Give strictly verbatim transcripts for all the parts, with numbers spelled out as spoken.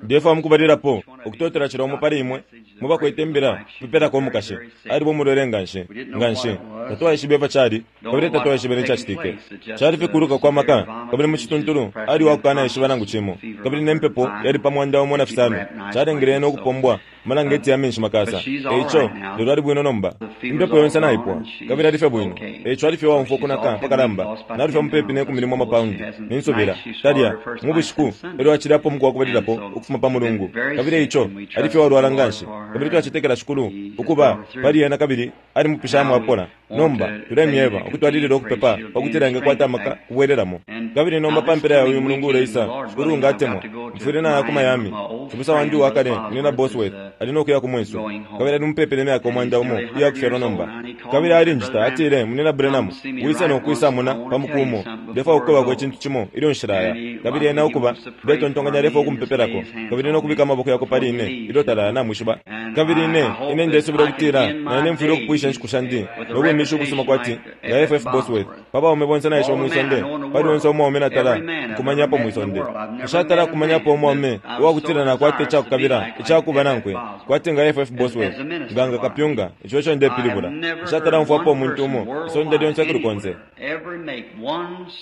Ndefwaya mukubalilapo ukutotela cila umo pali imwe mwe bakwete imbila kupepelako umukashi. Aliba umulwele nganshi, nganshi. Tatwaishibe ifyo cali, kabili tatwaishibe necacitike. Cali fye kuluka kwa maka, kabili mucituntulu ali uwakukanaishiba nangu cimo. Kabili ne mpepo yali pa mwanda umo na fisano, calengele ena ukupombwa amalangeti ya menshi makasa. Eico, lelo ali bwino nomba. Impepo yonse naipwa, kabili ali fye bwino. Eico ali fye uwaumfwa ukunaka apakalamba, nalufya mupepi ne kumi limo amapaundi, ninsubila, talya, mu bushiku, elyo acilapo umuku wakubalilapo ukufuma pa Mulungu. Kabili eico ali fye uwalwala nganshi, kabili twacetekela Shikulu ukuba pali ena kabili alimupishamo apola. Nomba tulemyeba ukutwalilila ukupepa pakutila engakwata amaka kubwelelamo. Kabili nomba pa mpela ya uyu mulungu uleisa, Shikulu nga atemwa, mfwile naya ku Miami. Cibusa wandi uwa kale, Munyina Bosworth, ali no kuya ku mwesu, kabili ali mupepi ne myaka umwanda umo iya kufyalwa nomba. Kabili alinjita, atile, Munyina Branham, wise no kwisa mona pa muku umo. Ndefwaya ukukwebako icintu cimo ilyo nshilaya. Kabili ena ukuba, ndetontonkanya alefwaya ukumpepelako, kabili no kubika amaboko yakwe pali ine ilyo talaya, namwishiba. Kabili ine, ine ndesubila ukutila na ine mfwile ukupwisha inshiku shandi no bwimishi ubusuma kwati nga F F Bosworth. Pa baume bonse naishiba mwi sonde, pali onse umwaume natala nkumanyapo mwi sonde, nshatala kumanyapo umwaume uwakutila nakwata icakukabila icakuba nankwe kwati nga F F Bosworth, nga nga kapyunga. Ico eco ndepilibula. Nshatala umfwapo umuntu umo isonde lyonse kuli konse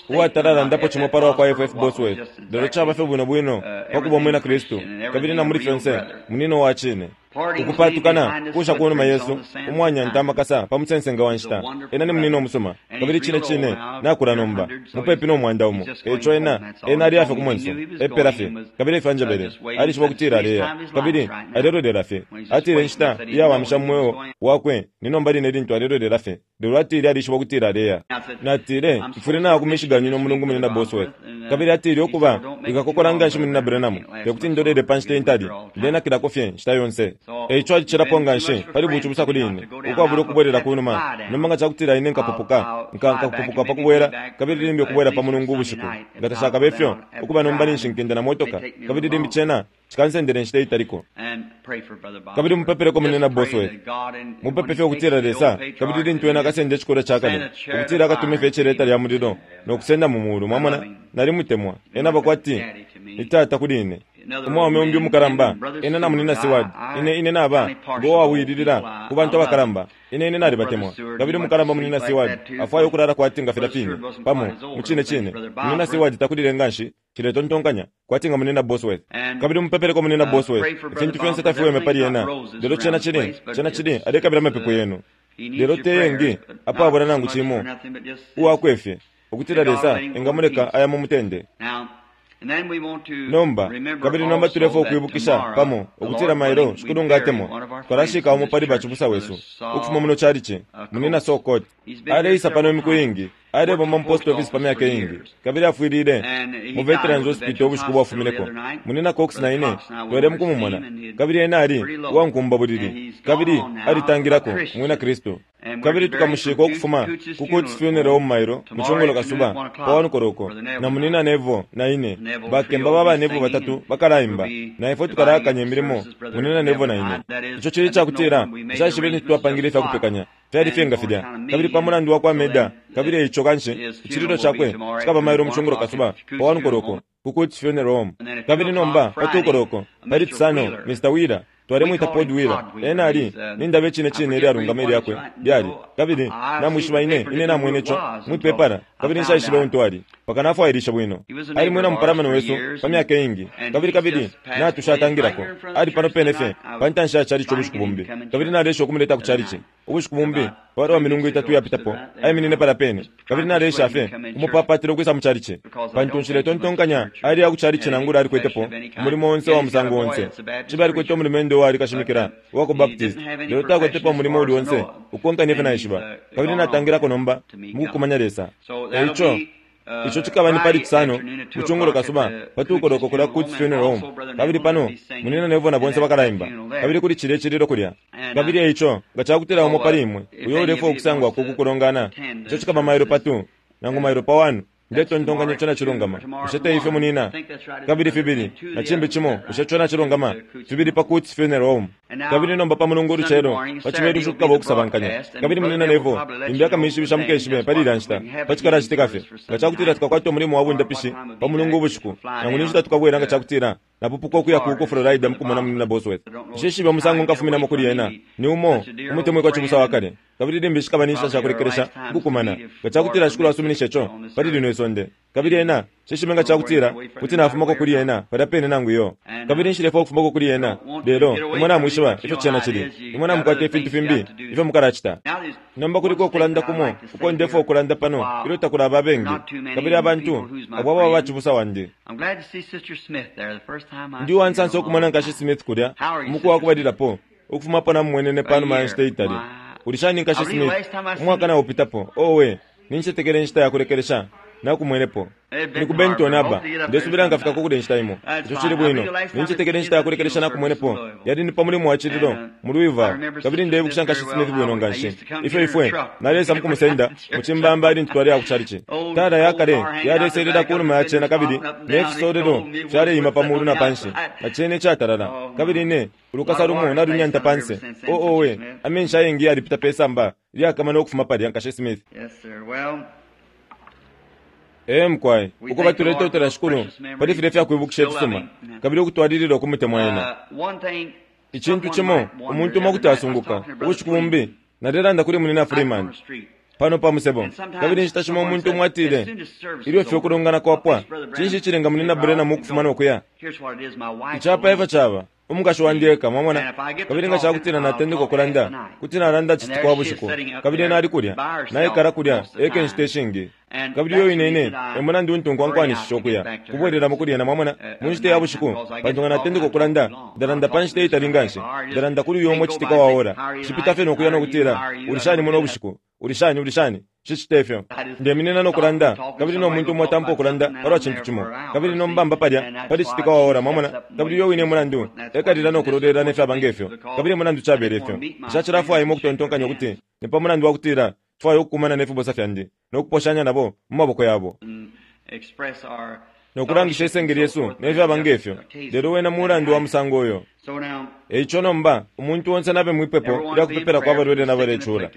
uwatala landapo cimo palwa kwa F F Bosworth, lelo caba fye bwino bwino pa kuba umwina Kristu, kabili na muli fyonse munino wa cine. Ukupatukana kusha kunuma yesu umwanyanta amakasa pa musensenga wa nshita. Ena ni munino umusuma, kabili cine cine nakula nomba mupepi no mwanda umo. Eico ena, ena ali afye ku mwenso, epela fye, kabili efyo anjebele. Alishiba ukutila aleya, kabili alelolela fye. Atile inshita iyawamisha mu mweo wakwe ni nomba line lintu alelolela fye, lelo atile alishiba ukutila aleya. Natile, mfwile naya ku Michigan uno mulungu, Munina Bosworth. Kabili atile, ukuba, wikakokola nganshi, Munina Branham, tekuti ndolele pa nshita intali, ndenakilako fye nshita yonse. Eico alicilapo nganshi pali bucibusa kuli ine, ukwabula ukubwelela kunuma. Nomba nga cakutila ine nkapupuka, nka, nkapupuka pa kubwela, kabili limbi ukubwela pa Mulungu ubushiku, nga tashakabe ifyo, ukuba nomba ninshi nkenda na motoka, kabili limbi cena cikansendela inshita italiko. Kabili mupepeleko Munina Bosworth. Mupepe fye ukutila Lesa, kabili lintu ena akasenda icikolwe ca kale, ukutila akatume fye iceleta lya mulilo no kusenda mu mulu. Mwamona, nalimutemwa. Ena aba kwati ni tata kuli ine. Umwaume umbi umukalamba, ena na Munina Seward. Ine, ine naba ngo wawililila ku bantu abakalamba. Ine, ine nalibatemwa. Kabili umukalamba Munina Seward afwaya ukulala kwati nga filya fine, pamo, mucine cine. Munina Seward takulile nganshi, nshiletontonkanya, kwati nga Munina Bosworth. Kabili mupepeleko Munina Bosworth. Ifintu fyonse tafiweme pali ena, lelo cena cili, cena cili, alekabila amapepo yenu. Lelo te yengi apabula nangu cimo, uwakwe fye, ukutila Lesa engamuleka aya mu mutende. Nomba, kabili nomba tulefwaya ukwibukisha pamo ukutila mailo, Shikulu nga atemwa, tukalashika umo pali bacibusa wesu ukufuma muno chalichi, Munina Sokot. Aleisa pano imiku iingi, alebomba mu post office pa myaka iingi, kabili afwilile mu Veterans Hospital ubushiku bwafumineko. Munina Cox na ine twele mukumumona, kabili ena ali uwankumba bulili, kabili alitangilako umwina Kristu. Kabili tukamushika ukufuma ku Coots Funeral Home mailo mu cungulo kasuba pa one koloko, na Munina Neville na ine, bakemba ba ba Neville batatu bakalaimba, na ifwe tukalakanya imilimo, Munina Neville na ine. Ico cili icakutila nshaishibe lintu twapangile ifya kupekanya, fyali fye nga filya, kabili pa mulandu wa kwa Meda, kabili eico kanshi icililo cakwe cikaba mailo mu cungulo kasuba pa one koloko ku Coots Funeral Home. Kabili nomba pa two koloko pali Cisano, Mister Wheeler, twalemwita Pod Wheeler. Ena ali nindaba icine cine ilyalungama ilyakwe lyali, kabili namwishiba ine, ine namwene ico mwipepala, kabili nshaishibe untu ali, mpaka nafwailishe bwino. Ali mwina mupalamano wesu pa myaka iingi, kabili kabili natushatangilako. Ali pano pene fye pa ntanshi ya chalichi ubushiku bumbi, kabili nalesha ukumuleta ku chalichi ubushiku bumbi palwa milungu itatu iyapitapo. Aiminine palya pene, kabili nalesha fye umupapatila ukwisa mu chalichi, pantu nshiletontonkanya ali ya ku chalichi nangula alikwetepo umulimo onse wa musango onse. Cibe alikwete umulumendo uwali kashimikila uwa ku Baptist, lelo takwetepo umulimo uli onse ukonka nefyo naishiba. Kabili natangilako nomba mukukumanya Lesa. Eico ico cikaba ni pali Cisano mu cungulo kasuba pa two koloko kulya ku Coots Funeral Home. Kabili pano Munina Neville na bonse bakalaimba, kabili kuli cilya icililo kulya. Kabili eico nga cakutila umo pali imwe uyo ulefwaya ukusangwako ku kulongana, ico cikaba mailo pa two nangu mailo pa one, ndetontonkanya ico nacilungama. Bushe te ifyo, Munina? Kabili fibili na cimbi cimo, bushe ico nacilungama? Fibili pa Coots Funeral Home. Kabili nomba pa Mulungu ulucelo, pa Cibelushi kukaba ukusabankanya. Kabili Munina Neville limbi akamishibisha mukeshibe pali ilya nshita pa cikalacitika fye, nga cakutila tukakwata umulimo wa bundapishi pa Mulungu ubushiku, nangu ni nshita tukabwela nga cakutila Napupuka ukuya ku Florida mukumona Munyina Bosworth. Nshishibe umusango nkafuminamo kuli ena. Ni umo umutemwikwa cibusa wa kale. Kabili limbi shikaba ni nshita shakulekelesha ukukumana. Nga cakutila Shikulu asuminishe ico pali lino isonde. Kabili ena nshishibe nga cakutila kuti nafumako kuli ena palya pene nangu iyo. Kabili nshilefwaya ukufumako kuli ena. Lelo imwe namwishiba ifyo cena cili. Imwe namukwata ifintu fimbi ifyo mukalacita. Nomba kuliko ukulanda kumo uko ndefwaya ukulanda pano ilyo takulaba abengi. Kabili abantu abo ababa bacibusa wandi. Ndi uwansansa ukumona Nkashi Smith kulya umuku wakubalilapo ukufumapo namumwenene panuma ya nshita itali. Uli shani Nkashi Smith? Umwaka naupitapo. Owe, nincetekele inshita yakulekelesha nakumwenepo. Ni ku Benton aba. Ndesubila nkafikako kulya inshita imo. Ico cili bwino. Nincetekele inshita yakulekelesha nakumwenepo. Yali ni pa mulimo wa cililo mu Louisville. Kabili ndeibukisha Nkashi Smith bwino nganshi. Ifyo ifwe nalesa mukumusenda mu cimbamba ilintu twaleya ku chalichi. Tala ya kale yaleselela ku numa ya cena kabili ne fisolelo fyaleima pa mulu na panshi. Na cene icatalala. Kabili ine ulukasa lumo nalunyanta panse. Oh owe, amenshi ayengi yalipita pe samba lyakama nokufuma palya Nkashi Smith. Ee mukwai, ukuba tuletotela Shikulu pali filya ifyakwibukisha ifisuma kabili ukutwalilila ukumutemwa ena. Icintu cimo umuntu umo kuti asunguka ubushiku bumbi nalelanda kuli Munyina Freeman pano pa musebo. Kabili inshita shimo umuntu umo atile ilyo fye ukulongana kwapwa, cinshi icilenga Munyina Branham ukufuma nokuya? Icapa efyo caba. Umukashi wandi eka, mwamona. Kabili nga cakutila natendeka ukulanda, kuti nalanda citika wa bushiku. Kabili ena ali kulya, naikala kulya eka inshita ishingi. Kabili iyo ine ine e mulandu untu nkwankwanishisha ukuya kubwelelamo kuli ena, mwamona, mu nshita ya bushiku. Pantu nga natendeka ukulanda, ndalanda pa nshita itali nganshi. Ndalanda kuli uyo umo citika wa ora. Nshipita fye nokuya nokutila, uli shani muno ubushiku? Uli shani, uli shani? Nshicita ifyo. Ndeminina nokulanda, kabili no muntu umo atampa ukulanda palwa cintu cimo. Kabili nombamba palya pali citika wa ora, mwamona. Kabili uyo wine mulandu ekalila nokulolela nefyaba ngefyo. Kabili mulandu cabele ifyo. Nshacilafwaya imwe ukutontonkanya ukuti ni pa mulandu wakutila mfwaya ukukumana ne fibusa fyandi nokuposhanya nabo mu maboko yabo nokulangisha isenge lyesu nefyaba ngefyo. Lelo wena mulandu wa musango uyo. Eico nomba umuntu onse nabe mwipepo lya kupepela kwa balwele na balecula.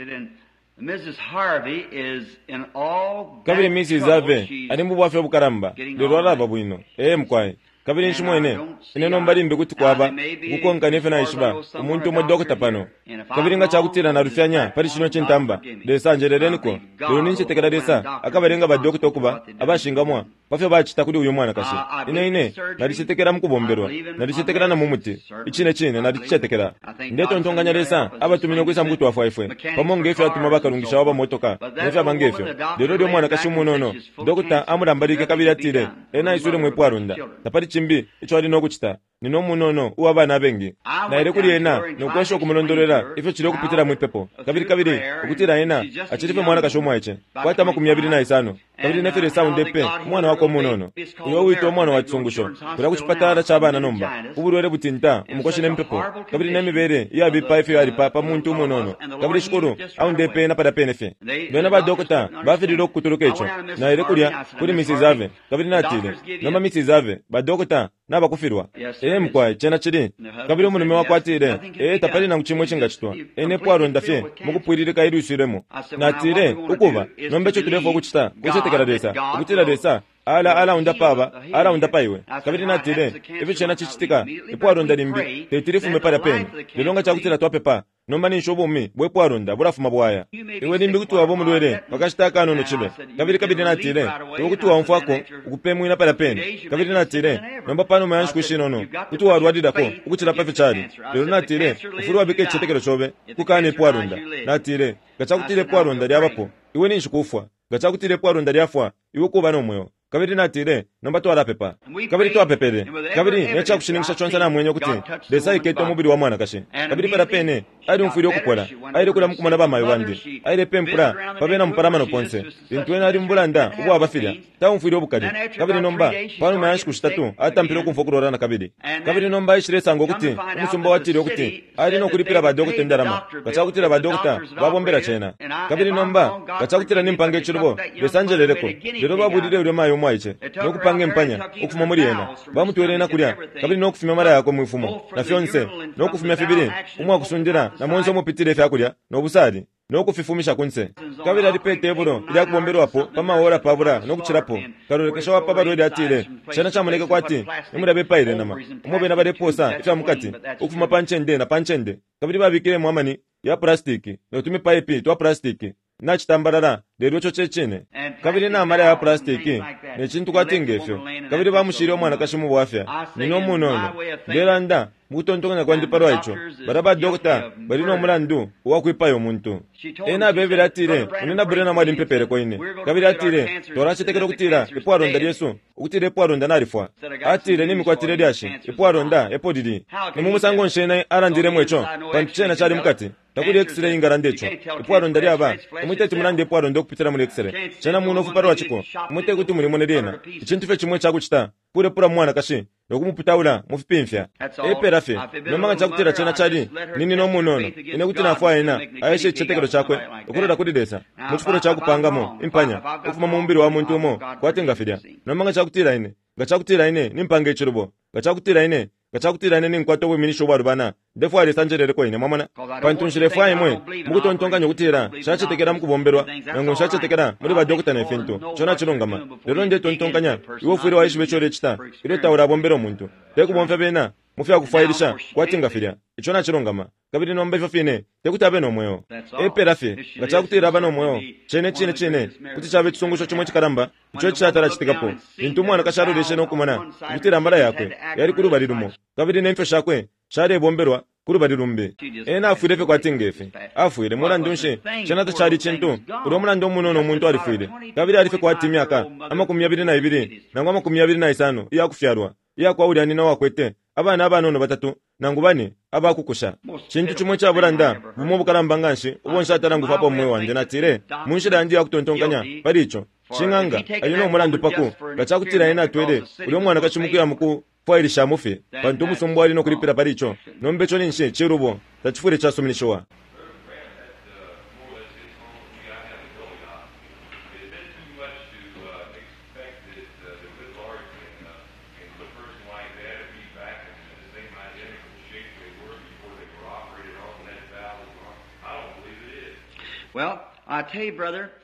Kabili Missus Harvey ali mu bwafya obukalamba, lelo alaba bwino. Ee mukwai. Kabili nshimwene ine nomba limbi kuti kwaba ukukonka nefyo naishiba umuntu umo dokota pano. Kabili nga cakutila nalufyanya pali cino cintamba, Lesa njeleleniko. Lelo nincetekela Lesa akabalenga badokota ukuba abashingamwa pafyo bacita kuli uyu mwanakashi. Ine ine nalicetekela mukubombelwa, nalicetekela na mu muti. Icine cine nalicicetekela. Ndetontonkanya Lesa abatumine ukwisa mukutwafwa ifwe pamo ngefyo atuma bakalungisha wa bamotoka nefyaba ngefyo. Lelo lyo mwanakashi umunono dokota amulambalike kabili atile ena aiswile mwipwalonda. Tapali cimbi ico ali nokucita. Nino umunono uwa bana abengi. Naile kuli ena nokwesha ukumulondolwela ifyo cili ukupitila mwipepo. Kabili kabili ukutila ena acili fye mwanakashi umwaice kwata amakumi yabili na isano. Kabili nefyo Lesa aundepe umwana wakwe umunono uyo uwitwa umwana wa cisungusho kulya ku cipatala ca bana nomba ubulwele butinta umukoshi ne mpepo kabili ne mibele iyabipa ifyo yalipa pa muntu umunono. Kabili Shikulu aundepe ena palya pene fye. Bena badokota bafilile ukukutuluka ico. Naile kulya kuli Missus Harvey kabili natile, nomba Missus Harvey, badokota nabakufilwa. Ee mukwai, cena cili. Kabili umulume wakwe atile, ee tapali nangu cimwe icingacitwa. Ene pwalonda fye mukupwililika ilwiswilemo. Natile, ukuba nomba ico tulefwaya ukucita kucetekela Lesa, ukutila Lesa ala alaundapa aba, alaundapa iwe. Kabili natile, ifyo cena cicitika ipwalonda limbi teti lifume palya pene. Lelo nga cakutila twapepa, nomba ninshi ubumi bwe pwalonda bulafuma bwaya. Iwe limbi kuti waba umulwele pakashita akanono cibe. Kabili kabili natile, iwe kuti waumfwako ukupemwina palya pene. Kabili natile, nomba panuma ya nshiku ishinono kuti walwalilako ukucila pafyo cali. Lelo natile, ufwile wabika icicetekelo cobe kukana ipwalonda. Natile, nga cakutila ipwalonda lyabapo, iwe ninshi kufwa. Nga cakutila ipwalonda lyafwa, iwe kuba no mweo. Kabili natile, nomba twalapepa. Kabili twapepele. Kabili ne cakushininkisha conse namwenye ukuti Lesa aikete umubili wa mwanakashi. Kabili palya pene alyumfwile ukupola. Aile kulya mukumona bamayo bandi. Aile pempula pa bena mupalamano ponse. Lintu ena ali mu bulanda ubwaba filya, taumfwile ubukali. Kabili nomba panuma ya nshiku shitatu atampile ukumfwa ukulwala na kabili. Kabili nomba aishilesanga ukuti umusumba watile ukuti ali nokulipila badokota indalama nga cakutila badokota babombela cena. Kabili nomba nga cakutila nimpanga icilubo, Lesa njeleleko. Lelo babulile ulya mayo umwaice no kupanga impanya ukufuma muli ena. Bamutwele ena kulya kabili no kufumya amala yakwe mwifumo na fyonse, no kufumya fibili umwakusundila na monse umupitile ifyakulya no busali no kufifumisha kunse. Kabili ali pe tebulo ilya kubombelwapo pa maora pabula no kucilapo. Kalolekesha wa pa balwele atile, cena camoneka kwati nimulya bepaile nama umo bena baleposa ifya mukati ukufuma pa ncende na pa ncende, kabili babikilemo amani ya plastiki no tumipaipi twa plastiki nacitambalala, lelo ico cecine. Kabili na amala ya plastiki ne cintu kwati ngefyo, kabili bamushile umwanakashi mu bwafya nina umunono. Ndelanda mukutontonkanya kwandi palwa ico, bala ba dokota bali no mulandu uwakwipaya umuntu. Ena abebele atile, Munyina Branham alimpepeleko ine, kabili atile twalacetekela ukutila ipwalonda lyesu, ukutila ipwalonda nalifwa. Atile nimikwatile lyashi ipwalonda epo lili. Ni mu musango nshi ena alandilemo ico, pantu cena cali mukati. Takuli x-ray ingalanda ico. Ipwalonda lyaba imwe teti mulande ipwalonda ukupitila muli x-ray. Cena munofu palwa ciko, imwe tekuti mulimone lyena. Icintu fye cimwe cakucita kulepula mwanakashi no kumuputaula mu fipimfya. Epela fye nomba nga cakutila cena cali nini no munono, ine kuti nafwaya ena aeshe icicetekelo cakwe ukulola kuli Lesa mu cifulo ca kupangamo impanya ukufuma mu mubili wa muntu umo kwati nga filya. Nomba nga cakutila ine nga cakutila ine nimpanga icilubo, nga cakutila ine nga cakutila ine ninkwata ubwiminisho ubwalubana, ndefwaya Lesa anjeleleko ine, mwamona, pantu nshilefwaya imwe mukutontonkanya ukutila nshacetekela mukubombelwa nangu nshacetekela muli badokota ne fintu. Ico nacilungama, lelo ndetontonkanya iwe ufwile waishiba ico ulecita ilyo taulabombela umuntu, tekubomfya bena mu fyakufwailisha kwati nga filya. Ico nacilungama. Kabili nomba ifyo fine tekuti abe no mweo. Epela fye nga cakutila aba no mweo, cene cine cine kuti caba icisungusho cimwe icikalamba ico icisatalacitikapo. Lintu umwanakashi aloleshe no kumona ukutila amala yakwe yali ku lubali lumo kabili ne mfyo shakwe shalebombelwa ku lubali lumbi, ena afwile fye kwati ngefi afwile. Mulandu nshi, cena tacali cintu. Ulya mulandu umunono umuntu alifwile, kabili ali fye kwati imyaka amakumi yabili na ibili nangu amakumi yabili na isano iyakufyalwa iyakwa ulya nina wakwete abana abanono batatu nangu bane abakukusha. Cintu cimwe icabulanda bumo ubukalamba nganshi ubo nshatala ngufapo mumwe wandi. Natile mu nshila yandi yakutontonkanya pali ico, shing'anga ali no mulandu paku nga cakutila ena atwele ulya umwanakashi mukuya mukufwailishamo fye, pantu umusumba wali no kulipila pali ico. Nomba ico ninshi cilubo, tacifwile casuminishiwa.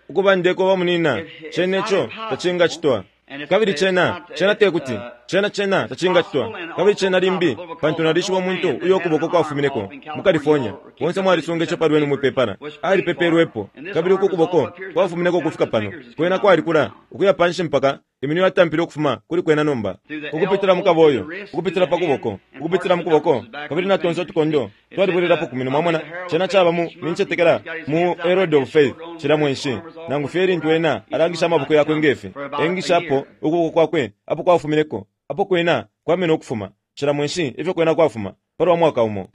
Ukuba ndeko bamunina, cene ico tacingacitwa. Kabili cena cena tekuti cena cena tacingacitwa. Kabili cena limbi, pantu nalishiba umuntu uyo ukuboko kwafumineko mu California. Bonse mwalisunga ico palwenu mwipepala. Alipepelwepo, kabili uku kuboko kwafumineko ukufika pano. Kwena kwalikula ukuya panshi mpaka iminwe yatampile ukufuma kuli kwena nomba, ukupitila mu kaboyo, ukupitila pa kuboko, ukupitila mu kuboko, kabili na tonse utukondo twalibwelelapo ku minwe. Mwamona, cena caba mu nincetekela mu Herald of Faith cila mwenshi, nangu fye lintu ena alangisha amaboko yakwe ngefi, engishapo ukuboko kwakwe apo kwafumineko, apo kwena kwamene ukufuma cila mwenshi ifyo kwena kwafuma palwa mwaka umo.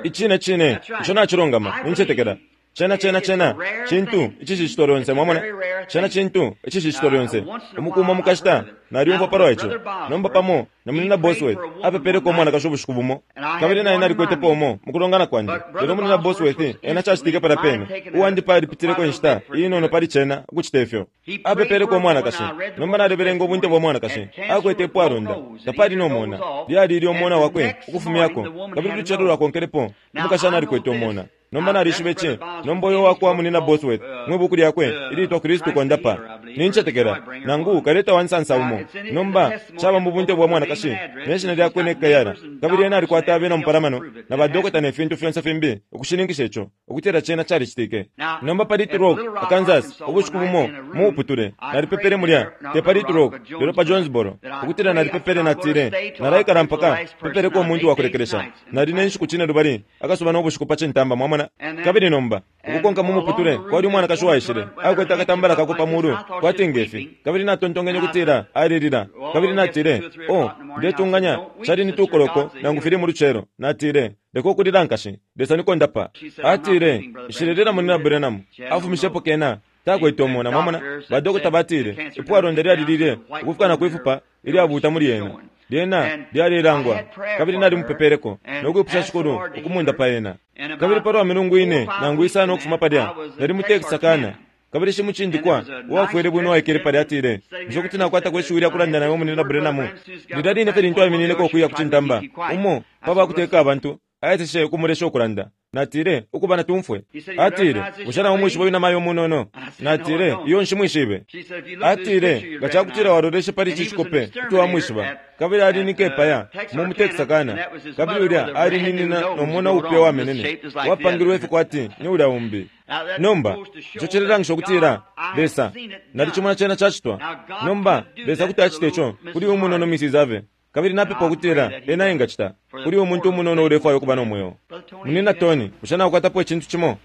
Icine cine ico nacilungama, nincetekela cena cena cena cintu icishicitwa lyonse. Mwamona, cena cintu icishicitwa lyonse. Umukumo mukashita nalyumfwa palwa ico. Nomba pamo na Munyina Bosworth apepeleko umwanakashi ubushiku bumo, kabili naye nalikwetepo umo mukulongana kwandi. Lelo Munyina Bosworth ena cacitike palya pene, uwandi palipitileko inshita inono pali cena ukucita ifyo. Apepeleko umwanakashi. Nomba nalibelenga ubunte bwa mwanakashi akwete ipwalonda, tapali nomona, lyali ilyo umona wakwe ukufumyako, kabili ulucelo lwakonkelepo umukashana alikwete umona. Nomba nalishiba ici. Nomba uyo wakwa Munyina Bosworth mwibuku lyakwe ilitwa Kristu Kondapa, nincetekela nangu kaleta wansansa umo. Nomba caba mu bunte bwa mwanakashi ne shina lyakwe ne kayala, kabili ena alikwata abena mupalamano na badokota ne fintu fyonse fimbi ukushininkisha ico ukutila cena calicitike. Nomba pa Little Rock, Arkansas, ubushiku bumo mu uputule nalipepele mulya, te pa Little Rock lelo pa Jonesboro, ukutila nalipepele natile nalaikala mpaka pepeleko umuntu wakulekelesha. Nali ne nshiku cine lubali akasuba no bushiku pa cintamba, mwamona. Kabili nomba ukukonka mu muputule kwali umwanakashi waishile akwete akatambala kako pa mulu kwati ngefi, kabili natontonkenye ukutila alilila. Kabili natile, oh, ndetunganya cali ni tukoloko nangu fili mu lucelo. Natile, leka ukulila nkashi, Lesa nikondapa. Atile, nshilelila Munyina Branham. Afumishepo kena takwete umona. Mwamona, badokota batile ipwalonda lyalilile ukufika na kwifupa ilyabuta muli ena. Lyena lyalilangwa, kabili nalimupepeleko no kwipusha Shikulu ukumundapa ena. Kabili palwa milungu ine nangu isano ukufuma palya, nali mu Texarkana. Kabili shimucindikwa uwafwele bwino waikele palya atile, bushe kuti nakwatako ishiwi lya kulanda nawe Munina Branham? Lilya line fye lintu aiminineko ukuya ku cintamba, umo pa bakuteka abantu aeseshe ukumulesha ukulanda. Natile, ukuba natumfwe. Atile, bushe naumwishiba uyu namayo umunono? Natile, iyo nshimwishibe. Atile, nga cakutila waloleshe pali ici cikope, kuti wamwishiba. Kabili ali ni kepaya mu mu Texarkana. Kabili ulya ali ni nina no mona upya wamenene, wapangilwe ifikwati ni ulya umbi. Nomba, ico cilelangisha ukutila Lesa nalicimona cena cacitwa. Nomba, Lesa kuti acita ico kuli umunono Missus Ave. Kabili napepa ukutila ena engacita kuli umuntu umunono ulefwaya ukuba no mweo. Munina Tony, bushe nakukwatapo icintu cimo?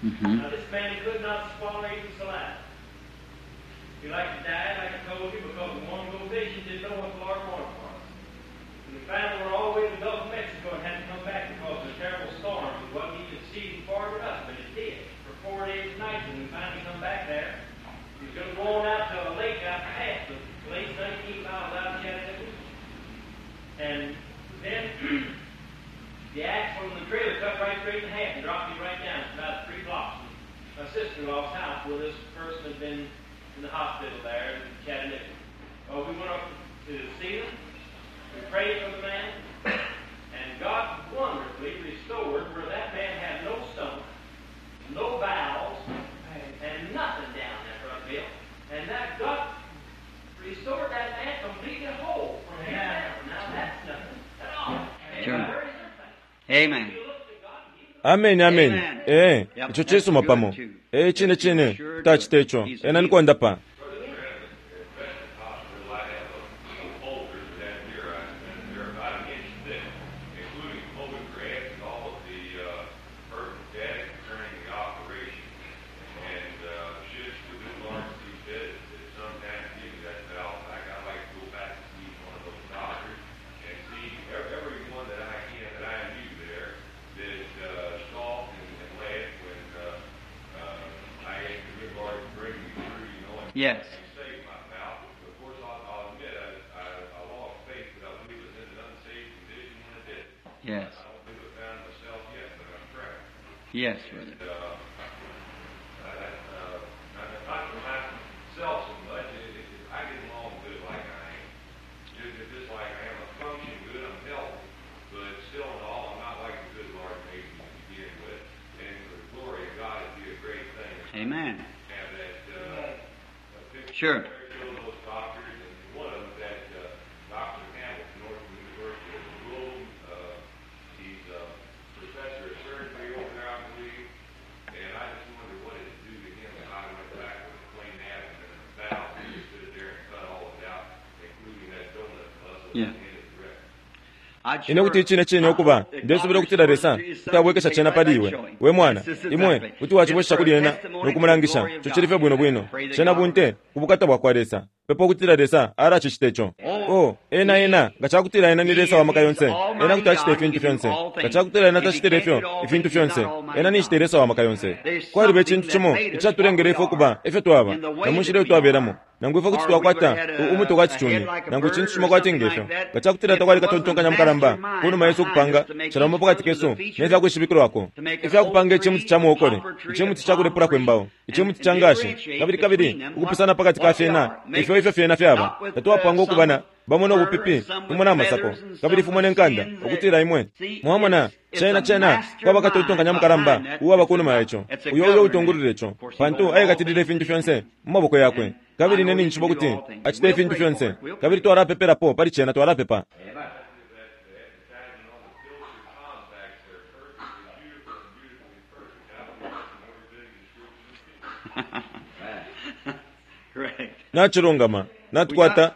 Mm-hmm. Now this man could not swallow even saliva. He like to die, like I told you, because the one vision didn't know what the Lord wanted for us. And we finally were all the way to the Gulf of Mexico and had to come back because of a terrible storm. It wasn't even seeding far enough, but it did for four days and nights. And we finally come back there. He was going to go on out to a lake out past the lake's nineteen miles out of Chattanooga. And then the axle from the trailer cut right straight in half and dropped me right down. It's about three blocks from my sister-in-law's house where this person had been in the hospital there in Chattanooga. Well, we went up to see them. We prayed for the man. And God wonderfully restored where that man had no stomach, no bowels, and nothing down there, Brother Bill. And that God restored that man completely whole from here down. Now that's nothing at all. Sure. Amen. Amen, amen. Eh, ico cisuma pamo. Eh, cine cine, tacite ico. Ena nikwandapa. Yes. Yes. Yes, brother. Amen. Sure. Yeah. Ine kuti cine cine ukuba ndesubila ukutila Lesa kuti abwekesha cena pali iwe we mwana imwe kuti wacibwesha kuli ena nokumulangisha ico cili fye bwino bwino cena bunte kubukata bwakwa Lesa pepa ukutila Lesa alacicita ico. Oh, ena ena nga cakutila ena ni Lesa wa maka yonse, ena kuti acita ifintu fyonse. Nga cakutila ena tacitile ifyo ifintu fyonse, ena ninshi Lesa wa maka yonse. Kwaliba icintu cimo icatulengele ifwe ukuba ifyo twaba na mu nshila iyo twabelamo, nangu ifwe kuti twakwata umutwe kwa cicuni nangu icintu cimo kwati ngefyo. Nga cakutila takwali katontonkanya mukalamba kunuma yesu ukupanga calamo pakati kesu nefyakwishibikilwako ifyakupanga icimuti ca muokole, icimuti ca kulepulako imbao, icimuti ca ngashi, kabili kabili ukupusana pakati ka fyena ifyo ifyo fyena fyaba. Tatwapanga ukubana bamo nobupipi fumo na masako kabili fumo nenkanda ukutila imwe mwamona cena cena kwaba katontonkanya mukalamba uwaba kunuma yaco uyo uyo utungulula ico pantu ayekatilile ifintu fyonse mu maboko yakwe. Kabili ine ninjishiba ukuti acita ifintu fyonse. Kabili twalapepelapo pali cena, twalapepa. Correct. Nachilungama natukwata.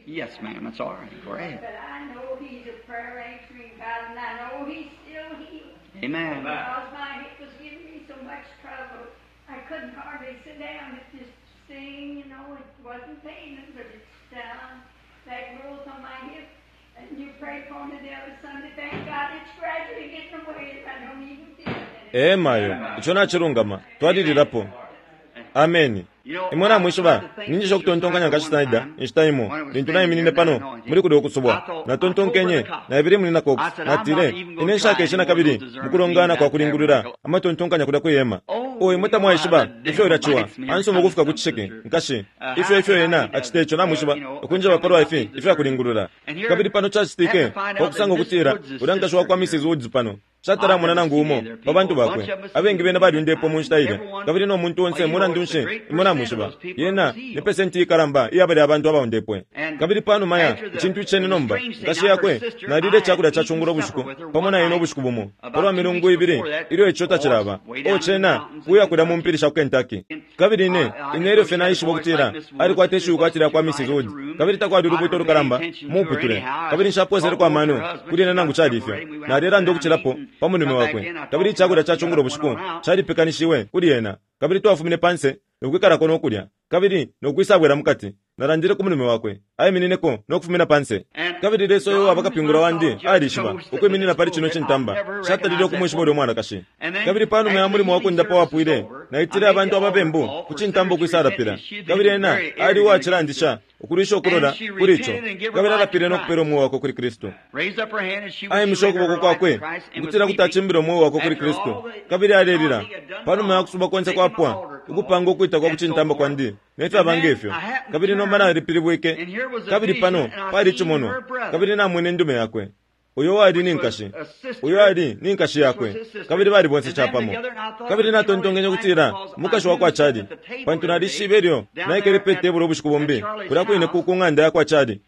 Yes, ma'am. That's all right. Go ahead. But I know he's a prayer answering God, and I know he's still healing. Amen. Because my hip was giving me so much trouble, I couldn't hardly sit down. It just sing, you know, it wasn't paining, but it's down. That growth on my hip. And you prayed for me the other Sunday. Thank God it's gradually getting away, and I don't even feel it anymore. Ee mayo, ico nachilungama twalililapo. Ameni. Imwe namwishiba ninjisha ukutontonkanya nkashi Snyder inshita imo lintu naiminine pano muli kulya ukusubwa natontonkenye naibili muli na Cox natile ine nshakeshe nakabili mukulongana kwa kulingulula amatontonkanya kulya kwihema. O imwe tamwaishiba ifyo ilaciwa ansoma ukufika ku cisheke nkashi ifyo ifyo ena acita ico namwishiba ukunjeba palwa ifi ifyo akulingulula. Kabili pano cacitike pakusanga ukutila ulya nkashi wakwa Missus Woods pano shatalamona nangu umo pa bantu bakwe abengi bena balyundepo mu nshita ilya kabili no muntu onse mulandu nshi imwe namwishiba yena ni pesenti ikalamba iyabali abantu abaundepwe. Kabili panuma ya icintu icene nomba nkashi yakwe nalile icakulya ca cungulo bushiku pamo na ine ubushiku bumo palwa milungu ibili ilyo ico tacilaba o cena kuya kulya mu mpili sha ku Kentucky. Kabili ine ine ilyo fye naishiba ukutila alikwata ishiwi kwatila kwa Missus Woods kabili takwali ulubuto lukalamba muputule kabili nshaposeleko amano kuli ena nangu cali ifyo nalelanda ukucilapo pa mulume wakwe. Kabili icakulya ca cungulo bushiku calipekanishiwe kuli ena kabili twafumine panse nokwikalako nokulya kabili nokwisabwela mukati. Nalandile ku mulume wakwe aiminineko nokufumina panse. Kabili Lesa uyo waba kapingula wandi alishiba ukwiminina pali cino cintamba shatalile ukumwishiba ulyo mwanakashi. Kabili panuma ya mulimo wakundapa wapwile naitile abantu ababembu ku cintamba ukwisalapila. Kabili ena ali uwacilandisha ukulwisha ukulola kuli ico kabili alapile nokupela umweo wakwe kuli Kristu. Aimisha ukuboko kwakwe ukutila kuti acimbile umweo wakwe kuli Kristu kabili alelila panuma ya kusuba konse kwapwa ukupanga ukwita kwa kucintamba kwandi nefyaba ngefyo. Kabili nomba nalipilibwike kabili pano pali icimonwa kabili namwene indume yakwe uyo wali ni nkashi uyo ali ni nkashi yakwe kabili bali bonse capamo. Kabili natontonkenye ukutila umukashi wakwa Chali pantu nalishibe ilyo naikele pe tebulo ubushiku bumbi kulya kwine ku ng'anda yakwa Chali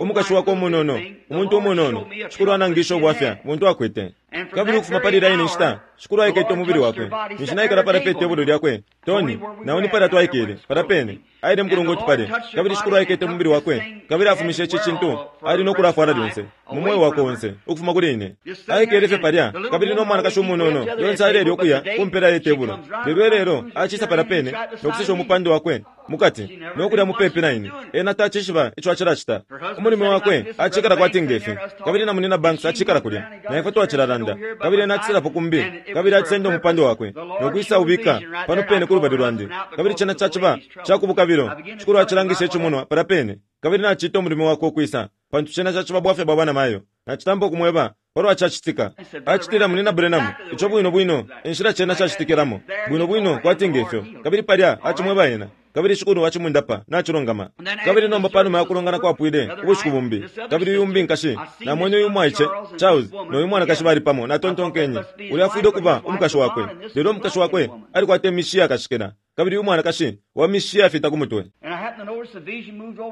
umukashi wakwe umunono umuntu umunono shikulu anangisha ubwafya buntu akwete. Kabili ukufuma pali ilya nshita shikulu aikete umubili wakwe ninshi naikala pala pe tebulo lyakwe Tony nawo ni pala twaikele pala pene aile mukulunga utupale. Kabili shikulu aikete umubili wakwe kabili afumishe ici cintu ali nokulafwala lyonse mu mweo wakwe onse ukufuma kuli ine. Aikele fye palya kabili no mwanakashi umunono lyonse alelya ukuya kumpela ye tebulo lelo lelo acisa pala pene nokusesha umupando wakwe mukati nokulya mupepi na ine. Ena tacishiba ico acilacita umulimi wakwe acikala kwati ngefi kabili na munina Banks acikala kulya na ifwe twacilalanda kabili ena aciselapo kumbi kabili acisenda umupando wakwe nokwisa ubika pano pene ku lubali lwandi. Kabili cena caciba cakubukabilo shikulu acilangisha icimonwa pala pene kabili nacita umulimi wakwe ukwisa pantu cena caciba bwafya bwa bana mayo. Nacitampa ukumweba palwa cacitika acitila munina Branham ico bwino bwino inshila cena cacitikilamo bwino bwino kwati ngefyo. Kabili palya acimweba ena kabili shikulu acimundapa nacilongama. Kabili nomba panuma ya kulongana kwapwile ubushiku bumbi kabili uyu umbi nkashi namwene uyu mwaice Charles noyu mwanakashi bali pamo natontonkenye ulya afwile ukuba umukashi wakwe lelo umukashi wakwe alikwata imishi yakashikila kabili uyu mwanakashi wa mishi yafita ku mutwe.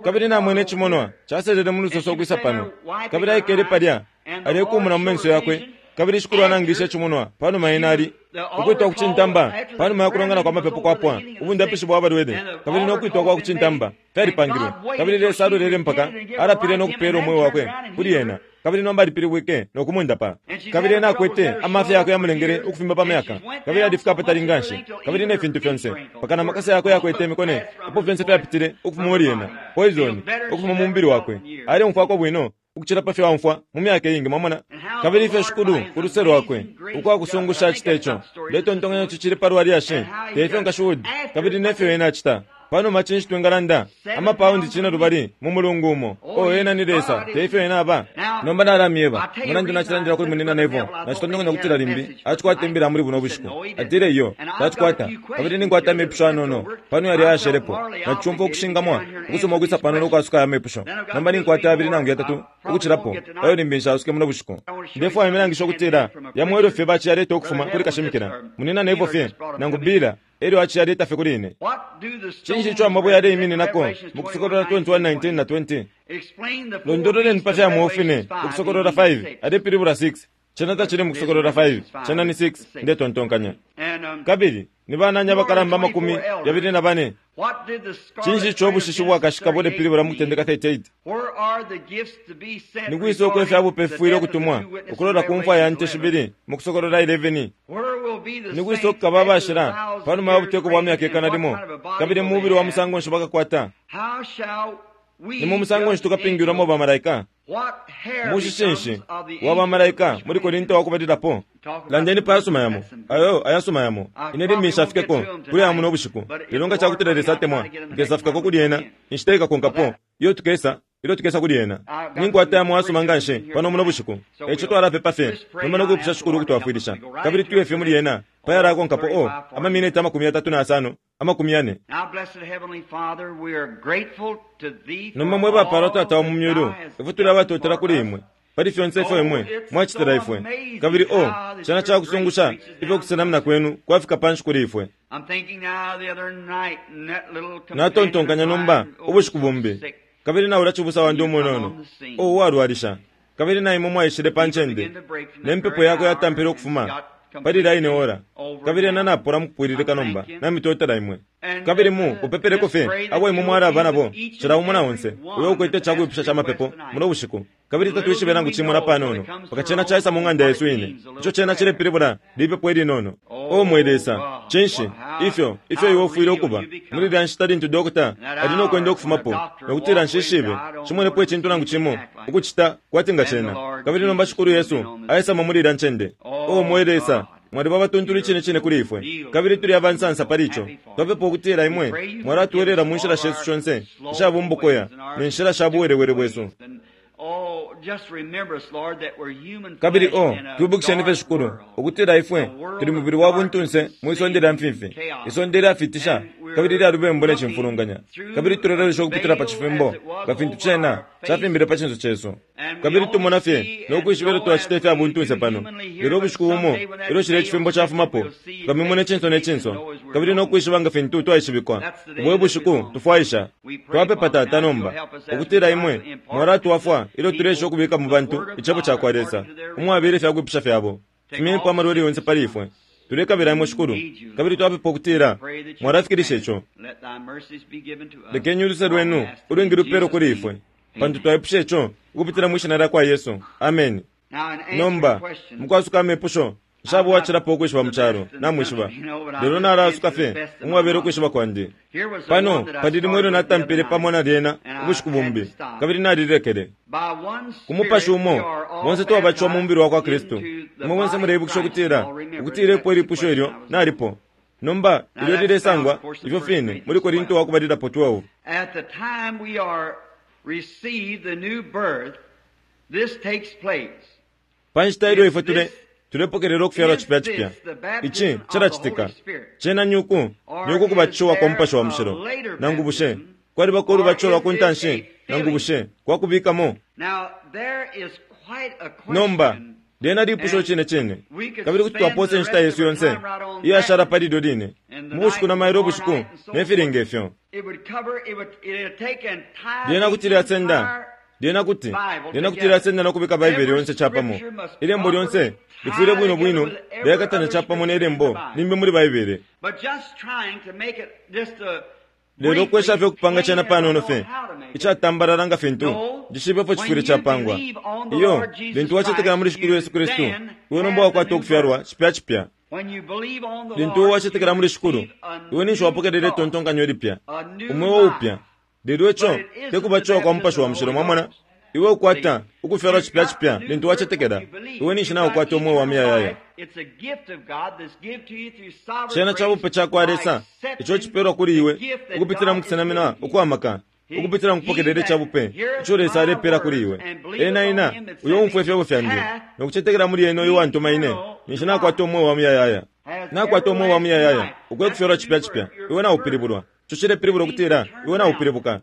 Kabili namwene icimonwa caselele mu lusoso ukwisa pano kabili aikele palya alekumuna mu menso yakwe kabili shikulu anangisha icimonwa panuma ena ali ukwitwa kucintamba panuma ya kulongana kwa mapepo kwapwa ubundapishi bwa balwele kabili nokwitwa kwa kucintamba fyalipangilwe. Kabili Lesa alolele mpaka alapile nokupela umweo wakwe kuli ena kabili nomba alipilibwike nokumundapa. Kabili ena akwete amafya yakwe yamulengele ukufimba pa myaka kabili alifika apatali nganshi kabili ne fintu fyonse mpaka na makasa yakwe yakwete imikone apo fyonse fyapitile ukufuma muli ena poison ukufuma mu mubili wakwe aleumfwako bwino ukucila pa fyo aumfwa mu myaka iingi mwamona. Kabili ifyo shikulu ku luse lwakwe ukwakusungusha acita ico letontonkanya cicili palwa lyashi tefyo nkashi Wood kabili nefyo ena acita panuma cinshi twingalanda amapaundi cine lubali mu mulungu umo o ena ni Lesa tefyo ena aba. Nomba nalamyeba mulandu nacilandila kuli munina Neville nacitontonkanya ukutila limbi acikwata imbila muli buno bushiku atile iyo tacikwata kabili ninkwata amepusho anono pano yali ayashelepo nacumfwa ukushingamwa ukusoma ukwisa pano nokwasuka aya mepusho nomba ninkwata abili nangu yatatu ukucilapo ayo limbi nshasuke muno bushiku. Ndefwaya imilangisha ukutila yamwelo fye baciyaleta ukufuma kuli kashimikila munina Neville fye nangu Bila Elyo aciyaleta fye kuli ine. Cinshi ico amabwe yaleimininako mu Kusokolola twenty-one nineteen na twenty? Londololeni pa fya mwofine Ukusokolola five alepilibula six. Cena tacili mu Kusokolola five, cena ni six, ndetontonkanya. Kabili ni banani abakalamba amakumi yabili na bane? Cinshi ico ubushishi ubwakashika bulepilibula mu Kutendeka thirty-eight? Ni kwisa uko ifya bupe fifwile ukutumwa ukulola ku mfwa ya nte shibili mu Kusokolola eleven? Ni kwisa ukukaba abashila panuma ya buteko bwa myaka ikana limo, kabili mu mubili wa musango nshi bakakwata? Ni mu musango nshi tukapingwilwamo bamalaika? Mushishi nshi wa bamalaika muli Korinto wa kubalilapo? Landeni pa yasuma yamo, ayo ayasuma yamo. Ine limbi nshafikeko kuli aya muno ubushiku, lelo nga cakutila Lesa atemwa, nkesafikako kuli ena inshita ikakonkapo iyo tukesa ilyo tukesa kuli ena. Ninkwata yamo ayasuma nga nshi pano muno bushiku, eico twalapepa fye nomba no kwipusha Shikulu ukutwafwilisha, kabili tuye fye muli ena pa yalakonkapo o amaminiti amakumi yatatu na yasano amakumi yane. Nomba mwe bapalwa Tata wa mu myulu, ifwe tuli abatotela kuli imwe pali fyonse ifyo imwe mwacitila ifwe, kabili o cena cakusungusha ifyo kusenamina kwenu kwafika panshi kuli ifwe. Natontonkanya nomba ubushiku bumbi, kabili naula cibusa wandi umunono o uwalwalisha, kabili na imwe mwaishile pa ncende ne mpepo yakwe yatampile ukufuma pali line ora, kabili ena napola mukupwililika nomba namitotela imwe. Kabili mu upepeleko fye abo imwe mwalaba nabo cila umo na onse uyo ukwete icakwipusha ca mapepo muno bushiku, kabili tatwishibe nangu cimo na panono mpaka cena caisa mu ng'anda yesu ine. Ico cena cilepilibula lipepo ilinono. O mwe Lesa, cinshi ifyo ifyo iwe ufwile ukuba muli lya nshita lintu dokota ali no kwenda ukufumapo nokutila nshishibe cimwenepo icintu nangu cimo ukucita kwati nga cena, kabili nomba Shikulu Yesu aisamo muli lya ncende. O mwe Lesa, mwaliba abatuntulu icine cine kuli ifwe, kabili tuli abansansa pali ico. Twapepa ukutila imwe mwalatwelela mu nshila shesu shonse ishabumbukoya ne nshila sha buwelewele bwesu. Kabili o twibukisheni fye Shikulu ukutila ifwe tuli mubili wa buntunse mwi sonde lya mfimfi, isonde lyafitisha kabili lyalubembu ne cimfulunganya, kabili tulelolesha ukupitila pa cifimbo nga fintu cena cafimbile pa cinso cesu. Kabili tumona fye no kwishiba ilyo twacita ifya buntunse pano, lelo ubushiku bumo ilyo cilya icifimbo cafumapo tukamimona icinso ne cinso, kabili no kwishiba nga fintu twaishibikwa. Ubo bushiku tufwaisha. Twapepa Tata nomba ukutila imwe mwalatwafwa ilyo tulesha ukubika mu bantu icebo cakwa Lesa umwabele ifya kwipusha fyabo. Fumyenipo amalwele yonse pali ifwe. Tulekabila imwe Shikulu, kabili twapepa ukutila mwalafikilisha ico. Lekeni uluse lwenu ulwingi lupelwe kuli ifwe, pantu twaipusha ico ukupitila mwi shina lyakwa Yesu. Ameni. Nomba mukwasuka amepusho, nshaba uwacilapo ukwishiba mu calo, namwishiba, lelo nalaasuka fye umwabele ukwishiba kwandi. Pano pali limwe ilyo natampile pamo na lyena ubushiku bumbi, kabili nalilekele. Ku mupashi umo bonse twabatishiwa mu mubili wakwa Kristu. Imwe bonse muleibukisha ukutila ukutila epo ilipusho ilyo nalipo. Nomba ilyo lilesangwa ifyo fine muli Korinto wa kubalilapo twelve. At the time we are received the new birth, this takes place. Pa nshita ilyo ifwe tule tulepokelela ukufyalwa cipya cipya, ici cilacitika. Cena nyuku nyuku kubatishiwa kwa mupashi wa mushilo, nangu bushe kwalibako ulubatisho lwa ku ntanshi, nangu bushe kwakubikamo? Nomba lyena lipusho cine cine, kabili kuti twaposa inshita yesu yonse iyashala pali ilyo line mu bushiku na mailo ubushiku ne filinga ifyo. Lyena kuti lyasenda lyena kuti lyena kuti lyasenda no kubika Baibele yonse capamo. Ilembo lyonse lifwile bwino bwino lyakatanya capamo ne lembo limbi muli Baibele. Lelo ukwesha fye ukupanga cena panono fye icatambalala nga fintu cishibe fyo cifwile capangwa. Iyo lintu wacetekela muli Shikulu Yesu Kristu, iwe nomba wakwata ukufyalwa cipya cipya. Lintu wacetekela muli Shikulu, iwe ninshi wapokelela itontonkanyo lipya, umweo upya. Lelo ico tekubatishiwa kwa mupashi wa mushilo, mwamona. Iwe ukwata ukufyalwa cipya cipya lintu wacetekela, iwe ninshi naukwata umweo wa muyayaya. Cena cabupe cakwa Lesa ico cipelwa kuli iwe ukupitila mu kusenamina ukwamaka, ukupitila mu kupokelela icabupe ico Lesa alepela kuli iwe. Ena ina uyo umfwa ifyebo fyandi nokucetekela muli ena uyo wantuma ine, ninshi nakwata umweo wa muyayaya. Nakwata umweo wa muyayaya ukwe kufyalwa cipya cipya, iwe naupilibulwa. Ico cilepilibula ukutila iwe naupilibuka.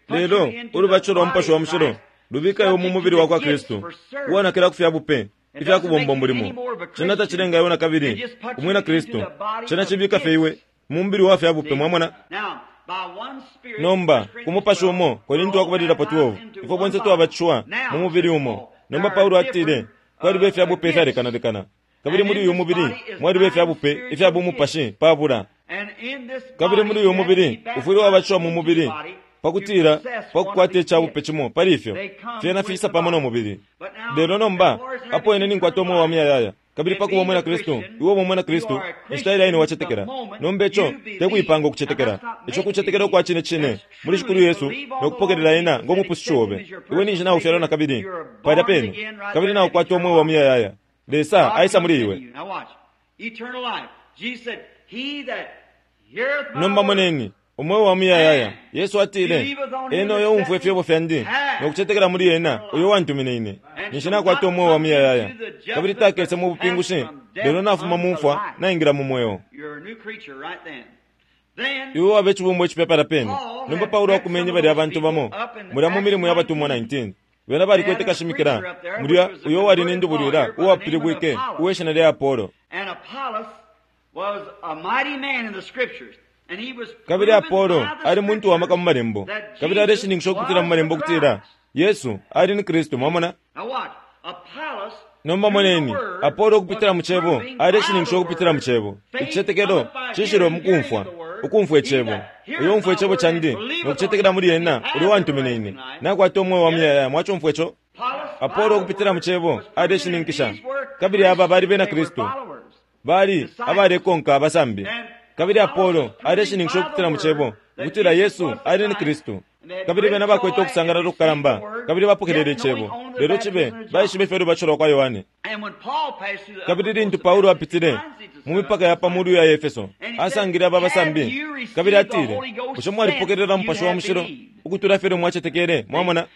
Lelo ulubatisho lwa mupashi wa mushilo lubika iwe mu mubili wakwa Kristu, uwanakila ku fya bupe Ifya kubomba mulimo cena tacilenga iwe na kabili umwina Kristu, cena cibika fye iwe mu mubili wa fya bupe. Mwamona? Nomba ku mupashi umo, Korinto wakubalilapo twelve, ifwe bonse twabatishiwa mu mubili umo. Nomba Paulo atile kwaliba ifya bupe ifyalekanalekana, kabili muli uyu mubili mwaliba ifya bupe ifya bumupashi pabula. Kabili muli uyu mubili ufwile wabatishiwa mu mubili pakutila pakukwata icabupe cimo pali ifyo fyena fiisa pamo no mubili. Lelo nomba apo ine ninkwata umweo wa muyayaya, kabili pakuba umwina Kristu, iwe uba umwina Kristu inshita ilya ine wacetekela. Nomba ico tekuipanga ukucetekela, ico kucetekela ukwa cine cine muli Shikulu Yesu nokupokelela ena ngo mupusushi obe. Iwe ninshi naufyalwa na kabili palya pene, kabili naukwata umweo wa muyayaya. Lesa aisa muli iwe. Nomba moneni umweo wa muyayaya. Yesu atile, ena uyo umfwa ifyebo fyandi nokucetekela muli ena uyo wantumine ine, ninshi nakwata umweo wa muyayaya, kabili takese mu bupingushi, lelo nafuma mu mfwa naingira mu mweo. Iwe wabe icibumbwa icipya palya pene. Nomba Paulo akumenye balya abantu bamo mulya mu milimo ya batumwa nineteen. Bena balikwete kashimikila mulya uyo wali ni ndubulwila uwapilibwike uweshina lya Apollo. Kabili Apollo ali muntu wa maka mu malembo, kabili aleshininkisha ukupitila mu malembo ukutila Yesu ali ni Kristu. Mwamona? Nomba moneni Apollo ukupitila mu cebo aleshininkisha ukupitila mu cebo. Icicetekelo cishilwe mu kumfwa, ukumfwa icebo. Uyo umfwa icebo candi nokucetekela muli ena uyo wantumine ine, nakwata umweo wa muyayaya. Mwacumfwa ico? Apollo ukupitila mu cebo aleshininkisha, kabili aba bali bena Kristu, bali abalekonka abasambi. Kabili Apollo aleshininkisha ukupitila mu cebo ukutila Yesu ali ni Kristu. Kabili bena bakwete ukusangalala ukukalamba, kabili bapokelele icebo, lelo cibe baishibe ifyo lubatisho lwa kwa Yohane. Kabili lintu Paulo apitile mu mipaka ya pamulu ya Efeso, asangile aba basambi, kabili atile, bushe mwalipokelela Mupashi wa Mushilo ukutula fye mwacetekele? Mwamona?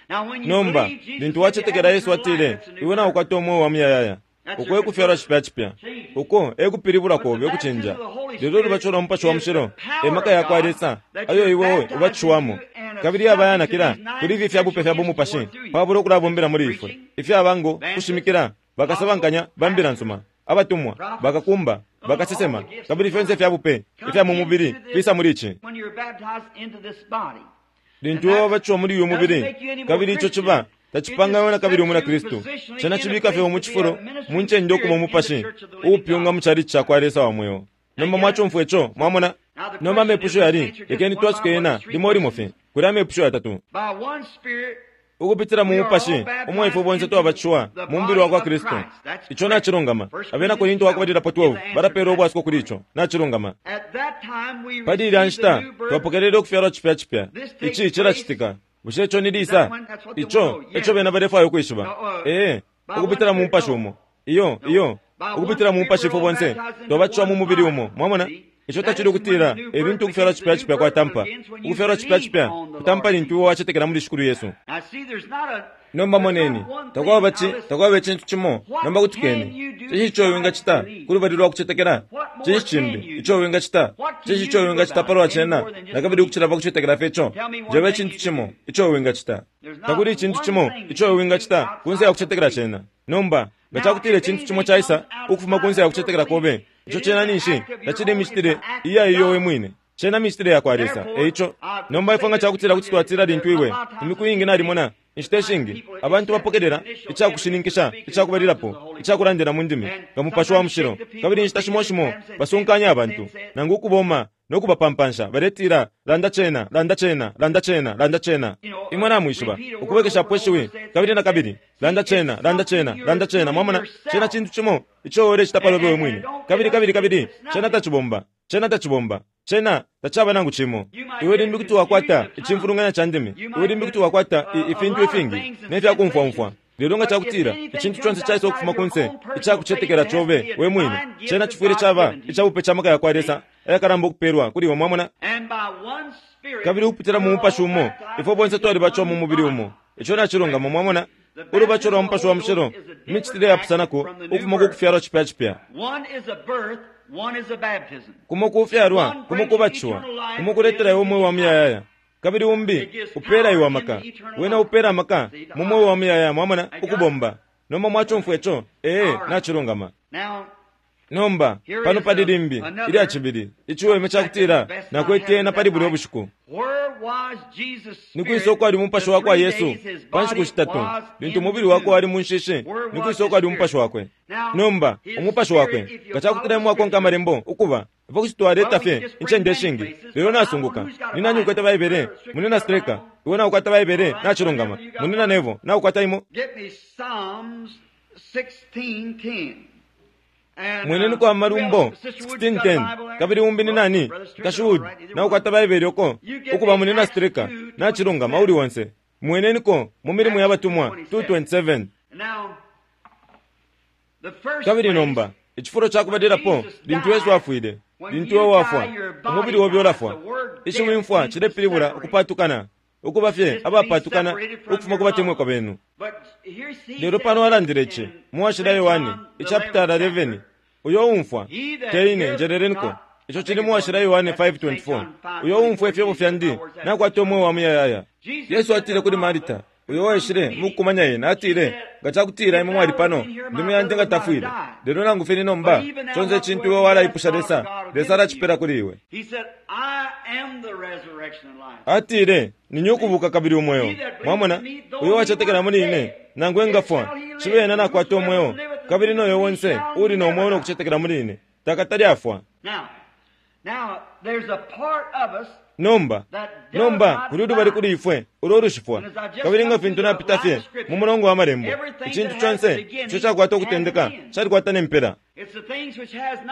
Nomba lintu wacetekela Yesu atile, iwe naukwata umweo wa muyayaya. Uko ekufyalwa cipya cipya, uko ekupilibula kobe ukucinja. Lelo ulubatisho lwa Mupashi wa Mushilo emaka ya kwa Lesa ayo iwewe ubatishiwamo, kabili abayanakila kuli ifi ifya bupe fya bumupashi pabula ukulabombela muli ifwe, ifyaba ngo kushimikila, bakasabankanya ba mbila nsuma, abatumwa, bakakumba, bakasesema, kabili fyonse ifya bupe ifya mu mubili fisa muli ici. Lintu iwe wabatishiwa muli uyu mubili, kabili ico ciba tacipanga na kabili umwina Kristu, cena cibika fye mu cifulo mu ncende ukuba umupashi uupyunga mu chalichi ca kwa Lesa wa mweo. Nomba mwacumfwa ico? Mwamona? Nomba amepusho yali, lekeni twasuke yena limo limo fye. Kuli amepusho yatatu. Ukupitila mu mupashi umwe ifwe bonse twabatishiwa mu mubili wa kwa Kristu. Ico nacilungama. Abena Korinto wakubalilapo twelve balapeela ubwasuko kuli ico. Nacilungama. Pali ilya nshita twapokelele ukufyalwa cipya cipya. Ici cilacitika. Bushe ico ni lisa? Ico eco bena balefwaya ukwishiba. Ee, ukupitila mu mupashi umo. Iyo, iyo, ukupitila mu mupashi ifwe bonse twabatishiwa mu mubili umo. Mwamona? Ico tacili ukutila ebintu ukufyalwa cipya cipya kwatampa. Ukufyalwa cipya cipya kutampa lintu iwe wacetekela muli Shikulu Yesu. Nomba moneni, takwaba ci, takwaba icintu cimo. Nomba kutikeni, cinshi ico wingacita kulubali lwa kucetekela? Cinshi cimbi ico wingacita? Cinshi ico wingacita palwa cena na kabili ukucila pa kucetekela fye ico? Njeba icintu cimo ico wingacita. Takuli icintu cimo ico wingacita kunse ya kucetekela cena. Nomba nga cakutila icintu cimo caisa ukufuma kunse ya kucetekela kobe, ico cena ninshi tacili imicitile iya iyo we mwine, cena micitile ya kwa Lesa. Eico nomba ifwe nga cakutila kuti twatila lintu iwe imiku iingi nalimona inshita ishingi abantu bapokelela icakushininkisha icakubalilapo icakulandila mu ndimi nga Mupashi wa Mushilo, kabili inshita shimo shimo basunkanya abantu nangu ukuboma nokubapampansha baletila, landa cena, landa cena, landa cena, landa cena. Imwe namwishiba ukubwekeshapo ishiwi kabili na kabili, landa cena, landa cena, landa cena. Mwamona, cena cintu cimo ico ulecita palobe we mwine, kabili kabili kabili cena tacibomba, cena tacibomba, cena tacaba nangu cimo. Iwe limbi kuti wakwata icimfulunganya ca ndimi, iwe limbi kuti wakwata ifintu ifingi nefyakumfwamfwa, lelo nga cakutila icintu conse caisa ukufuma kunse icakucetekela cobe we mwine, cena cifwile caba icabupe ca maka ya kwa Lesa ayakalamba ukupelwa kuli iwe. Mwamona? Kabili ukupitila mu mupashi umo ifwe bonse twalibatishiwa mu mubili umo. Ico nacilungama. Mwamona? Ulubatisho lwa Mupashi wa Mushilo micitile yapusanako ukufuma ku kufyalwa cipya cipya. Kumo kufyalwa, kumo kubatishiwa, kumo kuletela iwe umweo wa muyayaya, kabili umbi upela iwe amaka. Wena upela amaka mu mweo wa muyayaya. Mwamona? Ukubomba. Nomba mwachumfwa ico? Ee, nachilungama. Nomba pano pali limbi ilya cibili iciweme cakutila nakwete pali bulya bushiku. Nikwisa ukwali umupashi wakwa Yesu pa nshiku shitatu lintu umubili wakwe wali mu nshishi? Nikwisa ukwali umupashi wakwe? Nomba umupashi wakwe nga cakutila mwakonka amalembo ukuba ifwe kuti twaleta fye incende ishingi. Lelo nasunguka ni nani ukwete Baibele? Munina Streka, iwe naukwata Baibele? Nachilungama. Munina Nevo, naukwata imo? Mweneni kwa Malumbo sixteen ten. Kabili umbi ni nani? Kashuhudi, naukwata Baibele uko ukuba munina Streka? Nachilungama uli wonse. Mweneniko mu milimo ya batumwa two twenty-seven. Kabili nomba icifulo cakubalilapo lintu Yesu afwile, lintu iwe wafwa, umubili wobe ulafwa. Ishiwi mfwa cilepilibula ukupatukana, ukuba fye abapatukana ukufuma ku batemwikwa benu. Lelo pano alandile ici mu Washila Yohane ichapitala eleven, uyo umfwa teine njeleleniko. Ico cili mu Washila Yohane five twenty-four, uyo umfwa ifyebo fyandi nakwata umweo wa muyayaya. Yesu atile kuli Marita, uyo waishile mukukumanya yena, atile, nga cakutila imwe mwali pano, ndume yandi nga tafwile. Lelo nangu fye ni nomba, conse icintu iwe walaipusha Lesa, Lesa alacipela kuli iwe. Atile, ninye ukubuka kabili umweo. Mwamona, uyo wacetekela muli ine, nangu engafwa, cibe ena nakwata umweo, kabili noyo wonse uli no mweo nokucetekela muli ine, takatali afwa. Nomba, nomba kuli ulubali kuli ifwe ulo ulushifwa. Kabili nga fintu napita fye mu mulongo wa malembo, icintu conse ico cakwata ukutendeka calikwata nempela.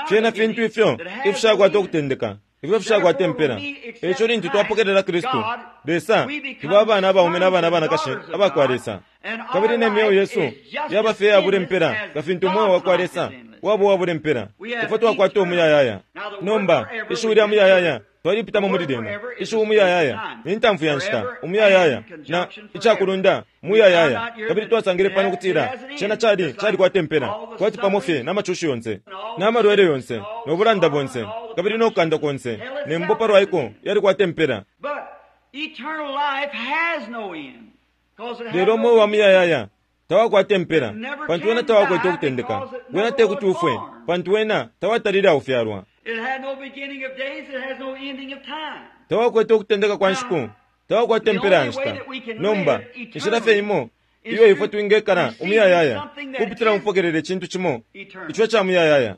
Fyena fintu ifyo ifishakwata ukutendeka, ifyo fishakwata impela. Eico lintu twapokelela Kristu, Lesa, tuba abana abaume n'abana abanakashi abakwa Lesa. Kabili ne myeo yesu yaba fye yabula impela nga fintu umweo wakwa Lesa waba uwabula impela. Ifwe twakwata umuyayaya. Nomba ishiwi lya muyayaya twalipitamo muli lyena. Ishiwi umuyayaya ni ntamfu ya nshita, umuyayaya na icakulunda muyayaya. Kabili twasangile pano kutila cena cali calikwata impela, kwati pamo fye n'amacushi yonse n'amalwele yonse n'obulanda bonse kabili n'okukanda konse nembo palwaiko yalikwata impela. Lelo umweo wa muyayaya tawakwata impela, pantu wena tawakwete ukutendeka. Wena tekuti ufwe, pantu wena tawatalile aufyalwa. Tawakwete ukutendeka kwa nshiku, tawakwata impela ya nshita. Nomba inshila fye imo iyo ifwe twingekala umuyayaya kupitila mupokelele icintu cimo ico ca muyayaya.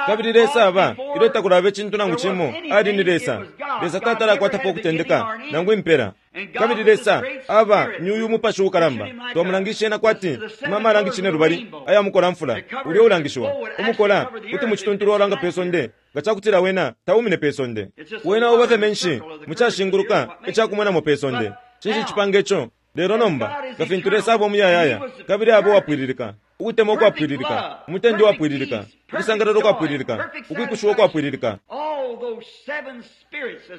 Kabili Lesa aba ilyo takulaba icintu nangu cimo, ali ni Lesa. Lesa tatalakwatapo ukutendeka nangu impela. Kabili Lesa aba ni uyu mupashi ukalamba. Twamulangisha ena kwati mama alangisha lubali aya mukola mfula ulyo ulangishiwa umukola kuti mucituntulu walanga pe sonde nga cakutila wena taumine pe sonde. Wena uba fye menshi mucashinguluka icakumwenamo pe sonde. Cinshi cipanga ico? Lelo nomba nga fintu Lesa aba umuyayaya kabili aba uwapwililika, ukutemwa ukwapwililika, umutende uwapwililika, ukusangalala ukwapwililika, ukwikushiwa ukwapwililika,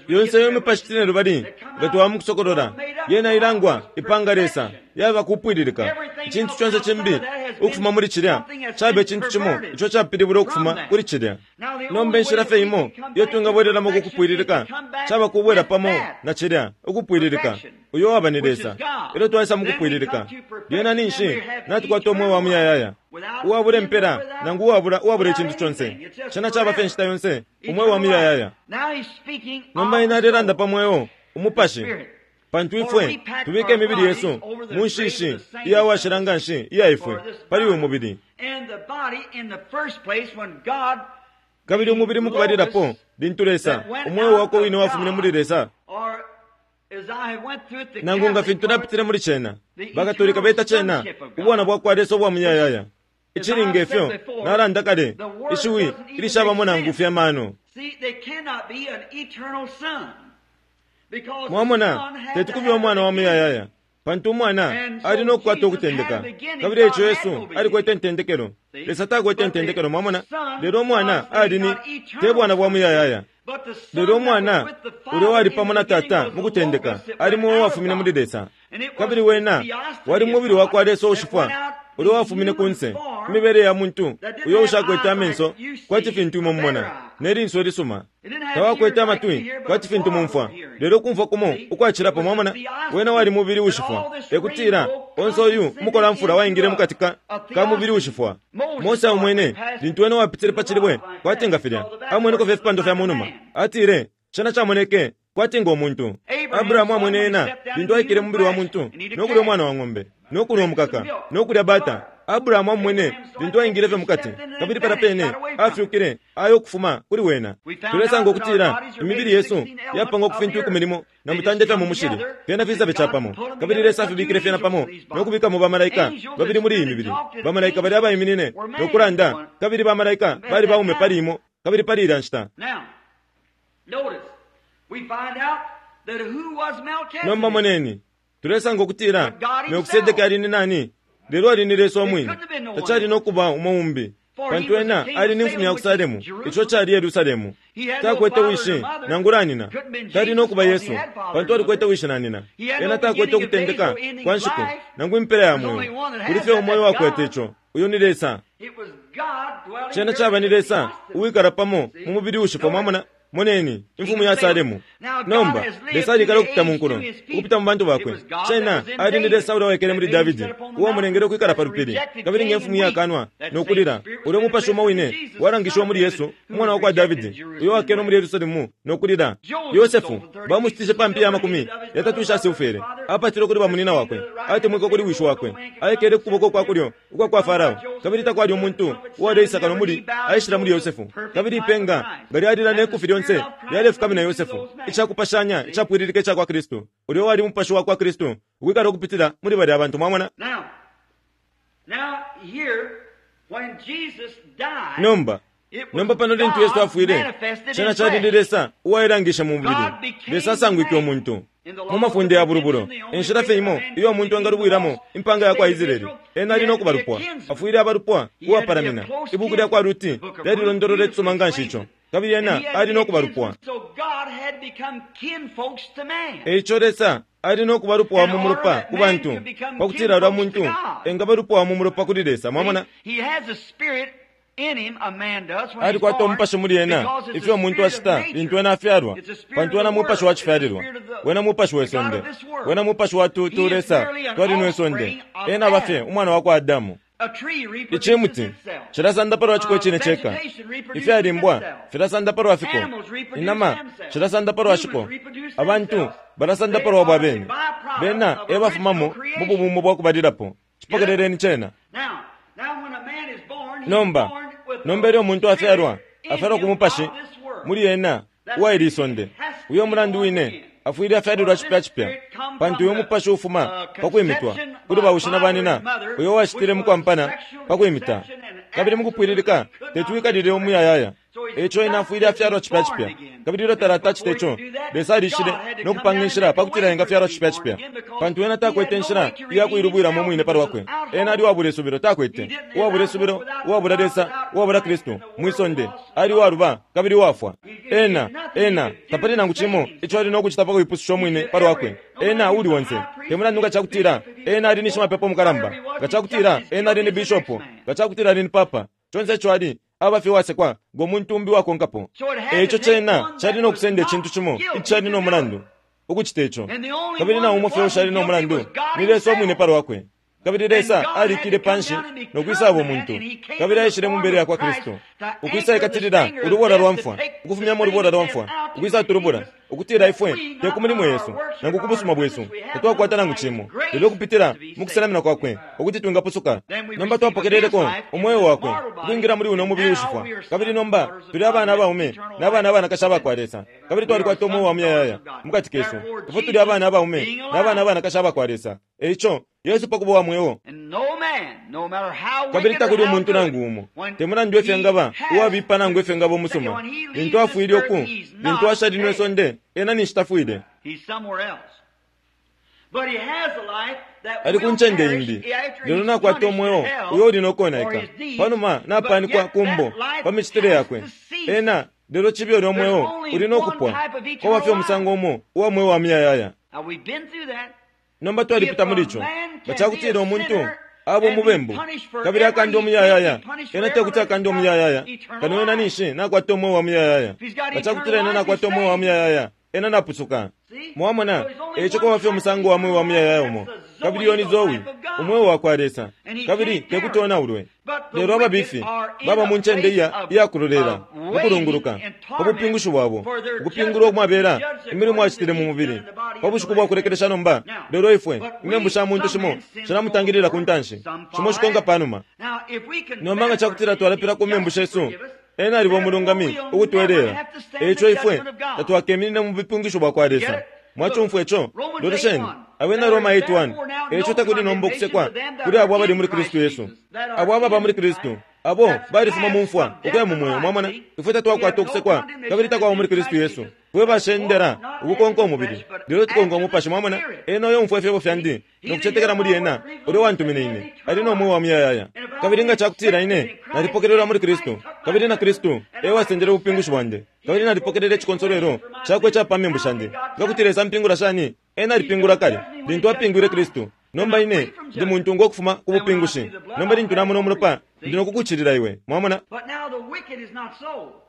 yonse iyo mipashi cine lubali nga twamukusokolola yena ilangwa ipanga Lesa yaba kupwililika. Icintu conse cimbi ukufuma muli cilya caba icintu cimo ico capilibula ukufuma kuli cilya. Nomba inshila fye imo iyo twingabwelelamo ku kupwililika caba kubwela pamo na cilya ukupwililika, uyo waba ni Lesa. Ilyo twaisa mu kupwililika, lyena ninshi natukwata umweo wa muyayaya uwabula impela nangu uwabula uwabula icintu conse. Cena caba fye nshita yonse umweo wa muyayaya. Nomba ine alelanda pa mweo umupashi, pantu ifwe tubike imibili yesu mu nshishi iya washila nga nshi iya ifwe pali uyu mubili. Kabili umubili mukubalilapo lintu Lesa umweo wakwe wine wafumine muli Lesa, nangu nga fintu napitile muli cena, bakatolika beta cena ubwana bwakwa Lesa ubwa muyayaya. Icilinga ifyo nalanda kale, ishiwi ilishabamo nangu fye amano. Mwamona, tetukubi umwana wa muyayaya, pantu umwana ali nokukwata ukutendeka. Kabili eico Yesu alikwete ntendekelo, Lesa takwete ntendekelo. Mwamona, lelo umwana ali ni te bwana bwa muyayaya. Lelo umwana ulyo wali pamo na tata mukutendeka ali muwo wafumine muli Lesa. Kabili wena wali mubili wakwa Lesa ushifwa ulyo wafumine kunse imibele ya muntu uyo ushakwete amenso kwati fintu imwe mumona nelinso lisuma, tawakwete amatwi kwati fintu mumfwa, lelo kumfwa kumo ukwacilapo. Mwamona, wena wali mubili ushifwa, ekutila Onse uyu umukolamfula waingile mukati ka ka mubili ushifwa. Mose amwene lintu wene wapitile pa cilibwe kwati nga filya, amweneko fye ifipando fya munuma. Atile cena camoneke kwati ngo muntu. Abrahamu amwene ena lintu aikile mubili wa muntu no kulya umwana wa ng'ombe no kunwa umukaka no kulya bata. Abrahamu amwene lintu aingile fye mukati, kabili pala pene afyukile ayo kufuma kuli wena. Tulesanga ukutila imibili yesu yapangwa ku fintu ikumi limo na mutande fya mu mushili, fyena fisabe capamo, kabili Lesa afibikile fyena pamo no kubikamo bamalaika babili muli iyi mibili. Bamalaika bali abaiminine no kulanda, kabili bamalaika bali baume pali imo kabili pali ilya nshita. Now, notice, we find out that who was Melchizedek? Nomba moneni, tulesanga ukutila Melkisedeki ali ni nani? Lelo ali ni Lesa umwine. Tacali no kuba umo umbi, pantu ena ali ni mfumu ya ku Salemu, ico cali Yerusalemu. Takwete wishi nangula nina. Tali no kuba Yesu, pantu alikwete wishi na nina. Ena takwete ukutendeka kwa nshiku nangu impela ya mweo. Kuli fye umoyo wakwete ico, uyu ni Lesa. It was God dwelling Cena here caba ni in the Lesa uwikala pamo mu mubili ushifwa. Mwamona? Moneni, imfumu ya Salemu. Nomba Lesa alikala ukupita mu nkulo, ukupita mu bantu bakwe. Cena ali ni Lesa ulya waikele muli Davidi, uwamulengele ukwikala pa lupili, kabili nge mfumu iyakanwa no kulila. Ulya umupashi umo wine walangishiwa muli Yesu, umwana wa kwa Davidi, uyo wakenwe muli Yerusalemu no kulila. Yosefu bamushitishe pa mpiya amakumi yatatu isha silfere, apatile kuli bamunina wakwe, atemwikwa kuli wishi wakwe, aikele ku kuboko kwa kulyo ukwa kwa Farao, kabili takwali umuntu uwaleisaka no muli aishila muli Yosefu. Kabili ipenga nga lyalila ne kufi lyonse lyalefukamina Yosefu, icakupashanya icapwililika ica kwa Kristu, ulya wali umupashi wa kwa Kristu ukwikala ukupitila muli balya abantu. Mwamona? Now, now here, when Jesus died, Nomba it was nomba pano lintu Yesu God afwile, manifested cena in cali ni flesh. Lesa uwailangishe mu mubili. Lesa asangwike umuntu mu mafunde ya bulubulo. Enshila fye imo iyo umuntu engalubwilamo impanga ya kwa Israeli, ena ali no kuba lupwa, afwile abalupwa uwapalamina. Ibuku lya kwa Ruti lyalilondolola icisuma nga nshi ico, kabili ena ali no kuba lupwa. So God had become kinfolks to man. Eico Lesa ali no kuba lupwa wa mu mulopa ku bantu, pakutila ulya muntu engaba lupwa wa mu mulopa kuli Lesa. Mwamona? He has a spirit in him, a man does, when he's Alikwata born, umupashi muli ena, because it's ifyo the umuntu spirit of ashita nature. lintu ena afyalwa, It's the spirit pantu of ena the mupashi world. wa It's the chifyalilwa, spirit of the, wena mupashi we the God sonde, of this world. wena mupashi wa He tutu is Lesa merely an twali nwe sonde, offspring of ena aba fye Adam. umwana wa kwa Adamu. A tree reproduces Icimuti itself. cilasanda palwa ciko Uh, icine ceka, vegetation reproduces ifyalimbwa itself. filasanda palwa fiko, Animals reproduce inama themselves. cilasanda palwa shiko, Humans reproduce abantu themselves. balasanda They palwa bwa are the bene. byproduct Bena of e bafumamo original mu creation. bubumbo bwa kubalilapo. Cipokeleleni cena. Now, now when a man is born, he's Nomba born with nomba the ilyo umuntu afyalwa, spirit in afyalwa ku him mupashi of this world. muli ena That uwaili isonde. has to Uyo be mulandu born wine again. afwile afyalilwa For this cipya cipya, spirit come pantu from uyo the mupashi ufuma uh, pa kwimitwa conception kuli by bawushi na father banina, and mother, uyo washitile which mu was kwampana sexual pa kwimita, conception and kabili mu kupwililika absolutely could not tetuwikalile be umuyayaya. So he's Eico ena got afwile to be afyalwa cipya born cipya, again. kabili ilyo And talatacita before he ico, could do that, Lesa alishile God had to no come kupanga down and inshila make a pakutila way for him engafyalwa to be cipya born cipya, again because pantu ena he had takwete no inshila way to iya redeem kuilubwilamo himself. umwine He palwa was kwe. without Ena ali hope. uwabula isubilo, He takwete didn't uwabula without hope, isubilo, without uwabula God, Lesa, without uwabula Christ, Kristu and the mwi world sonde, lost and ali gone. uwaluba kabili uwafwa. He, he did Ena nothing he ena could do tapali to nangu save cimo himself. ico ali no kucita pa kuipususha He umwine did palwa every, kwe. no matter Ena he was uli a onse high priest, te he mulandu nga was a cakutila bishop, if he was ena a ali ni pope, shimapepo whatever mukalamba, he was, nga he just cakutila as ena ali guilty ni as the next bishopu, man. nga cakutila ali ni papa, conse ico ali aba fye uwasekwa ngo muntu umbi wakonkapo. So it had to Eico take cena one cali that no was kusenda not icintu cimo guilty icali to no do it. mulandu ukucita ico, And the only kabili na one umo that fye ushali wasn't no guilty mulandu was God ni Lesa umwine himself. palwa kwe. Kabili And Lesa God had to alikile come panshi down and no become kwisaba man, umuntu, and he came kabili in the aishile mu form mbele ya of kwa Christ Kristu to anchor ukwisa the ikatilila stinger of ulubola death, lwa to mfwa, take the ukufumyamo sting ulubola of lwa death mfwa, out to ukwisa redeem tulubula, us, ukutila that ifwe we, te not ku by mulimo our yesu works or nangu ku our busuma bwesu, goodness, we have none tatwakwata by nangu his cimo, grace lelo kupitila to be mu saved. kusenamina kwakwe ukuti twingapusuka. Then we Nomba receive of his twapokeleleko life into umweo this wakwe mortal body, ukwingila muli uno and mubili now ushifwa, we are kabili sons and nomba daughters of tuli God abana and have abaume eternal n'abana life abanakashi within. abakwa Lesa, kabili We are twalikwata umweo sons wa and daughters muyayaya of God. mukati kesu. Therefore, Ifwe tuli Jesus, abana abaume being n'abana alive, abanakashi abakwa Lesa. Eico Yesu pakuba wa mweo, and no man, no matter how kabili wicked or takuli how umuntu good, nangu umo when te mulandu efyo he engaba has uwabipa nangu to, efyo engaba umusuma, when he leaves lintu this afwile earth, oku he's lintu not ashali nwe dead. sonde ena ninshi tafwile, He's somewhere else. But he has a life that ali ku will ncende perish imbi, after lelo he's nakwata punished in umweo hell uyo uli no for konaika his deeds, panuma but napanikwa yet ku mbo that life pa micitile has yakwe. to cease. Ena lelo cibi ulya There's umweo only uli no one kupwa, type of kwaba eternal fye umusango life. umo uwa mweo wa muyayaya. Now we've been through that. Nomba If twalipita a muli ico. man Nga can be cakutila a umuntu sinner aba and be umubembu punished kabili forever, akanda he can't be umuyayaya, punished ena forever tekuti unless he's akande got umuyayaya, eternal kano ena life. ninshi nakwata umweo wa muyayaya. If he's got Nga eternal cakutila ena life, he's nakwata umweo wa saved. muyayaya, ena napusuka. See? Mwamona? So there's only Eico one kwaba fye type of umusango wa mweo eternal wa life, muyayaya and umo, that's the Kabili iyo ni Zoe, umweo wakwa Lesa, kabili tekuti onaulwe. Lelo ababifi baba mu ncende iya iyakulolela mukulunguluka pa bupingushi bwabo, ukupingulwa umwabela imilimo acitile mu mubili pa bushiku bwa kulekelesha nomba. Lelo ifwe imembu sha muntu shimo shilamutangilila ku ntanshi, shimo shikonka pa numa. Nomba nga cakutila twalapila ku membu shesu, ena aliba umulungami ukutwelela. Eico ifwe tatwakeminine mu bupingushi bwa kwa Lesa. Mwacumfwa ico? Lolesheni Abena Roma eight one. Eico takuli nomba ukusekwa kuli abo abali muli Kristu Yesu, abo ababa muli Kristu, abo balifuma mu mfwa ukuya mu mweo. Mwamona, ifwe tatwakwata ukusekwa kabili takwaba muli Kristu Yesu. Fwe bashendera ukukonka umubili, lelo tukonka umupashi. Mwamona, ena uyo umfwa ifyebo fyandi no kucetekela muli ena ulyo wantumine ine ali no mweo wa muyayaya. Kabili nga cakutila ine nalipokelelwa muli Kristu, kabili na Kristu e wasendele ubupingushi bwandi, kabili nalipokelele icikonsolwelo cakwe ica pa membu shandi, nga kuti Lesa ampingula shani? Ena alipingula kale lintu apingwile Kristu. Nomba ine ndi muntungwa ukufuma ku bupingushi. Nomba lintu namona umulopa, ndi no kukucilila iwe. Mwamona?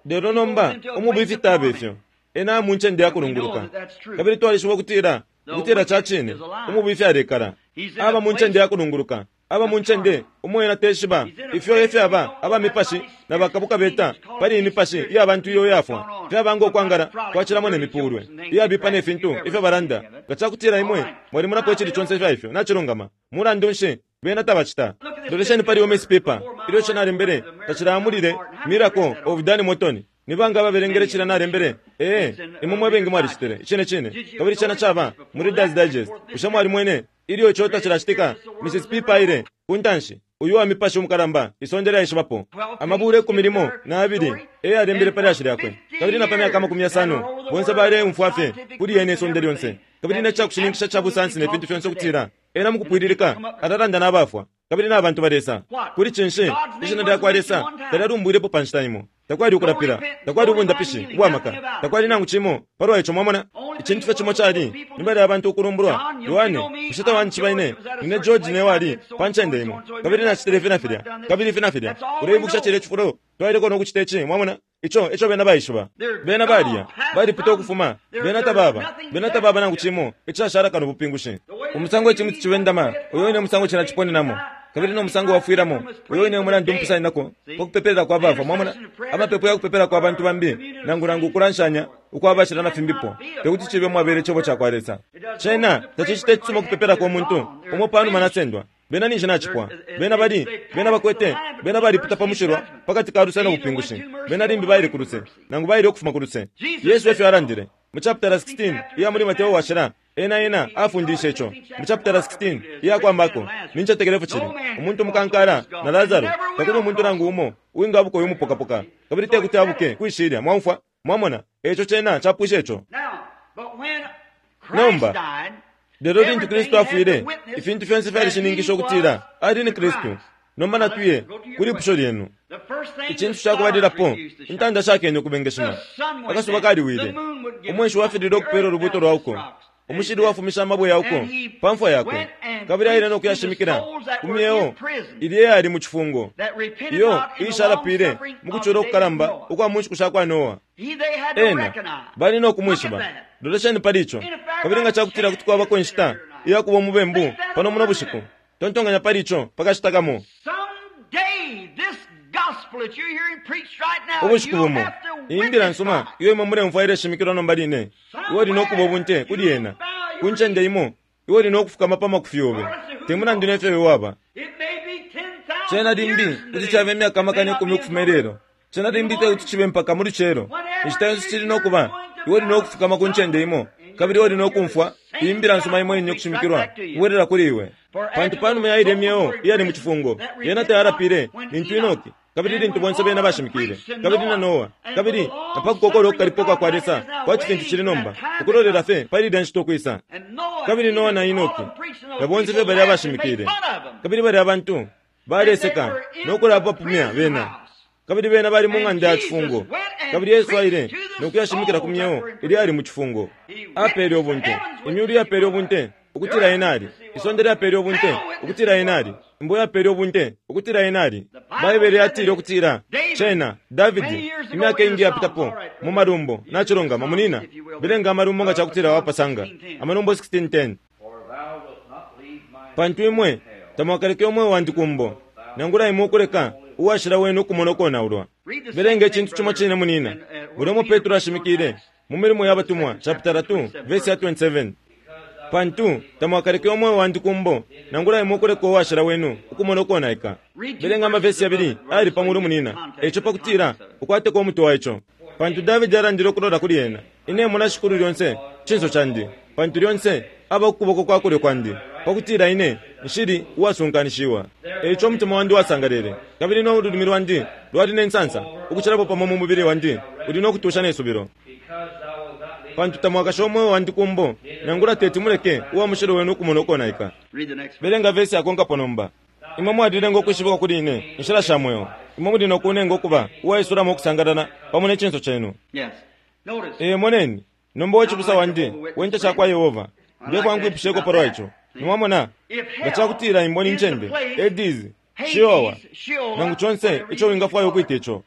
Lelo nomba umubifi taba ifyo, ena mu ncende ya kulunguluka. Kabili twalishiba ukutila ukutila ca cine umubifi alekala aba mu ncende ya kulunguluka, aba mu ncende umo ena teshiba ifyo efyaba aba mipashi na bakabuka beta pali imipashi iya bantu iyo yafwa, fyaba ngo kwangala kwacilamo ne mipulwe iyabipa ne fintu ifyo balanda. Nga cakutila imwe mwalimunapo icili conse ifya ifyo, nacilungama. Mulandu nshi bena tabacita? Lolesheni pali Miss Piper ilyo cena alembele tacilamulile Miracle of Dan Morton. Ni banga ababelengele cila nalembele? Ee, imwe mwebengi mwalicitile icine cine. Kabili cena caba mu Reader's Digest. Bushe mwalimwene ilyo ico tacilacitika? Missus Piper aile ku ntanshi, uyu wa mipashi umukalamba isonde lyaishibapo, amabula ikumi limo na abili e yalembele pa lyashi lyakwe, kabili na pa myaka amakumi yasano bonse baleumfwa fye kuli yene isonde lyonse, kabili ne cakushininkisha ca busansi ne fintu fyonse ukutila ena mukupwililika alalanda n'abafwa kabili n'abantu balesa. Kuli cinshi ishina lya kwa Lesa talyalumbwilepo pa nshita imo? Takwali ukulapila, takwali ubundapishi ubwamaka, takwali nangu cimo palwa ico. Mwamona, icintu fye cimo cali ni balya abantu ukulumbulwa. Yohane, bushe tawanishiba ine? Nine George ne wali pa ncende imo, kabili nacitile ifi na filya, kabili ifi na filya. Uleibukisha cilya cifulo twaileko no kucita ici? Mwamona, ico eco bena baishiba. Bena balya balipita ukufuma, bena tababa, bena tababa nangu cimo icashala kano bupingushi. Umusango icimuti ciwendama, uyo ine musango cina ciponenamo, kabili no musango wafwilamo, uyo ine mulandu mpusaninako pa kupepela kwa bafwa. Mwamona, amapepo ya kupepela kwa bantu bambi nangu nangu ukulanshanya ukwabashila na fimbipo tekuti cibe mwabele icebo ca kwa Lesa. Cena tacicita icisuma ukupepela kwa muntu umo panuma nasendwa. Bena ninshi nacipwa, bena bali, bena bakwete, bena balipita pa mushilwa pakati ka luse no bupingushi. Bena limbi baile ku luse nangu baile ukufuma ku luse. Yesu efyo alandile mu chapter sixteen iya muli Mateo washila. Ena ena afundishe ico mu chapter sixteen iya kwa Marko. Nincetekelefu cili umuntu mukankala na Lazaro, takuli umuntu nangu umo uwingabuka uyu mupokapoka, kabili tekuti abuke kwishilya. Mwaumfwa? Mwamona, eco cena capwisha ico. Nomba lelo lintu Kristu afwile, ifintu fyonse fyalishininkisha ukutila ali ni Kristu. Nomba natuye kuli ipusho lyenu. Icintu cakubalilapo, intanda shakene ukubengeshima, akasuba kaliwile, umweshi wafilile ukupela ulubuto lwauko, umushili wafumisha amabwe yauko pa mfwa yakwe, kabili aile no kuyashimikila ku myeo ilye yali mu cifungo, iyo iishalapile mu kucula ukukalamba ukwa mu nshiku sha kwa Noa. Ena bali no kumwishiba. Lolesheni pali ico. Kabili nga cakutila kuti kwabako inshita iya kuba umubembu pano muno bushiku, tontonganya pali ico pakashita kamo. Ubushiku bumo iyi mbila nsuma iyo imwe mulemfwa ileshimikilwa nomba line, iwe uli no kuba ubunte kuli yena ku ncende imo. Iwe uli no kufukama pa makufi yobe, te mulandu nefyo iwe waba. Cena limbi kuti caba imyaka amakana ikumi ukufuma ilelo, cena limbi tekuti cibe mpaka mu lucelo. Inshita yonse cili no kuba, iwe uli no kufukama ku ncende imo, kabili iwe uli no kumfwa iyi mbila nsuma imo ine ukushimikilwa kubwelela kuli iwe. Pantu panuma ya ilya myeo iyali mu cifungo, yena tayalapile lintu Enoki, kabili lintu bonse bena bashimikile, kabili na Noa, kabili na pa kukokola ukukalipa kwa Lesa kwati fintu cili nomba, ukulolela fye pali ilya nshita ukwisa. Kabili Noa na Enoki na bonse fye balya bashimikile, kabili balya bantu baleseka no kulapapumya bena, kabili bena bali mu ng'anda ya cifungo. Kabili Yesu aile no kuyashimikila ku myeo ilya ali mu cifungo. Apele ubunte, imyulu yapele ubunte ukutila ena ali, isonde lyapele ubunte ukutila ena ali, imbo yapele ubunte ukutila ena ali. Baibele yatile ukutila cena Davidi imyaka ingi yapitapo mu malumbo. Nacilungama munina, belenga amalumbo nga cakutila wapasanga Amalumbo sixteen ten. For thou wilt not leave my Pantu imwe tamwakaleke umweo wandi kumbo, nangula imwe ukuleka uwashila wenu ukumona ukonaulwa. Belenga icintu cimo cine munina ulya Petro ashimikile mu milimo ya batumwa chapter two verse ya twenty-seven. Pantu tamwakaleke umweo wandi kumbo, nangula imwe ukuleka uwashila wenu ukumona ukonaika. Belenga amavesi yabili ali pamulu munina eco pakutira ukwateko umutwe wa ico. Pantu Davidi alandile ukulola kuli ena, ine mona shikulu lyonse cinso candi, pantu lyonse aba ukuboko kwa kulyo kwandi, pakutira ine nshili uwasunkanishiwa. Eco umutima wandi wasangalele, kabili no ululimi lwandi lwali nensansa, ukucilapo pamo mu mubili wandi uli nokutusha nesubilo. Pantu tamwakasha umweo wandi kumbo, nangula teti muleke uwa mushilo wenu ukumona ukonaika. Belenga vesi akonkapo nomba. Imwe mwalilenga ukwishibikwa kuli ine inshila sha mweo, imwe muli nokunenga ukuba uwaisulamo ukusangalala pamo ne cinso cenu. Ee, moneni nomba wechibusa wandi wencha chakwa Yehova, ndekwa nkwipisheko palwa ico. Nimwamona nga cakutila imbo ni ncende Hades, Sheol, nangu conse ico wingafwaya ukwita ico.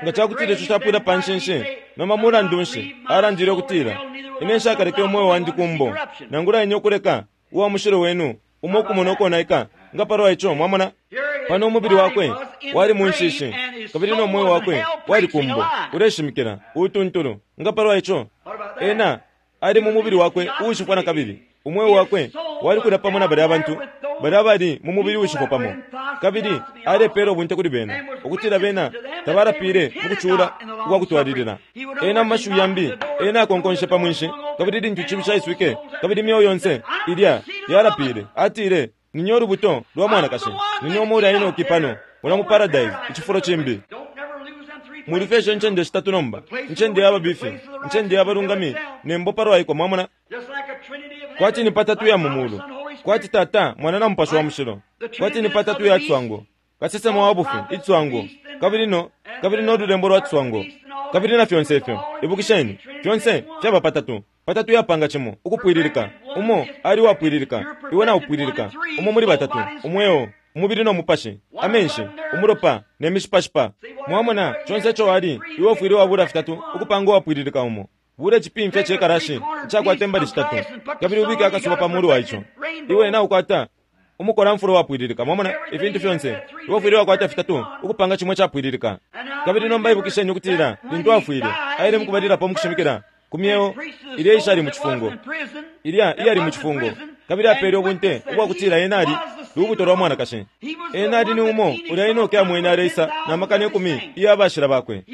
Nga cakutila ico capwila pa nshinshi, nomba mulandu nshi alandile ukutila ine nshakaleke umweo wandi kumbo, nangula ine ukuleka uwa mushilo wenu umo ukumona ukonaika. Nga palwa ico mwamona pano umubili wakwe wali mu nshishi, kabili no mweo wakwe wali kumbo uleshimikila utuntulu. Nga palwa ico ena ali mu mubili wakwe uushifwa na kabili umweo wakwe wali kulya pamo na balya abantu balya bali mu mubili uushifwa pamo, kabili alepela ubunte kuli bena ukutila bena tabalapile mu kucula ukwakutwalilila. Ena mu mashiwi yambi ena akonkonshe pa mwinshi, kabili lintu icibi caiswike kabili imyeo yonse ilya yalapile, atile ninyo ulubuto lwa mwanakashi, ninyo umuli Enoki pano mula mu paradise icifulo cimbi. Mulifeshe ncende shitatu nomba, ncende y'ababifi, ncende y'abalungami, nembo palwaiko. Mwamona kwati ni patatu ya mumulu, kwati tata mwana na mupashi wa mushilo, kwati ni patatu ya tswango, kasesema wa bufi itswango, kabili no kabili no lulembo lwa tswango, kabili na fyonse ifyo. Ibukisheni fyonse fyaba patatu. Patatu yapanga cimo ukupwililika, umo ali wapwililika, iwe na upwililika, umo muli batatu, umweo, umubili no mupashi, amenshi, umulopa ne mishipashipa. Mwamona conse ico wali iwe ufwile wabula fitatu ukupanga uwapwililika umo. Bule cipimfya cekarashi icakwata imbali shitatu, kabili ubike akasuba pa mulu wa ico, iwe na ukwata umukola mfulo wapwililika. Mwamona ifintu fyonse iwe ufwile wakwata fitatu ukupanga cimwe capwililika. Kabili nomba ibukisheni ukutila lintu afwile aile mukubalilapo mukushimikila ku myeo ilya ishali mu cifungo, ilya iyali mu cifungo, kabili apele ubunte ubwakutila ena ali lubuto lwa mwanakashi. Ena ali ni umo ulya Enoki amwene aleisa na makana ikumi iya bashila bakwe.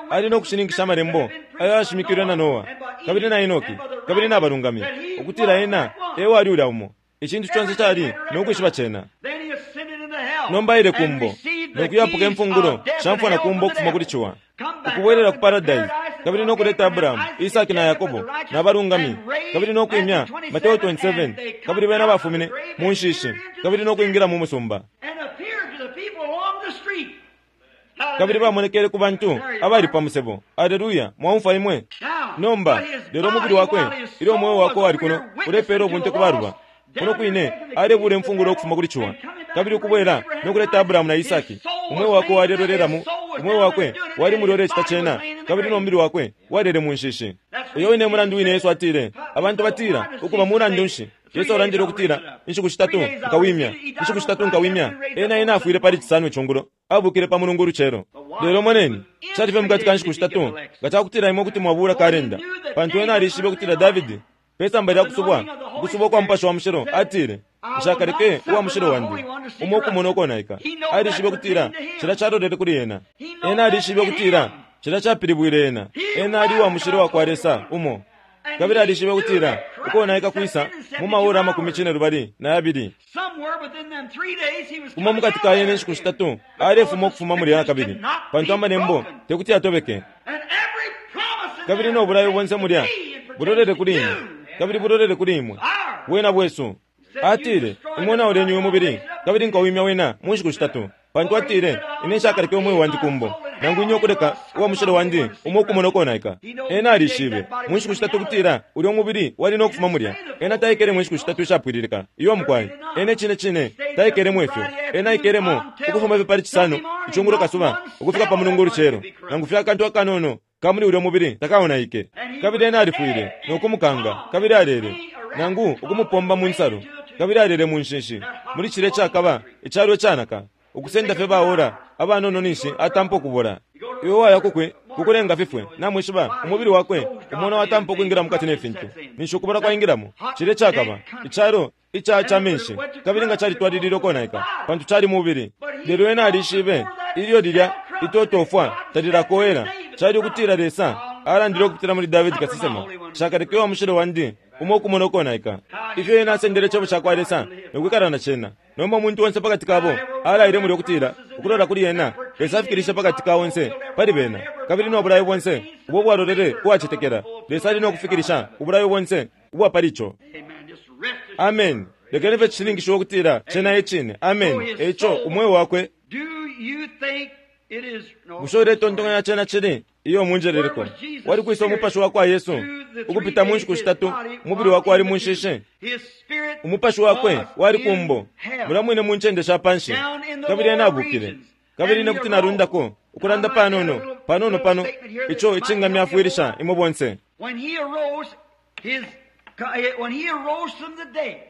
Ali no kushininkisha amalembo ayo ashimikilwe na Noa kabili na Enoki kabili na balungami ukutila ena ewali ulya umo. Icintu conse cali nokwishiba cena. Nomba ile kumbo nokuyapuka imfungulo shamfwa na kumbo ukufuma kuli ciwa, ukubwelela ku paradise, kabili nokuleta Abrahamu, Isaki na Yakobo na balungami, kabili nokwimya Mateo twenty-seven, kabili bena bafumine mu nshishi kabili nokwingira mu musumba, kabili bamonekele ku bantu abali pa musebo. Aleluya! Mwaumfwa imwe nomba. Lelo umubili wakwe ilyo umweo wakwe wali kuno ulepela ubunte ku baluba kuno kwine alebula imfungulo ukufuma kuli ciwa, kabili ukubwela nokuleta Abrahamu na Isaki. Umweo wakwe walelolelamo, umweo wakwe wali mulole cita cena, kabili no mubili wakwe walele mu nshishi. Uyo wine mulandu wine Yesu atile abantu batila ukuba mulandu nshi. Yesu alandile ukutila inshiku shitatu nkawimya, inshiku shitatu nkawimya. Ena ena afwile pali cisanu icungulo, abukile pa mulungu ulucelo. Lelo moneni calife mukati ka nshiku shitatu nga cakutila imwe kuti mwabula kalenda, pantu ena alishibe ukutila Davidi pesamba lya kusubwa ukusubwa kwa mupashi wa mushilo atile nshakaleke uwa mushilo wandi umo ukumona ukonaika. Alishibe ukutila cila calolele kuli ena. Ena alishibe ukutila cila capilibwile ena. Ena ali uwa mushilo wa kwa Lesa umo, kabili alishibe ukutila ukonaika kwisa mu maora amakumi cine lubali na yabili. Umo mukati ka yene inshiku shitatu alefuma ukufuma muli kabili, pantu amalembo tekuti atobeke. Kabili no bulayo bonse mulya bulolele kuli imwe, kabili bulolele kuli imwe wena bwesu. Atile imwe nauleni umubili kabili nkawimya wena mu nshiku shitatu, pantu atile ine nshakaleke umweo wandi kumbo, nangu inye ukuleka uwa mushilo wandi umo ukumona ukonaika. Ena alishibe mu nshiku shitatu kutila ulya umubili wali nokufuma mulya. Ena taikelemo inshiku shitatu ishapwililika iyo mukwai. Ena icine cine taikelemo ifyo. Ena aikelemo ukufuma fye pali cisano icungulo kasuba ukufika pa mulungu ulucelo, nangu fye akantu akanono kamuli ulya mubili takaonaike. Kabili ena alifwile nokumukanga, kabili alele nangu ukumupomba mu nsalu, Kabili alele mu nshinshi muli cilya cakaba icalo icanaka, ukusenda fye baora abanono ninshi atampa ukubola. Iwe waya kukwe kukulenga fifwe, namwishiba umubili wakwe umona watampa ukwingira mukati ne fintu, ninshi ukubola kwaingilamo. Cilya cakaba icalo ica ca menshi, kabili nga calitwalilile ukonaika pantu cali mubili. Lelo ena alishibe ilyo lilya itotofwa talilakowela, cali ukutila Lesa alandile ukupitila muli Davidi kasesema, shakaleke wa mushilo wandi umo ukumona ukonaika. Ifyo ena asendele icebo cakwa Lesa nokwikala na cena. Nomba umuntu onse pakati kabo alaile mulyo ukutila ukulola kuli ena Lesa afikilishe pakati ka onse pali bena, kabili no bulayo bonse ubo bwalolele kuwacetekela Lesa ali nokufikilisha ubulayo bonse ubwa pali ico. Amen. Lekeni fye cishininkishiwe ukutila cena e cine. Amen. Eico umweo wakwe, bushe uletontonkanya cena cili iyo munjeleleko wali kwisa umupashi wa kwa Yesu ukupita mu nshiku shitatu, umubili wakwe wali mu nshishi, umupashi wakwe wali kumbo mulya mwine mu ncende sha panshi, kabili ena abukile. Kabili ine kuti nalundako ukulanda panono panono pano ico icingamyafwilisha imwe bonse.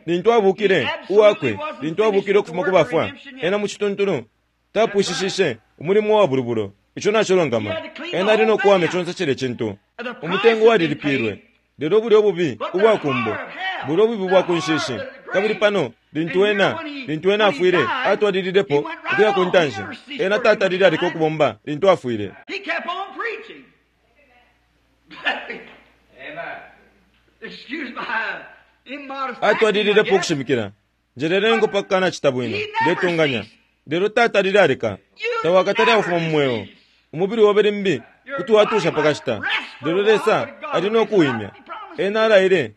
Lintu abukile uwakwe, lintu abukile ukufuma ku bafwa, ena mu cituntulu tapwishishishe umulimo wa bulubulo. Ico nacilongama, ena ali nokuwamya conse cile cintu. Umutengo walilipilwe, lelo bulya obubi ubwa kumbo, bulya obubi bwa ku nshishi. Kabili pano lintu ena lintu ena afwile, atwalililepo ukuya ku ntanshi. Ena tatalile aleka ukubomba lintu afwile. Atwalililepo ukushimikila. Njelelengo pakukana cita bwino, ndetunganya. Lelo tatalile aleka, tawakatale akufuma mu mweo. Umubili obe limbi kuti watusha pakashita, lelo Lesa ali nokuwimya. Ena alaile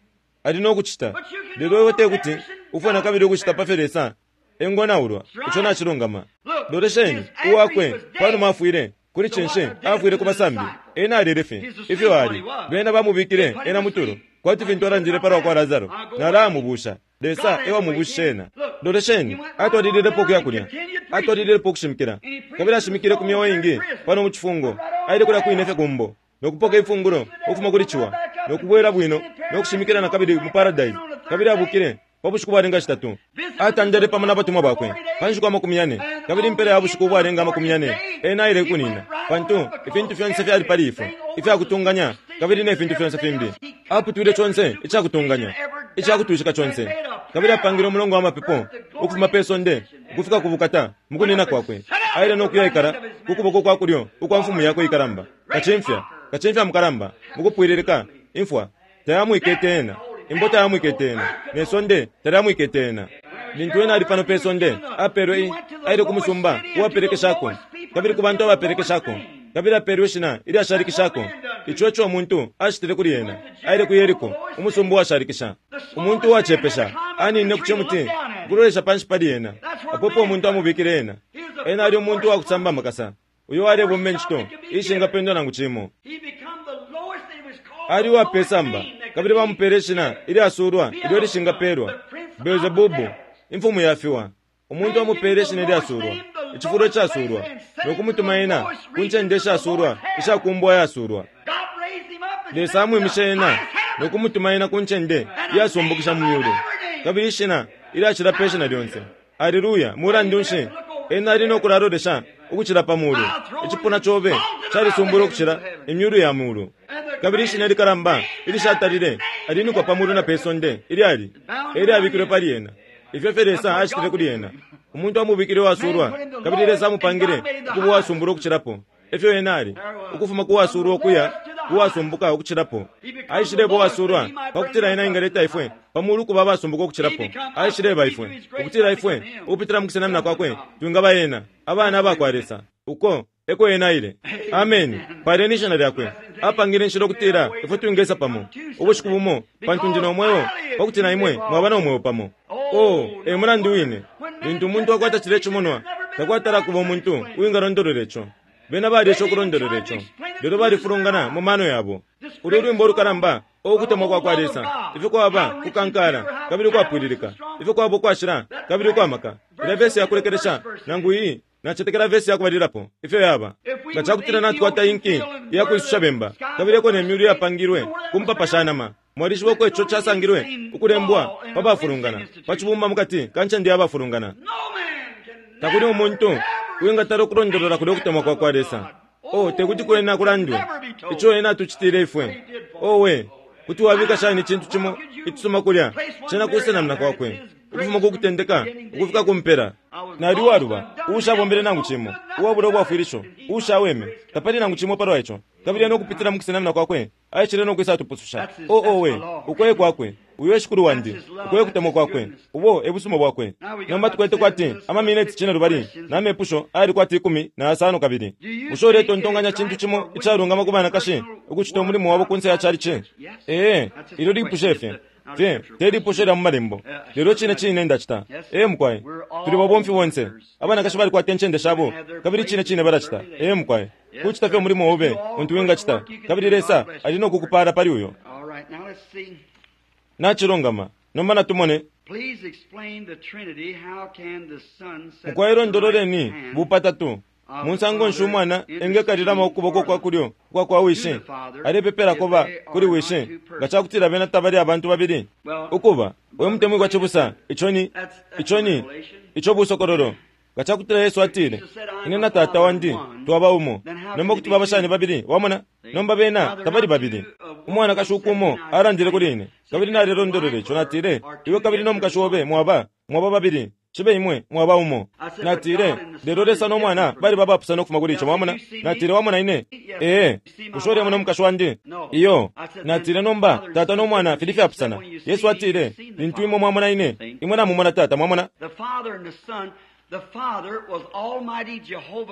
ali nokucita, lelo iwe tekuti ufwe na kabili ukucita pafyo Lesa engonaulwa. Ico nacilungama. Lolesheni uwakwe panuma afwile kuli cinshi afwile ku basambi, ena alele fye ifyo ali. Bena bamubikile ena mutulo, kwati fintu alandile palwa kwa Lazaro, nalamubusha. Lesa ewamubushishe ena. Lolesheni, atwalililepo ukuya kulya, atwalililepo ukushimikila, kabili ashimikile ku myeo ingi pano mu cifungo. Aile kulya kwine fye kumbo nokupoka ifungulo ukufuma kuli ciwa, nokubwela bwino nokushimikila na kabili mu paradise. Kabili abukile pa bushiku bwalenga shitatu, atandele pamo na batumwa bakwe pa nshiku amakumi yane, kabili impela ya bushiku bwalenga amakumi yane ena aile kunina, pantu ifintu fyonse fyali pali ifwe ifyakutunganya kabili ne fintu fyonse fimbi. Aputwile conse icakutunganya icakutwishika conse, kabili apangile umulongo wa mapepo ukufuma pe sonde ukufika ku bukata mu kunina kwakwe. Aile nokuyaikala ku kuboko kwa kulyo ukwa mfumu yakwe ikalamba, kacimfya kacimfya mukalamba mukupwililika. Imfwa tayamwikete ena, imbo tayamwikete ena, ne sonde talyamwikete ena. Lintu ena ali pano pe sonde, apelwe aile ku musumba uwaperekeshako, kabili ku bantu abaperekeshako, kabili apelwe ishina ilyashalikishako. Ico eco umuntu acitile kuli ena. Aile ku Yeriko, umusumba uwashalikisha. Umuntu uwacepesha anine ku cimuti ukulolesha panshi pali ena, apopo umuntu amubikile ena. Ena ali umuntu uwakusamba amakasa, uyo alebomba incito ishingapendwa nangu cimo. Ali uwapesamba, kabili bamupele ishina ilyasulwa ilyo lishingapelwa, Beelzebubu, imfumu yafiwa. Umuntu amupele ishina ilyasulwa, icifulo icasulwa, nokumutuma ena ku ncende ishasulwa ishakumbwa yasulwa. Lesa amwimishe ena nokumutuma ena ku ncende iyasumbukisha mu myulu, kabili ishina ilyacila pe shina lyonse. Aleluya! Mulandu nshi ena ali nokulalolesha ukucila pa mulu? Icipuna cobe calisumbula ukucila imyulu ya mulu, kabili ishina ilikalamba ilishatalile alinikwa pa mulu na pe sonde ilyali elyabikilwe pali ena. Ifyo fye Lesa acitile kuli ena. Umuntu amubikile uwasulwa, kabili Lesa amupangile ukuba uwasumbula ukucilapo efyo ena ali, ukufuma ku wasulwa ukuya ku wasumbuka ukucilapo. Aishileba uwasulwa pakutila ena engaleta ifwe pa mulu kuba abasumbuka ukucilapo. Aishileba ifwe ukutila ifwe ukupitila mu kusenamina kwakwe twingaba ena abana abakwa Lesa. Uko eko ena aile. Amen. Paleni ishina lyakwe. Apangile inshila ukutila ifwe twingesa pamo ubushiku bumo, pantu ndi no mweo pakuti na imwe mwaba no mweo pamo. Oh, e mulandu wine lintu umuntu akwata cile cimonwa, takwatala kuba umuntu uwingalondolola ico. Bena baliesha ukulondolola ico, lelo balifulungana mu mano yabo. Ulu lwimbo ulukalamba ukutemwa kwa kwa Lesa, ifyo kwaba kukankala kabili ukwapwililika, ifyo kwaba ukwashila kabili ukwamaka. Ila vesi yakulekelesha nangu iyi nacetekela vesi yakubalilapo ifyo yaba. Nga cakutila natukwata inki iyakwisusha bemba, kabili eko ne myulu yapangilwe ku mpapa sha nama, Mwalishiba uko ico casangilwe ukulembwa pa bafulungana, pa cibumba mukati ka ncende ya bafulungana. Takuli umuntu uwingatala ukulondolola kulya ukutemwa kwa kwa Lesa. Oh, tekuti kwena kulandwe ico ena atucitile ifwe. Owe, kuti wabika shani icintu cimo icisuma kulya cena kusenamina kwakwe, ukufuma ku kutendeka ukufika ku mpela. Nali uwaluba, uushabombele nangu cimo, uwabula ubwafwilisho, uushaweme, tapali nangu cimo palwa ico. Kabili ena ukupitila mu kusenamina kwakwe aishile no kwisa atupususha. O owe, ukoye kwakwe, uyo e Shikulu wandi, ukoye kutemwa kwakwe, ubo e busuma bwakwe. Nomba tukwete kwati amamineti cine lubali na mepusho ayali kwati ikumi na yasano kabili. Bushe uletontonkanya cintu cimo icalungama ku banakashi ukucita umulimo wabo kunse ya chalichi? Ee, ilyo lipushe fye fye te lipusho lya mu malembo, lelo cine cine ndacita. Ee mukwai, tuli babomfi bonse. Abanakashi balikwata incende shabo kabili cine cine balacita. Ee mukwai, kucita fye umulimo obe untu wingacita, kabili Lesa ali no kukupala pali uyo. Nachilungama. Nomba natumone. Mukwai, londololeni bupatatu munsango nshi umwana engekalilamo ukuboko kwa kulyo kwa kwa wishi alepepelako ba kuli wishi nga cakutila bena tabali abantu babili. Ukuba we mutemwi kwa cibusa, ico ni ico ni ico busokololo. Nga cakutila Yesu atile, ine na tata wandi twaba umo, nomba kuti baba shani babili? Wamona? Nomba bena tabali babili. Umwanakashi ukumo alandile kuli ine, kabili nalilondolole ico. Natile, iwe kabili no mukashi obe mwaba mwaba babili, cibe imwe mwaba umo. Natile, lelo Lesa no mwana bali babapusana ukufuma kuli ico. Mwamona? Natile, wamona ine? Ee, bushe ulemona umukashi wandi? Iyo. Natile, nomba tata no mwana fili fyapusana. Yesu atile, lintu imwe mwamona ine, imwe namumona tata. Mwamona?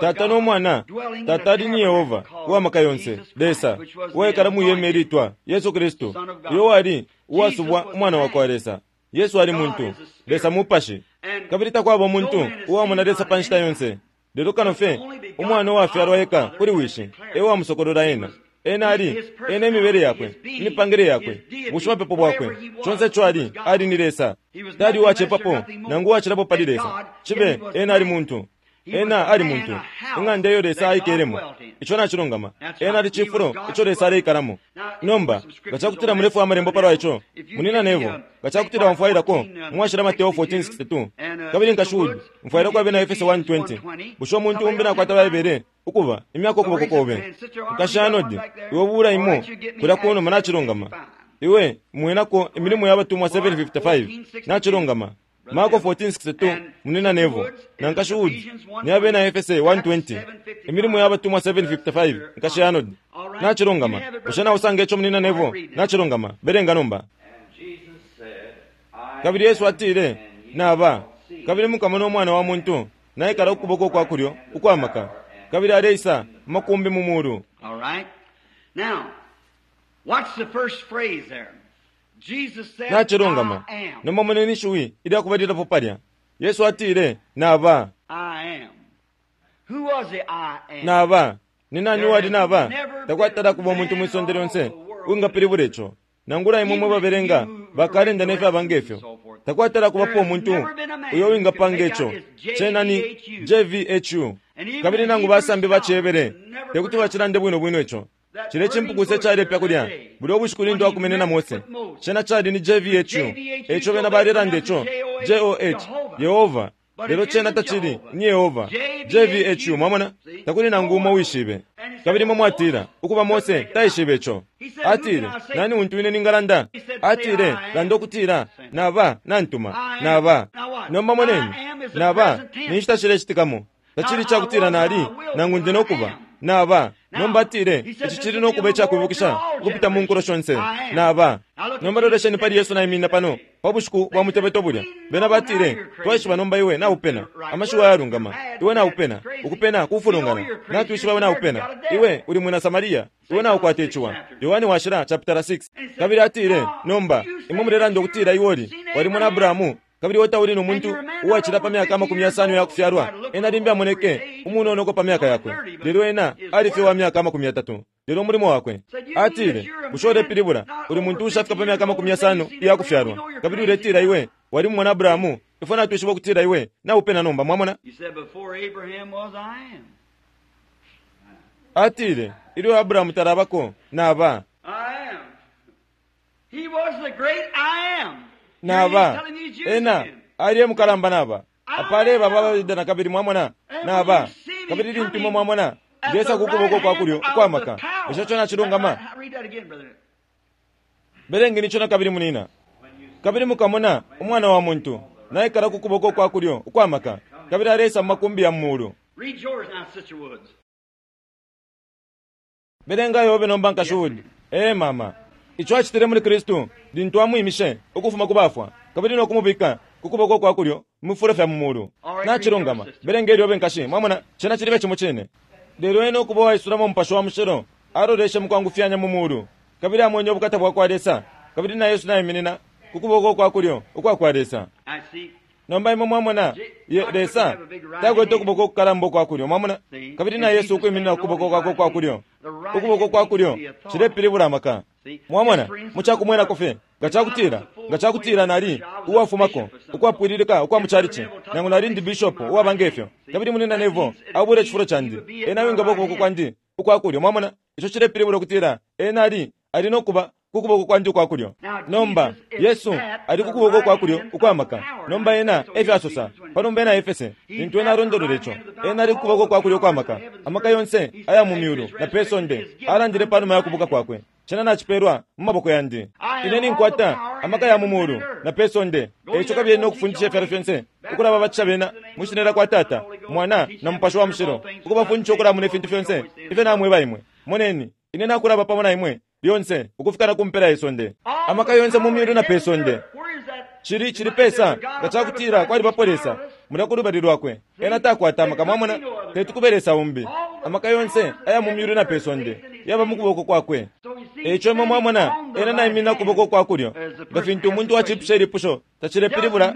Tata no mwana, tata ali ni Yehova uwamaka yonse, Lesa uwaikala mwihema ilitwa Yesu Kristu, uyo wali uwasubwa umwana wa kwa Lesa. Yesu ali muntu, Lesa mupashi, kabili takwaba umuntu uwamona Lesa pa nshita yonse, lelo kano fye umwana uwafyalwa eka kuli wishi e wamusokolola ena. Ena ali ena imibele yakwe, imipangile yakwe, bushimapepo bwakwe, conse ico ali ali ni Lesa. Tali uwacepapo nangu uwacilapo pali Lesa. Cibe ena ali muntu, ena ali muntu, ing'anda iyo Lesa aikelemo. Ico nacilungama. Ena ali cifulo ico Lesa aleikalamo. Nomba nga cakutila mulefu amalembo palwa ico, munina nevo, nga cakutila wamfwailako mwashila Mateo fourteen sixty-two, kabili nkashuudi mfwailako abena Efeso one twenty. Bushe umuntu umbi nakwata Baibele ukuba imyaka ukuboko kobe? Nkashanodi iwe bula imo kulya kunuma. Nacilungama. Iwe mwenako imilimo ya batumwa seven fifty-five. Nacilungama. Marko fourteen sixty-two, munina nevo, na nkashuudi ni abena Efese one twenty. Imilimo ya batumwa seven fifty-five, nkashanodi. Nacilungama. Bushe nausanga ico munina nevo? Nacilungama. Belenga nomba. Kabili Yesu atile, naba kabili mukamona umwana wa muntu naikala ukuboko kwa kulyo ukwamaka, kabili aleisa makumbi mu mulu. All right. Now, what's the first phrase there? Jesus said, Nachilungama. I am. Nomba moneni ishiwi ilya kubalilapo palya. Yesu atile, naba. I am. Who was the I am? Naba. Ni nani uwali naba? Takwatala kuba umuntu mwisonde lyonse uwingapilibula ico. Nangula imwe mwe babelenga bakalenda nefyaba ngefyo. Takwatala kubapo umuntu uyo uwingapanga ico. Cena ni J V H U. Kabili nangu basambi bacebele tekuti bacilande bwino bwino ico. Cile cimpukuse calepya kulya buli obushiku lintu akumene na Mose. Cena cali ni J V H U. Eco bena balelanda ico J O H, Yehova. Lelo cena tacili ni Yehova, J V H U. Mwamona? Takuli nangu umo wishibe. Kabili mwe mwatila ukuba Mose taishibe ico. Atile, nani untu ine ningalanda? Atile, landa ukutila naba nantuma naba. Nomba moneni, naba ni nshita cilecitikamo. Tacili cakutila nali nangu ndi nokuba naba. Nomba atile, ici cili nokuba icakwibukisha ukupita mu nkulo shonse. Naba. Nomba lolesheni pali Yesu naiminina pano pa bushiku bwa mutebeto bulya. Bena batile, twaishiba nomba iwe naupena amashiwi ayalungama. Iwe naupena ukupena kufulungana. Natwishiba iwe naupena, iwe uli mwina Samaria, iwe naukwata iciwa. Yohani washila chapter six. Kabili atile, nomba imwe mulelanda ukutila iwe uli walimona Abrahamu, kabili wotauli no muntu uwacila pa myaka amakumi yasano yakufyalwa. Ena limbi amoneke umunonoko pa myaka yakwe, lelo ena alifye wa myaka amakumi yatatu. Lelo umulimo wakwe. Atile, bushe ulepilibula uli muntu ushafika pa myaka amakumi yasano iyakufyalwa, kabili uletila iwe wali mwana Abrahamu? Ifwe natwishiba ukutila iwe naupena nomba. Mwamona? He said, before Abraham was, I am. Atile, ilyo Abrahamu talabako naba. I am. He was Naba ena ali e mukalamba naba apale baba abaYuda na kabili, mwamona, naba kabili lintu imwe mwamona ndesa ku kuboko kwa kulyo ukwa maka. Bushe ico nacilungama? Belengeni ico na kabili, munina. Kabili mukamona Umwana wa muntu naikala ku kuboko kwa kulyo ukwa maka, kabili aleisa mu makumbi ya mu mulu. Belenga yobe nomba, Nkashi Wood. Ee, mama. Ico acitile muli Kristu lintu amwimishe ukufuma ku bafwa kabili no kumubika ku kuboko kwa kulyo mu fifulo fya mu mulu. Nacilungama. Belenga ilyobe, nkashi. Mwamona, cena cilibe cimo cine. Lelo ena ukuba uwaisulamo Umupashi wa Mushilo, aloleshe mukwangufyanya mu mulu, kabili amwene ubukata bwa kwa Lesa, kabili na Yesu naiminina ku kuboko kwa kulyo ukwa kwa Lesa. Nomba imwe mwamona, ye, Lesa takwete ukuboko ukukalamba ukwa kulyo, mwamona, kabili na Yesu ukwiminina ku kuboko kwakwe ukwa kulyo. Ukuboko kwa kulyo cilepilibula amaka. Mwamona, mu cakumwenako fye, nga cakutila, nga cakutila nali uwafumako ukwapwililika ukwa mucalici, nangu nali ndi bishopu uwaba ngefyo, kabili munina Neville abula icifulo candi, ena wingaba ukuboko kwandi ukwa kulyo, mwamona, ico cilepilibula ukutila ena ali ali no kuba ku kuboko kwandi ukwa kulyo. Nomba Yesu ali ku kuboko kwa kulyo ukwa maka. Nomba ena efyo asosa panumba ena Efese, lintu ena alondolola ico, ena ali ku kuboko kwa kulyo ukwa maka, amaka yonse aya mu myulu na pe sonde, alandile panuma ya kubuka kwakwe. Cena nacipelwa mu maboko yandi. Ine ninkwata amaka ya mu mulu na pe sonde. Eico kabili no kufundisha ifyalo fyonse, ukulababatisha bena mwi shina lya kwa Tata, Mwana na Mupashi wa Mushilo, ukubafundisha ukulamuna ifintu fyonse ifyo namweba imwe. Moneni, ine nakulaba pamo na imwe lyonse ukufika na ku mpela ye sonde. Amaka yonse mu myulu na pe sonde. Cili cili pesa nga cakutila kwalibapo Lesa mulya ku lubali lwakwe. Ena takwata amaka, mwamona, teti kube Lesa umbi. Amaka yonse aya mu myulu na pe sonde yaba mu kuboko kwakwe. Eico imwe mwamona ena naiminina ku kuboko kwa kulyo. Nga fintu umuntu wacipusha ilipusho tacilepilibula.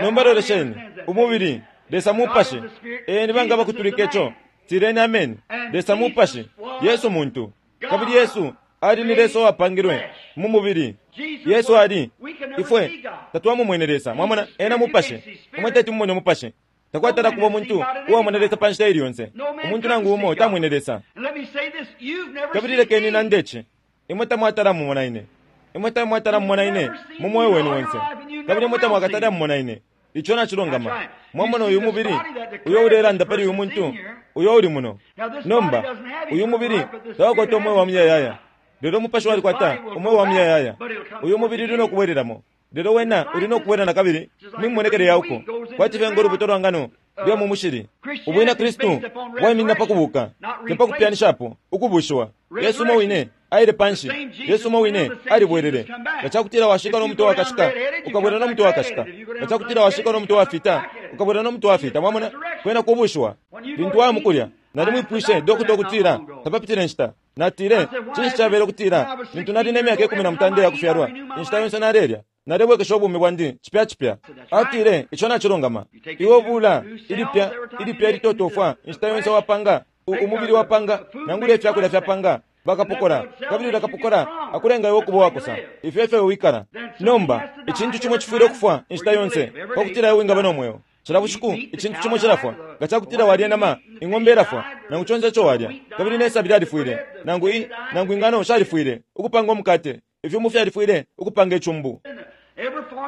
Nomba lolesheni umubili, Lesa mupashi. Ee, ni banga bakutulika ico? Tileni ameni. Lesa mupashi, Yesu muntu. Kabili Yesu ali ni Lesa uwapangilwe mu mubili. Yesu ali ifwe tatwamumwene Lesa, mwamona, ena mupashi. Imwe teti mumone umupashi. Takwatala kuba umuntu uwamona Lesa pa nshita ili yonse. Umuntu nangu umo tamwene Lesa. Kabili lekeni nande ici, imwe tamwatala mumona ine. Imwe tamwatala mumona ine mu mweo wenu onse, kabili imwe tamwakatala mumona ine. Ico nacilungama. Mwamona uyu mubili uyo ulelanda pali uyu muntu uyo uli muno. Nomba uyu mubili tawakwata umweo wa muyayaya, lelo umupashi walikwata umweo wa muyayaya. Uyu mubili uli no kubwelelamo, lelo wena uli no kubwela na kabili mimonekele ya uko, kwati fye ngo lubuto lwa ngano lwa mu mushili. Ubwina Kristu bwaiminina pa kubuka, te pa kupyanishapo ukubushiwa. Yesu umo wine aile panshi, Yesu umo wine alibwelele. Nga cakutila washika no mutwe wakashika, ukabwela no mutwe wakashika. Nga cakutila washika no mutwe wafita, ukabwela no mutwe wafita. Mwamona, kwena kubushiwa. Lintu waya mukulya, nalimwipwishe dokota ukutila tapapitile nshita. Natile, cinshi cabele ukutila lintu nali ne myaka ikumi na mutanda iya kufyalwa, inshita yonse nalelya nalebwekesha ubumi bwandi cipya cipya. Atile, ico nacilungama. Iwe ubula ilipya ilipya ilitotofwa inshita yonse wapanga umubili wapanga nangula ifyakulya fyapanga bakapokola, kabili ulya kapokola akulenga iwe ukuba uwakosa. Ifyo efyo wikala. Nomba icintu cimo cifwile ukufwa inshita yonse pakutila iwe wingaba no mweo. Cila bushiku icintu cimo cilafwa. Nga cakutila walya inama, ing'ombe ilafwa, nangu conse ico walya, kabili ne sabi lyalifwile, nangu i nangu ingano shalifwile ukupanga umukate, ifyumu fyalifwile ukupanga icumbu.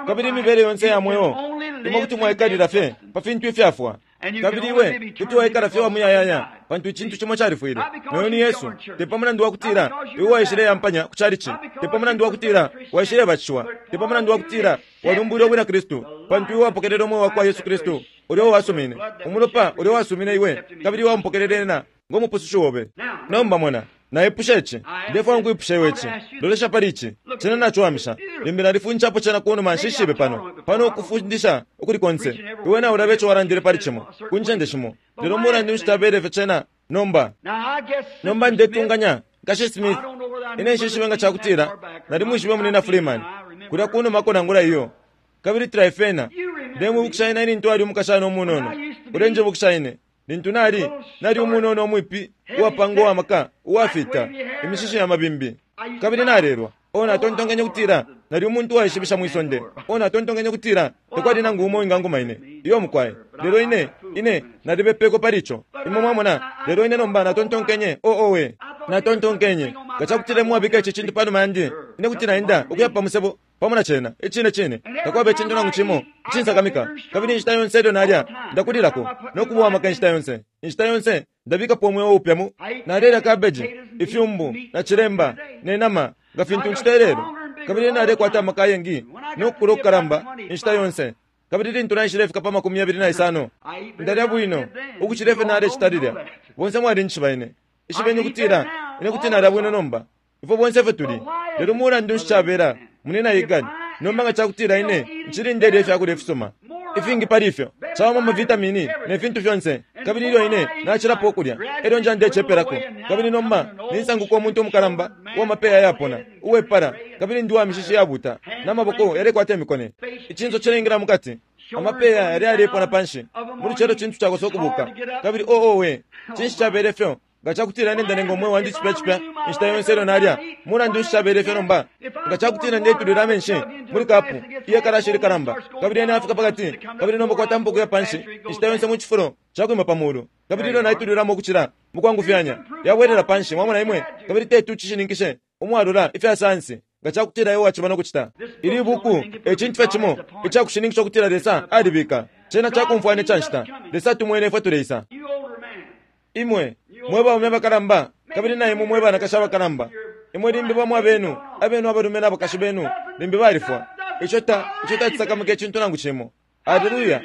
Kabili imibele yonse ya mweo, imwe kuti mwaikalila fye pa fintu ifyafwa. Kabili iwe kuti waikala fye wa muyayaya pantu icintu cimo califwile. Noyo ni Yesu. Te pa mulandu wa kutila iwe waishileyampanya ku calici, te pa mulandu wa kutila waishilebatishiwa, te pa mulandu wa kutila walumbwile ubwina Kristu, pantu iwe wapokelele umweo wa kwa Yesu Kristu ulya uwasumine, umulopa ulya uwasumine iwe, kabili iwe wamupokelele ena ngo mupusushi obe. Nomba mona, naipusha ici, ndefwaya nkwipusha iwe ici. Lolesha pali ici, cena naciwamisha. Limbi nalifunjapo cena kunuma, nshishibe pano pano ukufundisha ukuli konse. Iwe naulaba ico walandile pali cimo ku ncende shimo, lelo mulandu nshi tabele ifyo cena nomba. Nomba ndetunganya Nkashi Smith, ine nshishibe nga cakutila nalimwishibe munina Freeman kulya kunumako nangula iyo. Kabili Trifena, ndemwibukisha ine lintu ali umukashana umunono. Ulenjibukisha ine lintu nali nali umunono umwipi uwapanga uwamaka uwafita imishishi ya mabimbi, kabili nalelwa. O natontonkenye kutila nali umuntu uwaishibisha mwi sonde. O natontonkenye kutila tekwali nangu umo uwinganguma ine iyo mukwaye. Lelo ine ine nalibepeko pali ico, imwe mwamona. Lelo ine nomba natontonkenye, o owe, natontonkenye Nga cakutila mwabika ici cintu panuma yandi, ine kuti naenda ukuya pa musebo pamo na cena. Icine cine takwaba icintu nangu cimo icinsakamika. Kabili inshita yonse ilyo nalya ndakulilako no kuba uwamaka inshita yonse. Inshita yonse ndabikapo umweo upya mu nalelya cabbage, ifyumbu na cilemba ne nama nga fintu ncita ilelo. Kabili nalekwata amaka ayengi no kukula ukukalamba inshita yonse. Kabili lintu naishilefika pa makumi yabili na isano, ndalya bwino ukucila ifyo nalecita lilya. Bonse mwalinjishiba ine. Ishibeni ukutila ine kuti nalya bwino nomba. Ifwe bonse ifwe tuli. Lelo mulandu nshi cabela munina Igani? Nomba nga cakutila ine ncili ndelya ifyakulya ifisuma ifingi pali ifyo, cawama amavitamini ne fintu fyonse. Kabili ilyo ine nacilapo ukulya, elyo nja ndecepelako. Kabili nomba ninsanguka umuntu umukalamba uwamapeya yapona, uwepala, kabili ndi wa mishishi yabuta, n'amaboko yalekwata imikone. Icinso cilengela mukati, amapeya yali yalepona panshi. Muli celo cintu cakosa ukubuka. Kabili oh oh we, cinshi cabele fyo? Nga cakutila ine ndanenga umweo wandi cipya cipya inshita yonse ilyo nalya, mulandu nshi cabele fyo nomba? Nga cakutila ndetulila amenshi muli kapu iye kalashi ilikalamba, kabili ene afika pakati, kabili nomba kwatampa ukuya panshi inshita yonse mu cifulo cakwima pa mulu, kabili ilyo naitulilamo ukucila mukwangufyanya yabwelela panshi. Mwamona imwe? Kabili tetu cishininkishe umwalula ifya sayansi nga cakutila iwe waciba no kucita. Ili buku e cintu fye cimo icakushininkisha ukutila Lesa alibika cena cakumfwana ica nshita. Lesa tumwene ifwe tuleisa. Imwe mwe baume abakalamba, kabili na imwe mwe banakashi abakalamba, imwe limbi bamwe abenu abenu abalume n'abakashi benu limbi balifwa. Ico ta ico tacisakamika icintu nangu cimo. Aleluya!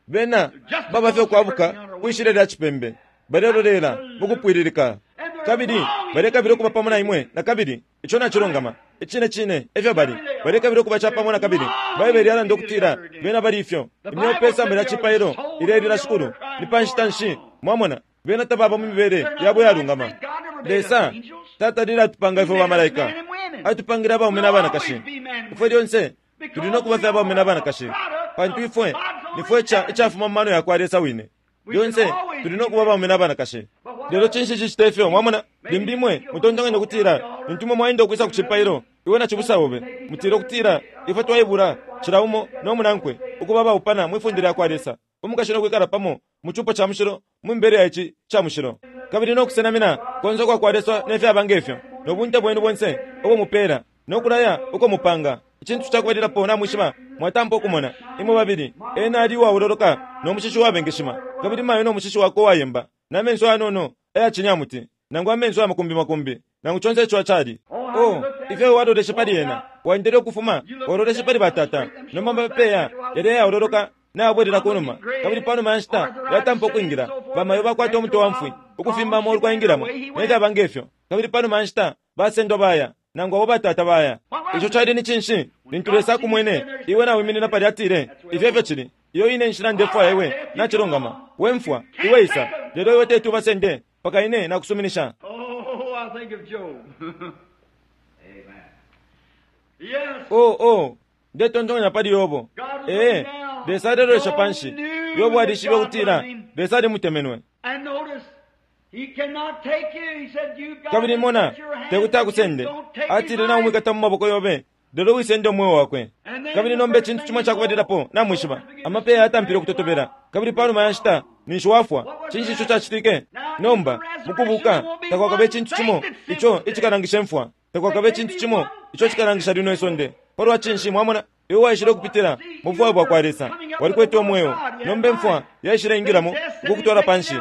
Bena baba fye ukwabuka kwishile lya cipembe, balelolela mukupwililika, kabili balekabila ukuba pamo na imwe na kabili. Ico nacilungama icine cine efyo bali, balekabila ukuba capamo na kabili. Baibele yalanda ukutila bena bali ifyo. Imyeo pe samba lya cipailo ilelila Shikulu. Ni pa nshita nshi? Mwamona, bena tababa mu mibele yabo yalungama. Lesa tatalile atupanga ifwe bamalaika, atupangile abaume n'abanakashi. Ifwe lyonse tuli no kuba fye abaume n'abanakashi, pantu ifwe nifwe icafuma mu mano yakwa Lesa wine. Lyonse tuli no kuba abaume n'abanakashi. Lelo cinshi cicita ifyo? Mwamona, limbi imwe mutontonkanya ukutila lintu imwe mwaenda ukwisa ku cipailo, iwe na cibusa obe mutile ukutila ifwe twaibula cila umo no munankwe ukuba abaupana mwifunde lyakwa Lesa, umukashi no kwikala pamo mu cupo ca mushilo mu mibele ya ici ca mushilo, kabili no kusenamina konse ukwa kwa Lesa ne fyaba ngefyo, no bunte bwenu bonse ubo mupela no kulaya uko mupanga. Icintu cakubalilapo namwishiba, mwatampa ukumona imwe babili, ena ali uwaololoka no mushishi uwabengeshima, kabili mayo no mushishi wakwe uwayemba, na menso ayanono ayacinyamuti, nangu amenso amakumbi makumbi, nangu conse ico acali. Oh, ifyo waloleshe pali ena, waendele ukufuma waloleshe pali batata, nomba amapeya yali ayaololoka nayabwelela kunuma, kabili panuma ya nshita yatampa ukwingila. Bamayo bakwata umutwe wa mfwi ukufimba amolu kwaingilamo ne fyaba ngefyo, kabili panuma ya nshita basendwa baya, nangu abo batata baya. Ico cali ni cinshi? Lintu Lesa akumwene iwe nawiminina palya, atile, ifyo efyo cili. Iyo ine nshila ndefwaya iwe nacilungama. We mfwa iwe isa, lelo iwe tetu basende paka ine nakusuminisha. Oh, I think of Job. Amen. Yes. Oh, oh, ndetontonkanya pali Yobo. Ee, Lesa alelolesha panshi. Yobo alishibe ukutila Lesa alimutemenwe. And notice, he cannot take you. He said, you've got Kabili to mona, put your hand tekuti akusende. Don't take his Atile life. naumwikata mu maboko yobe, lelo wisende umweo wakwe. Kabili nomba icintu cimo cakubalilapo namwishiba, amapeya yatampile ukutotobela, kabili panuma ya nshita ninshi wafwa. Cinshi ico cacitike? Nomba mukubuka takwakabe icintu cimo ico icikalangisha imfwa, takwakabe icintu cimo ico cikalangisha lino isonde. Palwa cinshi? Mwamona, iwe waishile ukupitila mu bufwayo bwa kwa Lesa, walikwete umweo. Nomba imfwa yaishile ingilamo ukukutwala panshi,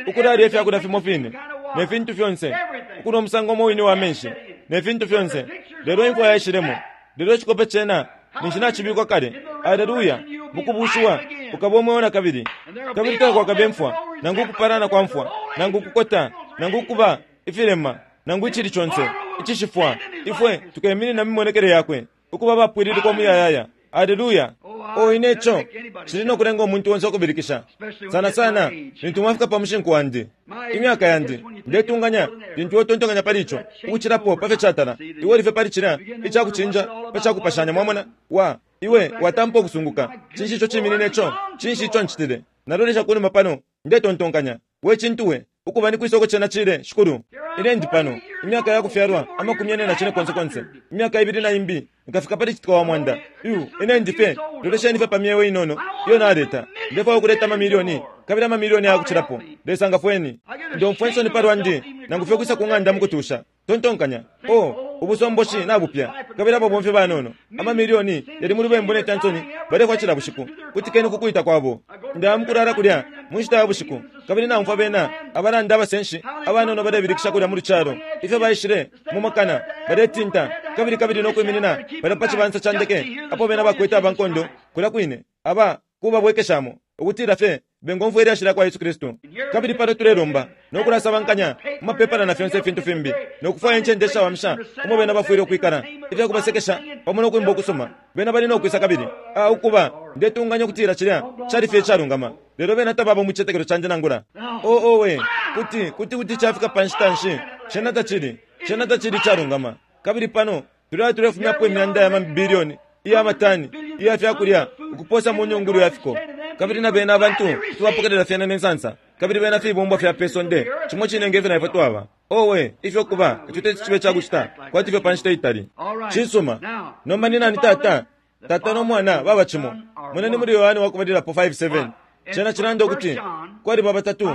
ukulalya ifyakulya fimo fine ne fintu fyonse, ukunwa umusango umo wine wa menshi ne fintu fyonse, lelo imfwa yaishilemo. Lelo icikope cena ninshi nacibikwa kale. Aleluya! Mukubushiwa ukaba umweo na kabili, kabili takwakabe imfwa, nangu ukupalana kwa mfwa, nangu ukukota, nangu ukuba ifilema, nangu icili conse icishifwa. Ifwe tukeminina mimonekele yakwe ukuba bapwililikwa muyayaya. Aleluya! O ine ico cili no kulenga umuntu onse ukubilikisha, sana sana lintu mwafika pa mushinku wandi, imyaka yandi. Ndetunganya lintu iwe pali ico ukucilapo pa fyo catala, iwe ulife pali cilya icakucinja pa cakupashanya. Mwamona wa iwe watampa ukusunguka, cinshi ico ciminine ico? Cinshi ico ncitile? Nalolesha kunuma pano, ndetontonkanya, we cintu we ukuba ni kwisoko cena cile Shikulu. Ine ndi pano imyaka yakufyalwa amakumi ane na cine konse konse, imyaka ibili na imbi nkafika pali citika wa mwanda. Yu ine ndi fye, lolesheni fye pa myeo inono iyo naleta. Ndefwaya ukuleta amamilioni kabili amamilioni ayakucilapo. Lesa ngafweni. Ndomfwa insoni palwandi, nangu fye kwisa ku ng'anda mukutusha. Tontonkanya, oh, ubusomboshi nabupya, kabili ababomfi banono amamilioni yali mu lubembu ne cansoni balefwa cila bushiku. Kutikeni kukwita kwabo. Ndaya mukulala kulya mu nshita ya bushiku, kabili naumfwa bena abalanda abasenshi abanono balebilikisha kulya mu lucalo, ifyo baishile mu makana baletinta kabili kabili no kwiminina bali pa cibansa ca ndeke apo bena bakwete abankondo kulya kwine aba kubabwekeshamo ukutila fye bengomfwa ilyashi lya kwa Yesu Kristu. Kabili pano tulelomba no kulasabankanya mu mapepala na fyonse ifintu fimbi, no kufwaya incende ishawamisha umo bena bafwile ukwikala, ifya kubasekesha pamo no kwimba ukusoma. Bena bali no kwisa kabili a ukuba ndetunganya ukutila cilya cali fye icalungama, lelo bena tababa mu citetekelo candi nangula. O owe, kuti kuti kuti cafika pa nshita nshi? Cena tacili cena tacili icalungama. Kabili pano tulaya tulefumyapo imyanda ya mabilioni iya matani iya fyakulya ukuposa mu nyungulu ya fiko, kabili na bena abantu tubapokelela fyena ne nsansa, kabili bena fibumbwa fya pe sonde cimo cine nge fyo na ifwe twaba. Owe, ifyo kuba ico teti cibe cakucita kwati ifyo pa nshita itali. Cisuma. Nomba ni nani Tata? Tata no Mwana baba cimo. Moneni muli Yohane wakubalilapo five seven. Cena cilanda ukuti kwaliba batatu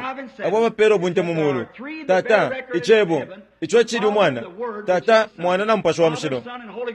abo abapela ubunte mu mulu: Tata, Icebo, ico cili Umwana, Tata, Mwana na Mupashi wa Mushilo.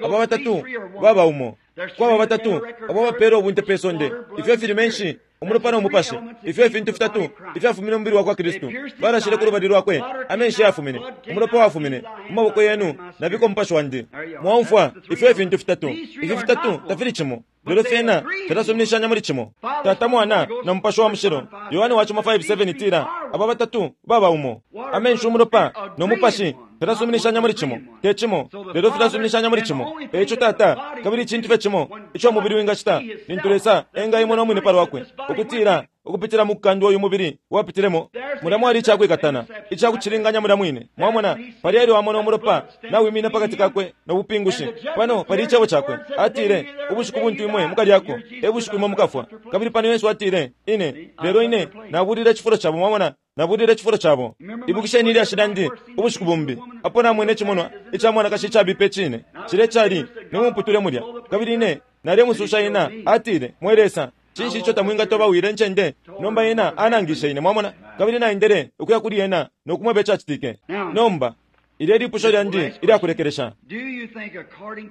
Abo batatu baba umo. Kwaba batatu abo abapela ubunte pe sonde, ifyo fili menshi, umulopa no mupashi, ifyo ifintu fitatu ifyafumine mubili wa kwa Kristu. Balashile ku lubali lwakwe, amenshi yafumine, umulopa wafumine mu maboko yenu nabiko mupashi wandi. Mwaumfwa ifyo ifintu fitatu. Ifi fitatu tafili cimo, lelo fyena fyalasuminishanya muli cimo: Tata, Mwana na Mupashi wa Mushilo. Yohane wa cimo five seven itila aba batatu baba umo. Amenshi, umulopa no mupashi fyalasuminishanya muli cimo, te cimo, lelo fyalasuminishanya muli cimo. Eico Tata, kabili icintu fye cimo ico umubili wingacita lintu Lesa engaimona umwine palwakwe ukutila ukupitila mu kukandwa uyu mubili wapitilemo, mulya mwali icakwikatana icakucilinganya mulya mwine. Mwamona, pali elyo amona umulopa nawimina pakati kakwe no bupingushi. Pano pali icebo cakwe, atile ubushiku buntu imwe mukalyako e bushiku imwe mukafwa. Kabili pano Yesu atile, ine lelo ine nabulile icifulo cabo. Mwamona, nabulile icifulo cabo. Ibukisheni ilyashi lyandi ubushiku bumbi apo namwene icimonwa ica mwanakashi icabipa icine cile cali nimuputule mulya, kabili ine nalemususha ena. Atile, mwe Lesa, cinshi ico tamwingatobawile ncende? Nomba ena anangishe ine, mwamona, kabili naendele ukuya kuli ena no kumweba icacitike. Nomba ilyo lipusho lyandi ilyakulekelesha: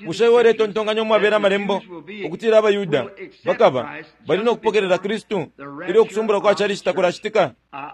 bushe iwe uletontonkanya umwabela amalembo ukutila abaYuda bakaba bali no kupokelela Kristu ilyo ukusumbula kwa chalichi takulacitika?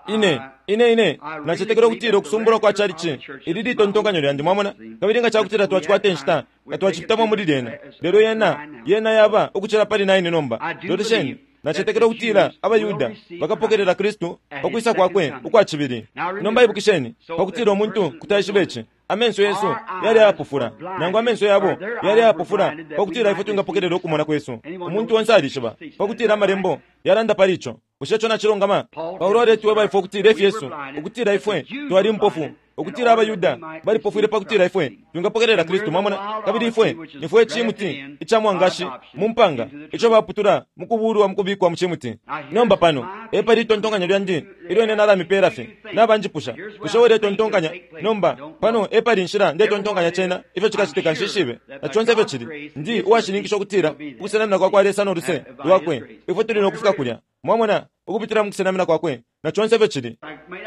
Ine ine ine nacetekela ukutila ukusumbula kwa chalichi ili litontonkanyo lyandi, mwamona, kabili nga cakutila twacikwata inshita nga twacipitamo muli lyena. Lelo yena yena yaba ukucila pali nine nomba. Lolesheni, nacetekela ukutila abaYuda bakapokelela Kristu pakwisa kwakwe ukwa cibili. Nomba ibukisheni, pakutila umuntu kutaishiba ici, amenso yesu yali ayapofula, nangu amenso yabo yali ayapofula, pakutila ifwe twingapokelela ukumona kwesu. Umuntu onse alishiba pakutila amalembo yalanda pali ico. Bushe ico nacilungama? Paulo aletweba ifwe ukutila ifyesu, ukutila ifwe twali mpofu, ukutila abaYuda balipofwile pakutila ifwe twingapokelela Kristu, mwamona, kabili ifwe nifwe cimuti ica mwangashi mu mpanga ico baputula mukubulwa mukubikwa mu cimuti. Nomba pano epali itontonkanyo lyandi ilyo ine nalamipela fye nabanjipusha, bushe uletontonkanya? Nomba pano epali inshila ndetontonkanya cena ifyo cikacitika, nshishibe na conse ifyo cili. Ndi uwashininkisha ukutila ukusenamina kwa kwa Lesa no luse lwakwe ifwe tuli no kufika kulya, mwamona, ukupitila mu kusenamina kwakwe na conse ifyo cili.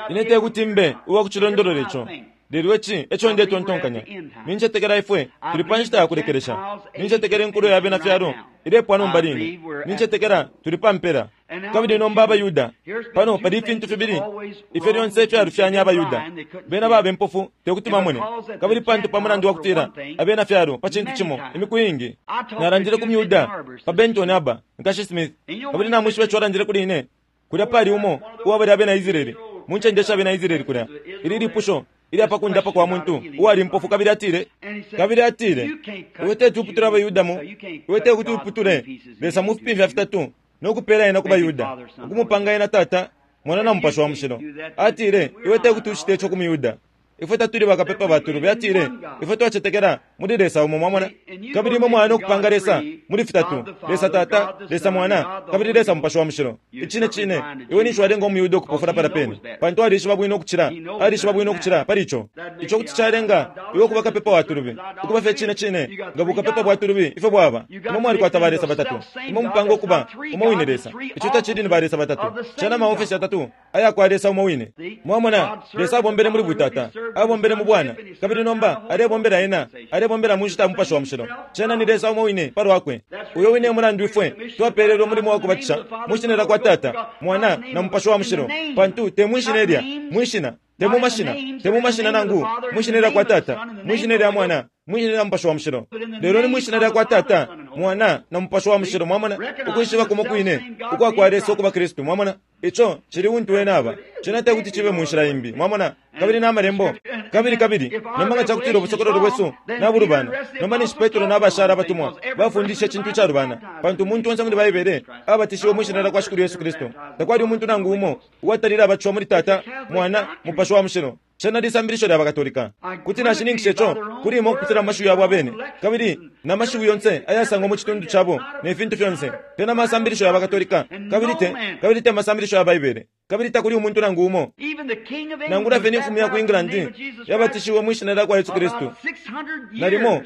Ine tekuti mbe uwakucilondolola ico, lelo ici eco ndetontonkanya. Nincetekela ifwe tuli pa nshita ya kulekelesha. Nincetekela inkulo ya bena fyalo ilepwa nomba line. Nincetekela tuli pa mpela. Kabili nomba abaYuda pano pali ifintu fibili ifyo lyonse fyalufyanya abaYuda. Bena baba impofu tekuti bamone, kabili pantu pa mulandu wa kutila abena fyalo pa cintu cimo imiku iingi. Nalandile ku Myuda pa Benton Harbor, Nkashi Smith, kabili namwishiba ico alandile kuli ine. Kulya pali umo uwabali abena Israeli mu ncende sha bena Israeli kulya. Ili lipusho ilya pakundapa kwa muntu uwali mpofu, kabili atile kabili atile iwe teti uputule abaYuda mu iwe tekuti uputule Lesa mu fipimfya fitatu no kupela ena ku baYuda, ukumupanga ena Tata, Mwana na Mupashi wa Mushilo. Atile iwe tekuti ucite ico ku Muyuda, ifwe tatuli bakapepa batulubi. Atile ifwe twacetekela muli Lesa umo, mwamona. Kabili imwe mwana okupanga Lesa muli fitatu, Lesa Tata, Lesa Mwana, kabili Lesa Mupashi wa Mushilo. Icine cine iwe ninshi walenga umuyuda ukupofula pala pene, pantu alishiba bwino ukucila, alishiba bwino ukucila pali ico. Ico kuti calenga iwe ukuba kapepa wa tulubi, ukuba fye cine cine nga bukapepa bwa tulubi ifyo bwaba. Imwe mwalikwata ba Lesa batatu, imwe mupanga ukuba umo wine Lesa. Ico tacili ni ba Lesa batatu, cena maofesi atatu aya kwa Lesa umo wine. Mwamona, Lesa abombele muli butata, abombele mu bwana, kabili nomba alebombela ena, alebombela mu nshita ya Mupashi wa Mushilo. Cena ni Lesa umo wine palwakwe. Uyo wine mulandu ifwe twapelelwe umulimo wa kubatisha mwishina lya kwa Tata, Mwana na Mupashi wa Mushilo, pantu te mwishina lya mwishina, te mu mashina, te mu mashina nangu mwishina lya kwa Tata, mwishina lya Mwana, mwishina lya Mupashi wa Mushilo. Lelo ni mwishina lya kwa Tata, Mwana na Mupashi wa Mushilo. Mwamona, ukwishiba kumo kwine ukwa kwa Lesa ukuba Kristu. Mwamona, ico cili untu wene aba cena te kuti cibe mu nshila imbi. Mwamona, kabili n'amalembo kabili kabili nomba nga cakutila ubusokololo bwesu nabulubana, nomba ninshi Petro n'abashara abatumwa bafundishe icintu icalubana, pantu umuntu onse muli Baibele abatishiwe mwishina lya kwa Shikulu Yesu Kristu. Takwali umuntu nangu umo uwatalile abatishiwa muli Tata, Mwana, Mupashi wa Mushilo. Cena lisambilisho lya Bakatolika. Kuti nashininkisha ico kuli imwe ukupitila mu mashiwi yabo abene, kabili na mashiwi yonse ayasangwa mu citundu cabo ne fintu fyonse, te na masambilisho ya Bakatolika, kabili te kabili te masambilisho ya Baibele, kabili takuli umuntu nangu umo. Nangula fye ni mfumu ya ku England yabatishiwe mwishina lya kwa Yesu Kristu nalimo